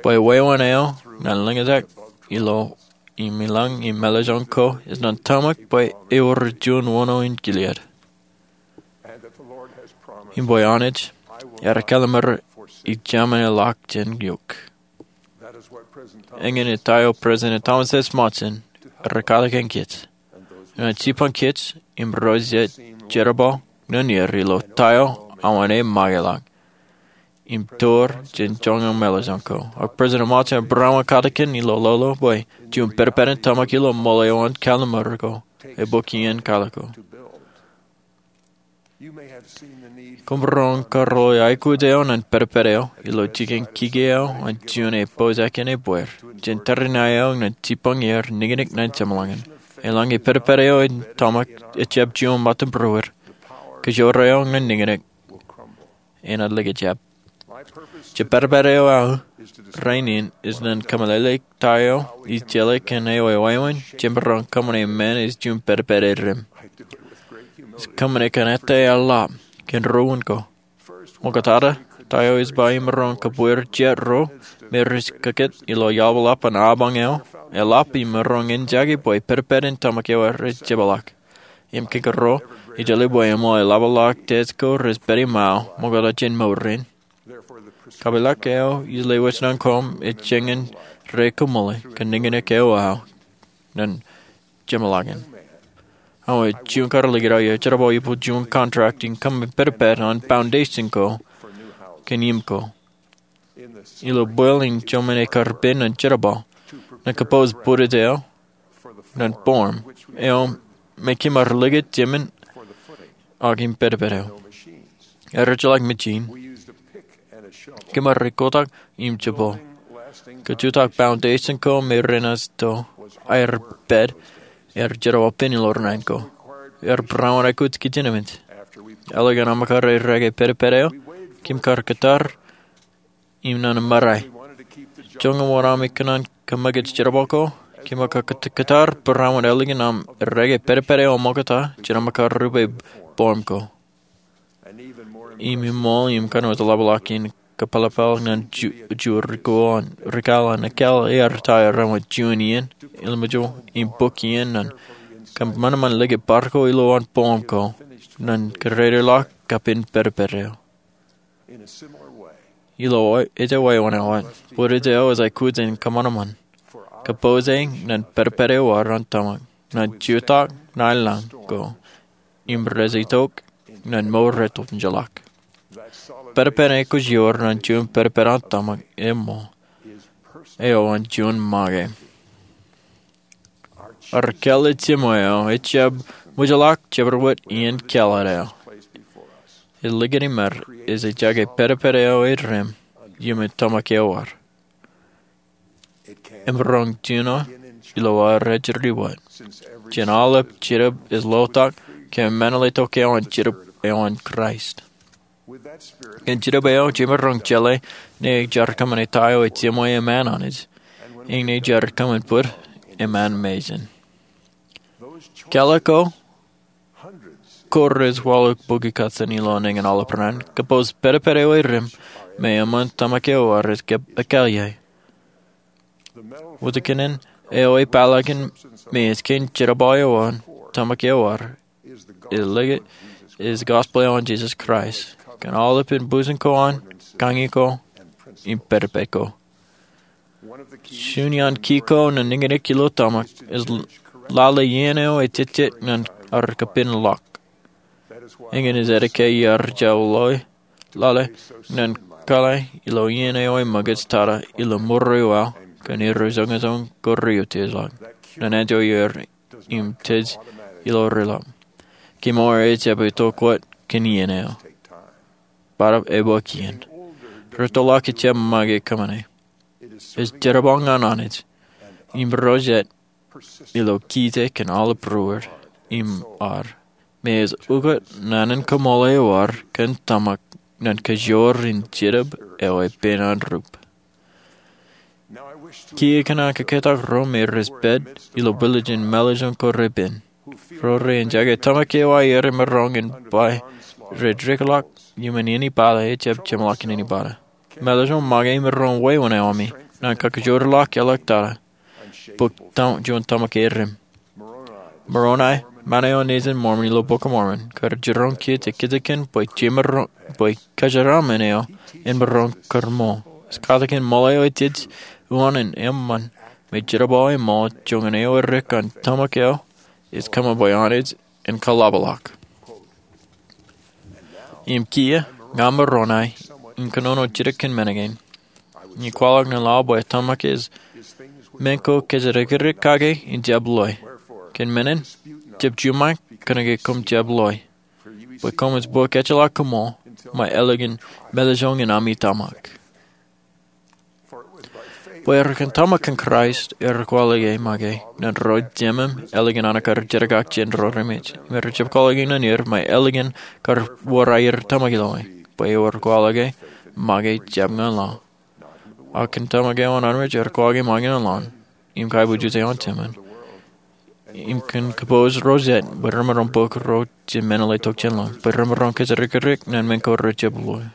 bwe wāween eo ñan lōñtak ilo im ilañ im mālōtlōt ko ej ñan tōmak bwe ewōr juon wōṇō in Gilead. Im bwe Anij ear kallimur ij jab men ḷọk jān eok. Eñin ta eo President Thomas S. Monson ej katakin kōj, ñan jipañ kōj im ro jet jerbal ñan er ilo ta eo awa ṇe make ḷọk, im tōre jān joñan mālōtlōt ko. Ak President Monson ear barāinwōt katakin ilo lolo bwe juon pedped in tōmak ilo ṃool eo an kallimur ko, ebōk iien kwaḷọk ko. Koṃ roñ karuo aikuj eo ñan pedped eo ilo jikin kiki eo an juon epojak in ebbeer jān tariṇae eo ñan jipañ er niknik ñan jeṃḷọkin. Eḷaññe pedped eo in tōmak ejjab juon ṃōttan būruod, kōjro eo ñan niknik enaaj likjab. Jet pedped eo aō rainin ej ñan kōmeḷeḷeik ta eo ij jeḷā kōn ewi wāween jemaroñ kōṃṃane men ej juon pedped erim. Ij kōṃṃane kōn ettā eḷap kōn ruo wūn ko. Ṃoktata, ta eo ij ba imaroñ kōbweer jet ro me rej kōkōt ilo iaḷapḷọk an abañ eo, eḷap im maroñ eñjake bwe pedped in tōmak eo rej jepḷaak. Im kōkōrā, ij jeḷā bwe eṃool eḷapḷọk test ko rej pād iṃaō ṃokta jān mour in. Kapeḷḷọk eo ij lewōj ñan koṃ ej jān ñan ri-kōṃṃane kōn niknik eo aō ñan jeṃḷọkin. Awa juon kar likūt eo, ij jerbal ippa juon contract in kōṃṃan pedped an foundation ko kōn im ko. Ilo bwil in jemān ekkar pen ñan jerbal, ñan kōpooj bwidej eo ñan bōrm eo me kōm ar likūt jemān ak im pedped eo. Erijjeḷọk mejin. Kōm ar kotak im jebal. Kōj jutak foundation ko me renaaj to aer pād, ear jerbal pen ilo raan ko. Ear barāinwōt aikuj kōj in emān. Eḷap an aṃ kar errā ke pedped eo, kōm kar kōttar im ñan ṃōrā. Joñan wōt ami kōṇaan kōmōj jerbal ko, kōm kar kōttar barāinwōt eḷap an aṃ errā ke pedped eo ṃokta jān aṃ kar rupe bōrm ko. Im iṃool im kōn wōt ḷapḷọk in kōpeḷapḷọk ñan ju, ju rikū an, rikū an ekāāl ear ta eo raṇ wōt juon iien, ilmijjo im bōk iien ñan kōṃanṃan likūt bar ko ilo an bōrm ko, ñan kōdededḷọk kapen pedped eo. Ilo ejja wāween eo wōt, bwidej eo ej aikuj in kōṃanṃan, kōpooj ñan pedped eo an tōmak, ñan jutak ñan lañ ko, im rej itok ñan mour rej tok ijjeḷọk. Pedped eo kwōj ewōr ñan juon pedped an tōmak eṃṃool, eo an juon make. Ar kāālōt jiṃwe eo ejjab ṃōjḷọk jabdewōt iien kāālōt eo. Ej likūt im ear, ej jake pedped eo erim, iuṃwin tōmak eo ad. Im roñ jino ilo ad rej diwōj. Jān aolep Jetōb ej lotak, kōm mālōtlōt tok eo an Jetōb eo an Kraist. Kōn jidik eo jemaroñ jeḷā, ñe jar kōṃṃane ta eo ej jeṃwe eṃṃan Anij, im ñe jar kōṃṃan bōd eṃṃan mejān. Kālọk ko, ko rej waḷọk bukwi kōttan ilo eñin aolep raan, kōpooj pedped eo erim, me eṃṃan tōmak eo ad ej kab ekāāl ie. Wōtkinen eo ej peḷaakin me ej kein jerbal eo an tōmak eo ad, ej likūt, ej gospel eo an Jesus Christ, kōn aolepān bujen ko an, kañi ko, im pedped ko. Juon iaan ki ko ñan niñniñ ilo tōmak, ej lale iien eo ej jejjet ñan ad kapen ḷọk. Eñin ej edike iar jab lale, lale ñan kōḷḷā ilo iien eo ej ṃōkaj tata ilo ṃuri wal kōn erreo joñojoñ ko rej utiejḷọk, ñan anjọ iar im tej ilo reḷap. Kemour ej jab itok wōt kōn iien eo. Bōtaab ebōk iien. Rettoḷọk ejjab make kōṃṃane. Ej jerbal ñan Anij im ro jet ilo kōj kōn aolep būruod im ad, me ej ukōt naan in kaṃool eo ad kōn tōmak ñan kajoor in Jetōb eo epen an rup. Kiiō kōn aō kōkōtak ro me rej pād ilo bwilōñ in mālōtlōt ko repen, ro rej enjake tōmak eo aer imaroñ in ba rej dikḷọk iuṃwin anybody ejjab jeṃḷọkin anybody. Mālōtlōt make imaroñ wāween eo ami ñan kakajoorḷọk āliktata bwe juon tōmak erim. Moroni, ṃaan eo nejin Mormon ilo Bok Mormon, kar jiroñ kōj ekkejken bwe jemaroñ, bwe kōjeraaṃṃan eo en maroñ kōrṃool. Ej katakin ṃool eo ej jej unin eṃṃan me jerbal eṃṃool joñan eo edik an tōmak eo ej kōṃṃan bwe Anij en kaḷapḷọk. Im kiiō, ña Moroni, in kōnono jidik kōn men kein. Im kwaḷọk ñan laḷ bwe tōmak eo men ko kōjatdikdik kake in jab loe. Kōn men in, jab juṃae kōnke koṃ jab loe, bwe koṃij bōk ejjeḷọk koṃṃool ṃōj ālikin mālōtlōt in ami tōmak. Bwe er kōn tōmak kōn Kraist, er kwaḷọke make ñan ro jemem ālikin an kar jerkakjeṇ ro remej, im er jab kwaḷọke ñan er ṃōj ālikin kar wōr aer tōmak ilo e, bwe ewōr kwaḷọke make jab ñan laḷ. Ak kōn tōmak eo an armej er kwaḷọke make ñan laḷ, im kaiboojoj eo an Jemān, im kōn kōpooj ro jet bwe remaroñ bōk ro je men ḷe tok jān laḷ, bwe remaroñ kōjatdikdik ñan men ko rej jab loe.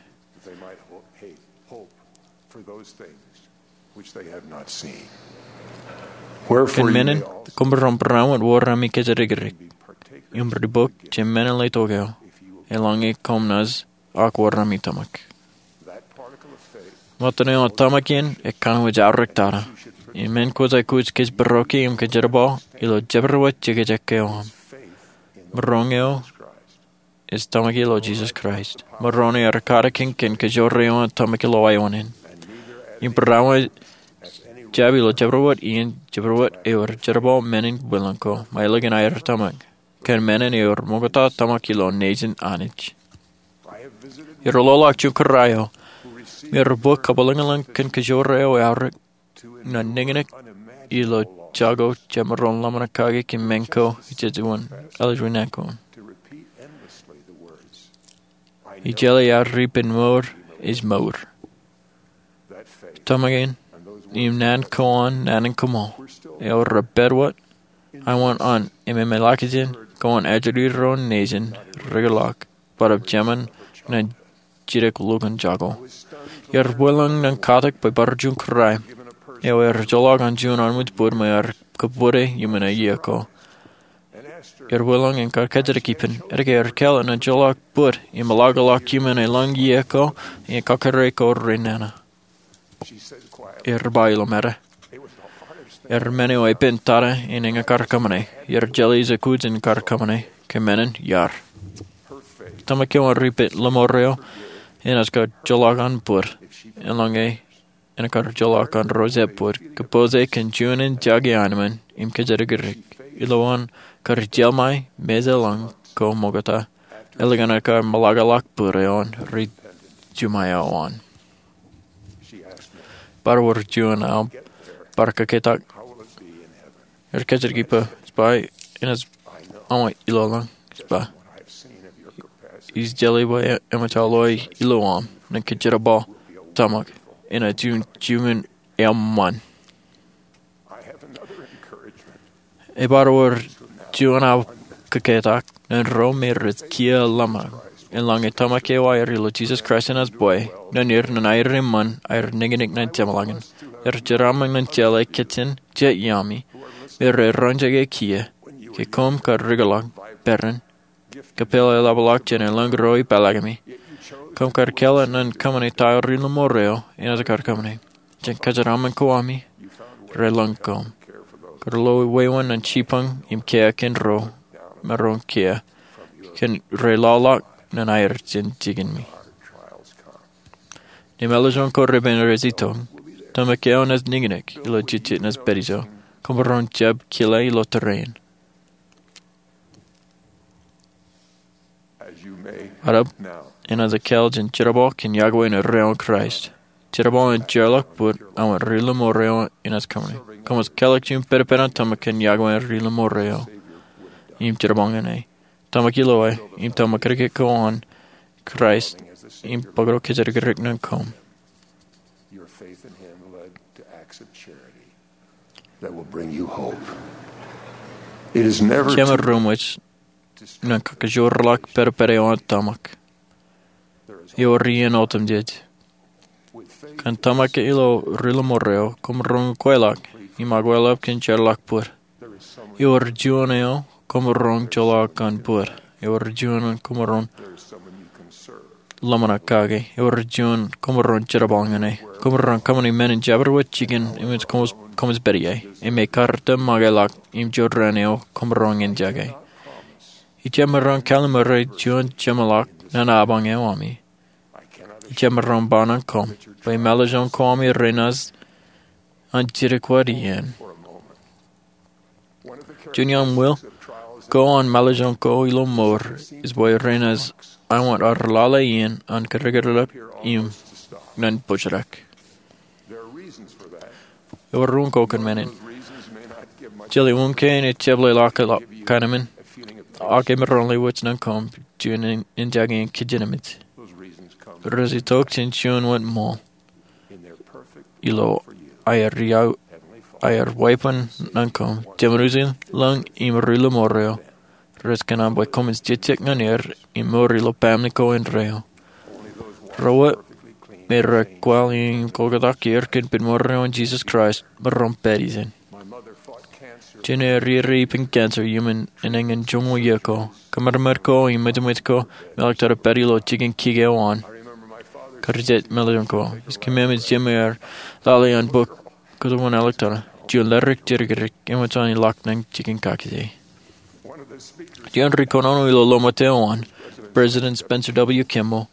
Kōn men in, koṃ maroñ barāinwōt wōr ami kōjatdikdik im ri-bōk je men ḷe tok eo, eḷaññe koṃ naaj ak wōr ami tōmak. Ṃōttan eo an tōmak in ekanooj aorōk tata. Im men kwōj aikuj kōj būroki im kōjerbal ilo jabdewōt jekjek eo aṃ. Maroñ eo ej tōmak ilo Jesus Christ. Moroni ear katakin kōn kajoor eo an tōmak ilo wāween in. Im barāinwōt jab ilo jabdewōt iien jabdewōt ewōr jerbal men in bwilōñ ko ṃōj ālikin aer tōmak. Kōn men in ewōr ṃoktata tōmak ilo nejin Anij. Ear loḷọk juon kōrā eo me ear bōk kabwilōñlōñ kōn kajoor eo aorōk ñan niñniñ ilo jako jemaroñ ḷōmṇak kake kōn men ko ejejjet wōt ālikin naan ko. Ij jeḷā aō ripen mour ej mour. Tōmak in im naan ko an naan in kaṃṃool eo rej pād wōt, āinwōt an ememej ḷọk jān ko an ajri ro nejin rikḷọk bōtab jemān ñan jidik lukkuun jako. Ear bwilōñ ñan katak bwe bar juon kōrā eo ear ejjeḷọk an juon armej bōd ṃōj ear kōbwidde iuṃwin iiō ko. Ear bwilōñ im kar kōjatdikdik ippān, etke ear kāālōt ñan ejjeḷọk bōd im ḷọkḷọk iuṃwin elōñ iiō ko im ekkakare ko renana. Ear ba ilo mate, ear men eo epen tata in eñin kar kōṃṃane. Ear jeḷā ej aikuj in kar kōṃṃane, kōn men in iar. Tōmak eo an ripen ḷōṃaro eo enaaj kar ejjeḷọk an bōd, eḷaññe en kar ejjeḷọk an ro jet bōd, kōpooj kōn juon in jake anemān im kōjatdikdik. Ilo an kar jeḷā ṃōj mejālōñ ko ṃokta, ālikin an kar ṃōḷakḷọk bōd eo an ri-juṃae eo an. Bar wōr juon aō bar kōkōtak. Ear kōjatdikdik bwe ej ba enaaj aṃ ilolōñ, ej ba. ij tōl bwe eṃōj aō loe ilo aṃ ñan kōjerbal tōmak enaaj juon juon eṃṃan. Ebar wōr juon aō kōketak ñan ro me rej kiiō ḷōmṇak. Eḷaññe tōmak eo aer ilo Jisōs Kraist enaaj bwe ñan er ñan aer eṃṃan aer nañinñok ñan jeṃḷọkin, er jeraaṃṃan ñan jeḷā kōttan jet iaami me rej roñjake kiiō. Ke koṃ kar rūkōḷọk, peran, kōpeḷḷọk eḷapḷọk jān elōñ ro ipālakimi, koṃ kar kāālōt ñan kōṃṃane ta eo ri-lōṃor eo enaaj kar kōṃṃane. Jān kōjeraaṃṃan ko ami, relōñ koṃ. Kar lo wāween ñan jibboñ im kiiō kōn ro maroñ kiiō kōn reḷọḷọk ñan aer jān jikin mi. Ñe mālōtlōt ko repen rej itok, tōmak eo enaaj nañinñok ilo jejjet enaaj pād ijo. Koṃ maroñ jab kile ilo tōre in. Arep, enaaj ekāāl jān jerbal kōn iakwe in erreo in Kraist. Jerbal in jeorḷọk bōd aṃ ri-lōṃor eo enaaj kōṃṃane. Koṃij kōḷḷọk juon pedped an tōmak kōn iakwe in ri-lōṃor eo im jerbal ñan e. Tōmak ilo e, im tōmak kōnke ko an Kraist, im bōktok kōjatdikdik ñan koṃ. Jema ruṃwij ñan kōkōjorḷọk pedped eo an tōmak. Ewōr iien otemjej. Kōn tōmak ilo ri-lōṃor eo, koṃ maroñ kweilọk im akwālep kōn jeorḷọk bōd. Ewōr juon eo koṃ maroñ joḷọk kōn bōd. Ewōr juon koṃ maroñ ḷōmṇak kake. Ewōr juon koṃ maroñ jerbal ñan e. Koṃ maroñ kōṃṃane men in jabdewōt jikin im koṃij pād ie. Im ekar tōmak ḷọk im jorrāān eo koṃ maroñ enjake. Ij jab maroñ kallimur juon jeṃḷọk ñan apañ eo ami. Ij jab maroñ ba ñan koṃ bwe mālōtlōt ko ami renaaj an jidik wōt iien. Juon iaan ṃwiil ko an mālōtlōt ko ilo mour ej bwe renaaj āinwōt ad lale iien an kōdikdilōk im ñan bōjrak. Ewōr ruo ko kōn men in. Jeḷā uñke en ej jab leḷọk kaṇe men, ak emaroñ lewōj ñan koṃ juon enjake in kijenmej. Rej itok jān juon wōt ṃool. Ilo aer iau, aer weeppān ñan koṃ, jeṃaanḷọk im ri-lōṃor eo, rej kōṇaan bwe koṃij jejjet ñan er im mour ilo pāāmni ko indeeo. Ro wōt me rej kwaḷ im koktak er kōn pād ṃōrro in Jisōs Kraist maroñ pād ijin. Jenaaj riiri ippān cancer iuṃwin enañin joñoul iiō ko. Kōṃadṃōd ko im ṃwijṃwij ko im āliktata pād ilo jikin kik eo an. Kar jejjet mālōtlōt ko. Ij kōṃṃan jemāer lale an bok Kōjwōn Āliktata. Juon ledik jidikdik eṃōj an ilọk ñan jikin kakije. Juon ri-kōnono ilo ḷōṃōt eo an, President Spencer W. Kimball,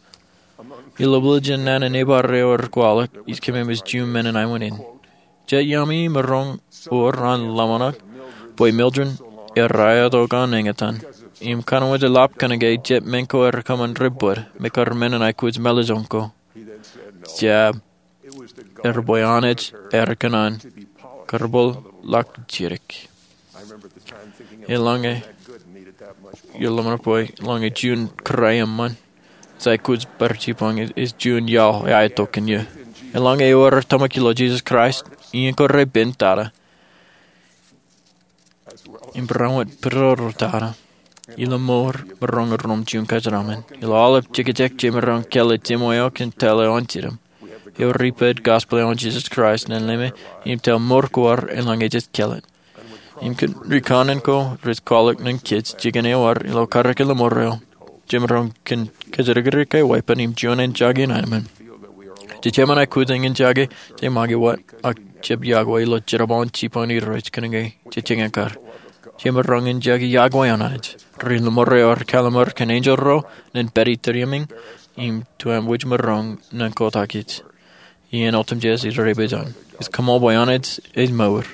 ilo bōlen naan in ebar eo ear kwaḷọk, ij kōṃṃan juon men in aenwōt in. Jet iaami maroñ wōr an ḷōmṇak bwe Mildred ear aetok an eñtaan im kōnwōj eḷap kōnke jet men ko ear kōṃṃan rej bōd me kar men in aikuj mālōtlōt ko. Jab, ear bwe Anij ear kōṇaan kar bōlen ḷọk jidik. Eḷaññe, eḷaññe juon kōrā eṃṃan ej aikuj bar jibboñ, ej juon iaḷ eaetok kōn eō. Eḷaññe ewōr tōmak ilo Jisōs Kraist, iien ko repen tata im barāinwōt pidorōk tata ilo mour, maroñ iroñ juon kōjeraaṃṃan. Ilo aolep jekjek jemaroñ kāālōt jeṃwe eo kōn tōl eo an jidim, ewōr ipād gospel eo an Jisōs Kraist ñan leme im tōl mour ko ad eḷaññe jej kāālōt. Im kōn ri-kōnnaan ko rej kwaḷọk ñan kōj jikin ewōr ilo karōk in ḷōṃor eo, jemaroñ kōn kōjatdikdik ke weeppān im juon enjake in aenōṃṃan. Jejjeṃṃan aikuj in enjake, jej make wōt, ak jab iọkwe ilo jerbal in jibboñ in Irooj kōnke jej jañin kar. Jemaroñ enjake iọkwe an Anij. Ri-lōṃor eo ear kallimur kōn enjeḷ ro ñan pād iturūṃṃan im tuṃwij maroñ ñan kotak eo. Iien otemjej ej repejan. Ij kaṃṃool bwe Anij ej mour,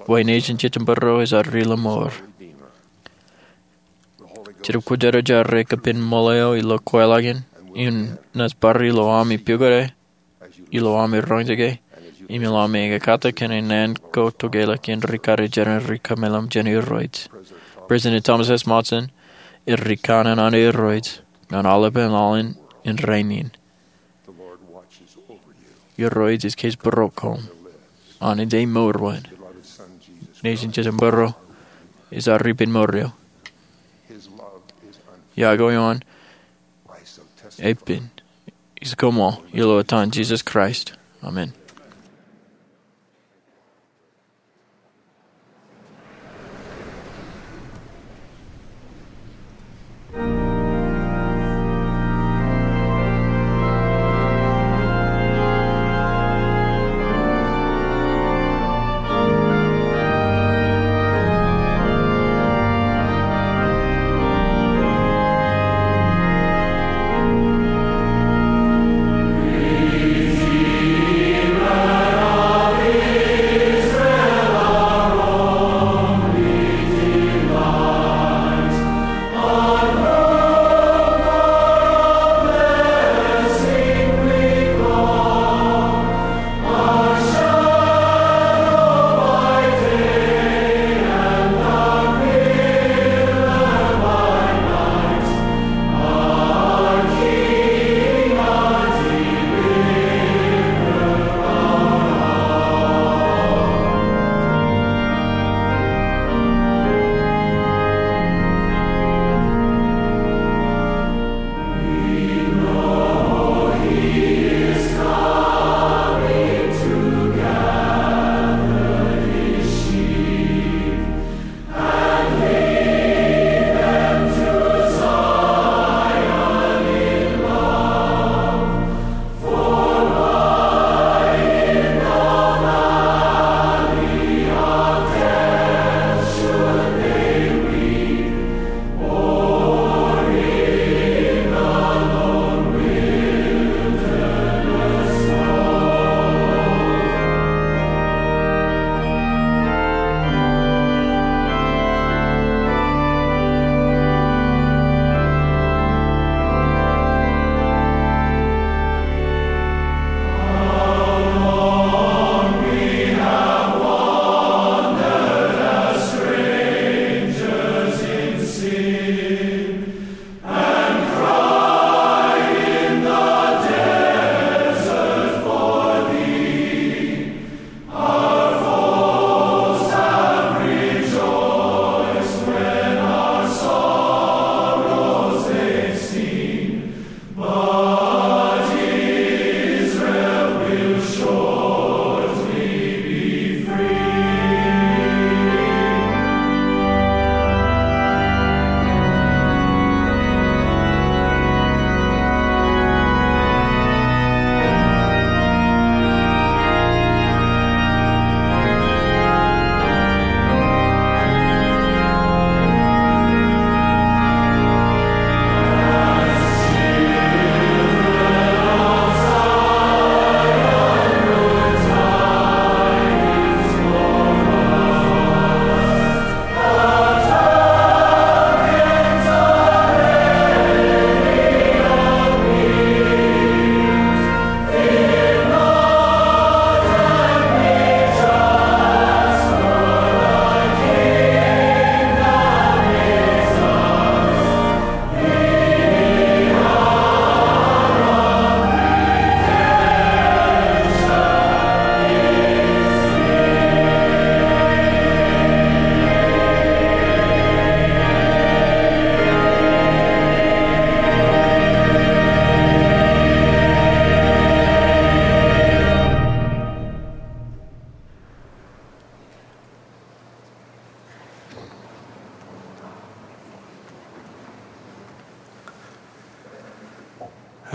bwe nejin jejjab būruo ej ad ri-lōṃor. Jetōb Kwōjarjar ej kapen ṃool eo ilo kweilọk in, im naaj bar ilo ami pukot e, ilo ami roñjake, im ilo ami ekkatak kōn naan ko tokālik in ri-karijeran ri-kameḷeḷe jān Irooj. President Thomas S. Monson, ri-kōnnaan an Irooj, ñan aolepān aolep in rainin. Irooj ej kōjparok koṃ an ej mour wōt. Nejin Jisōs ej mour eo. Iọkwe eo an epen ij koṃṃool ilo etan Jisōs Kraist, amen.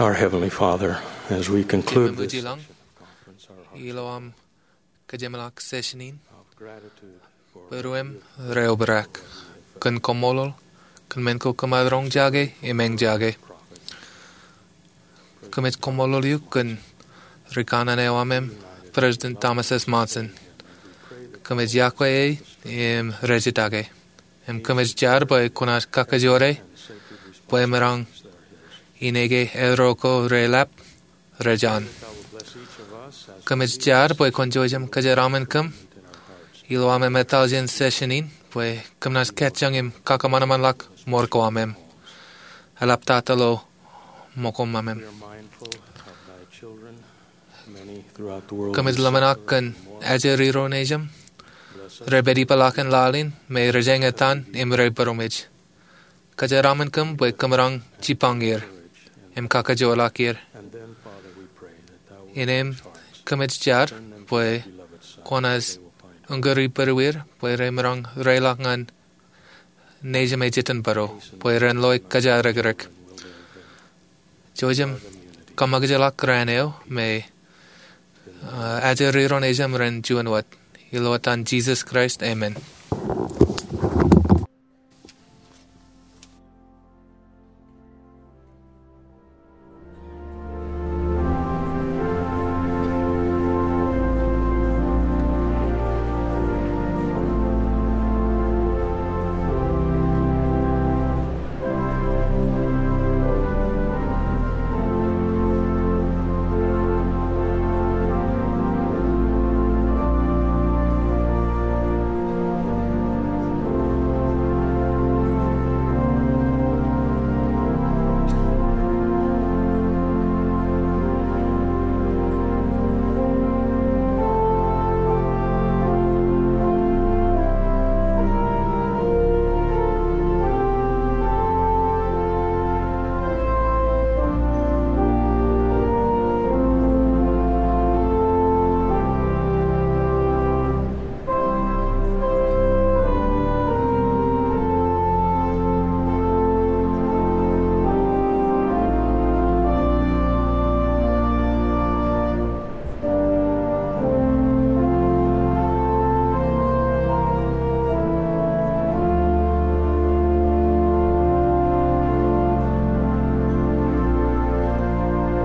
Our Heavenly Father, as we conclude this Ippān ilo aṃ ilo aṃ kōjeṃḷọk session in, bwe ruwām reobrak kōn koṃṃool kōn men ko kōm roñjake im eñjake. Kōmij koṃṃool eok kōn ri kanaan eo aṃ, President Thomas S. Monson. Kōmij iọkwe e im rejjitōk e. Im kōmij jar bwe kwōnaaj kakajoor e bwe eṃōj an ineke erro ko reḷap rej an. Kōmij jar bwe kwōn jouj im kōjeraaṃṃan kōm ilo aṃ etal jān session in bwe kōm naaj kajjioñ im kakōṃanṃanḷọk ṃool ko aṃ. eḷaptata ilo ṃōko ṃōṃ. Kōmij ḷōmṇak kōn ajri ro nejūṃ, rej pād ipeḷaakin laḷ in, me rej eñtaan im rej būroṃōj. Kōjeraaṃṃan kōm bwe kōm raṇ jipañ er im kakajoorḷọk er. Innām kōmij jar bwe kwōnaaj uñūri būrueir bwe remaroñ reiḷọk ñan nejūṃ ej itok bōro bwe ren loe kōjatdikdik. Jouj im kōṃṃakūtḷọk raan eo me, uh, ajri ro nejūṃ ren juon wōt. Ilo etan Jisōs Kraist, amen.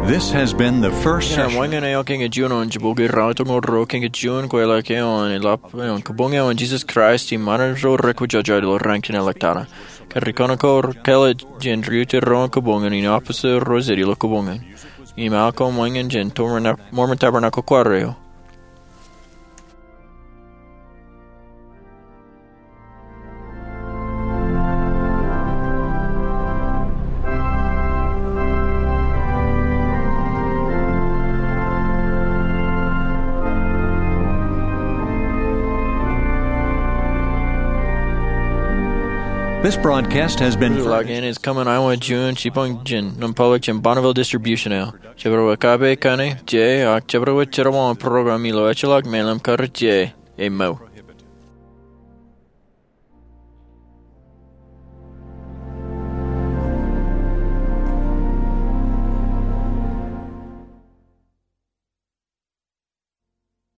This has been the first session. Ña wōnṃaanḷọk eo kiiō juon eo in jibukwi ratimro kiiō juon kweilọk eo an eḷap eo an kabuñ eo an Jisōs Kraist im Ṃaanḷọk ro rej kwōjarjar ilo raan kein ḷọk tata. Kōrā ri kōṇaan ko kōḷḷā jān ri-utiej ro an kabuñ in, in office ro jet ilo kabuñ in. Im aō ko ṃōñā jān Mormon Tabernacle Choir eo. This broadcast has been Ḷọk in ej kōṃṃan eo an juon jipañ jān nōṃba ḷọk jān Bonneville Distribution eo. Jabdewōt kape kaṇe, je, ak jabdewōt jerbal an program ilo ejjeḷọk me ḷōmṇak, je, ej mour.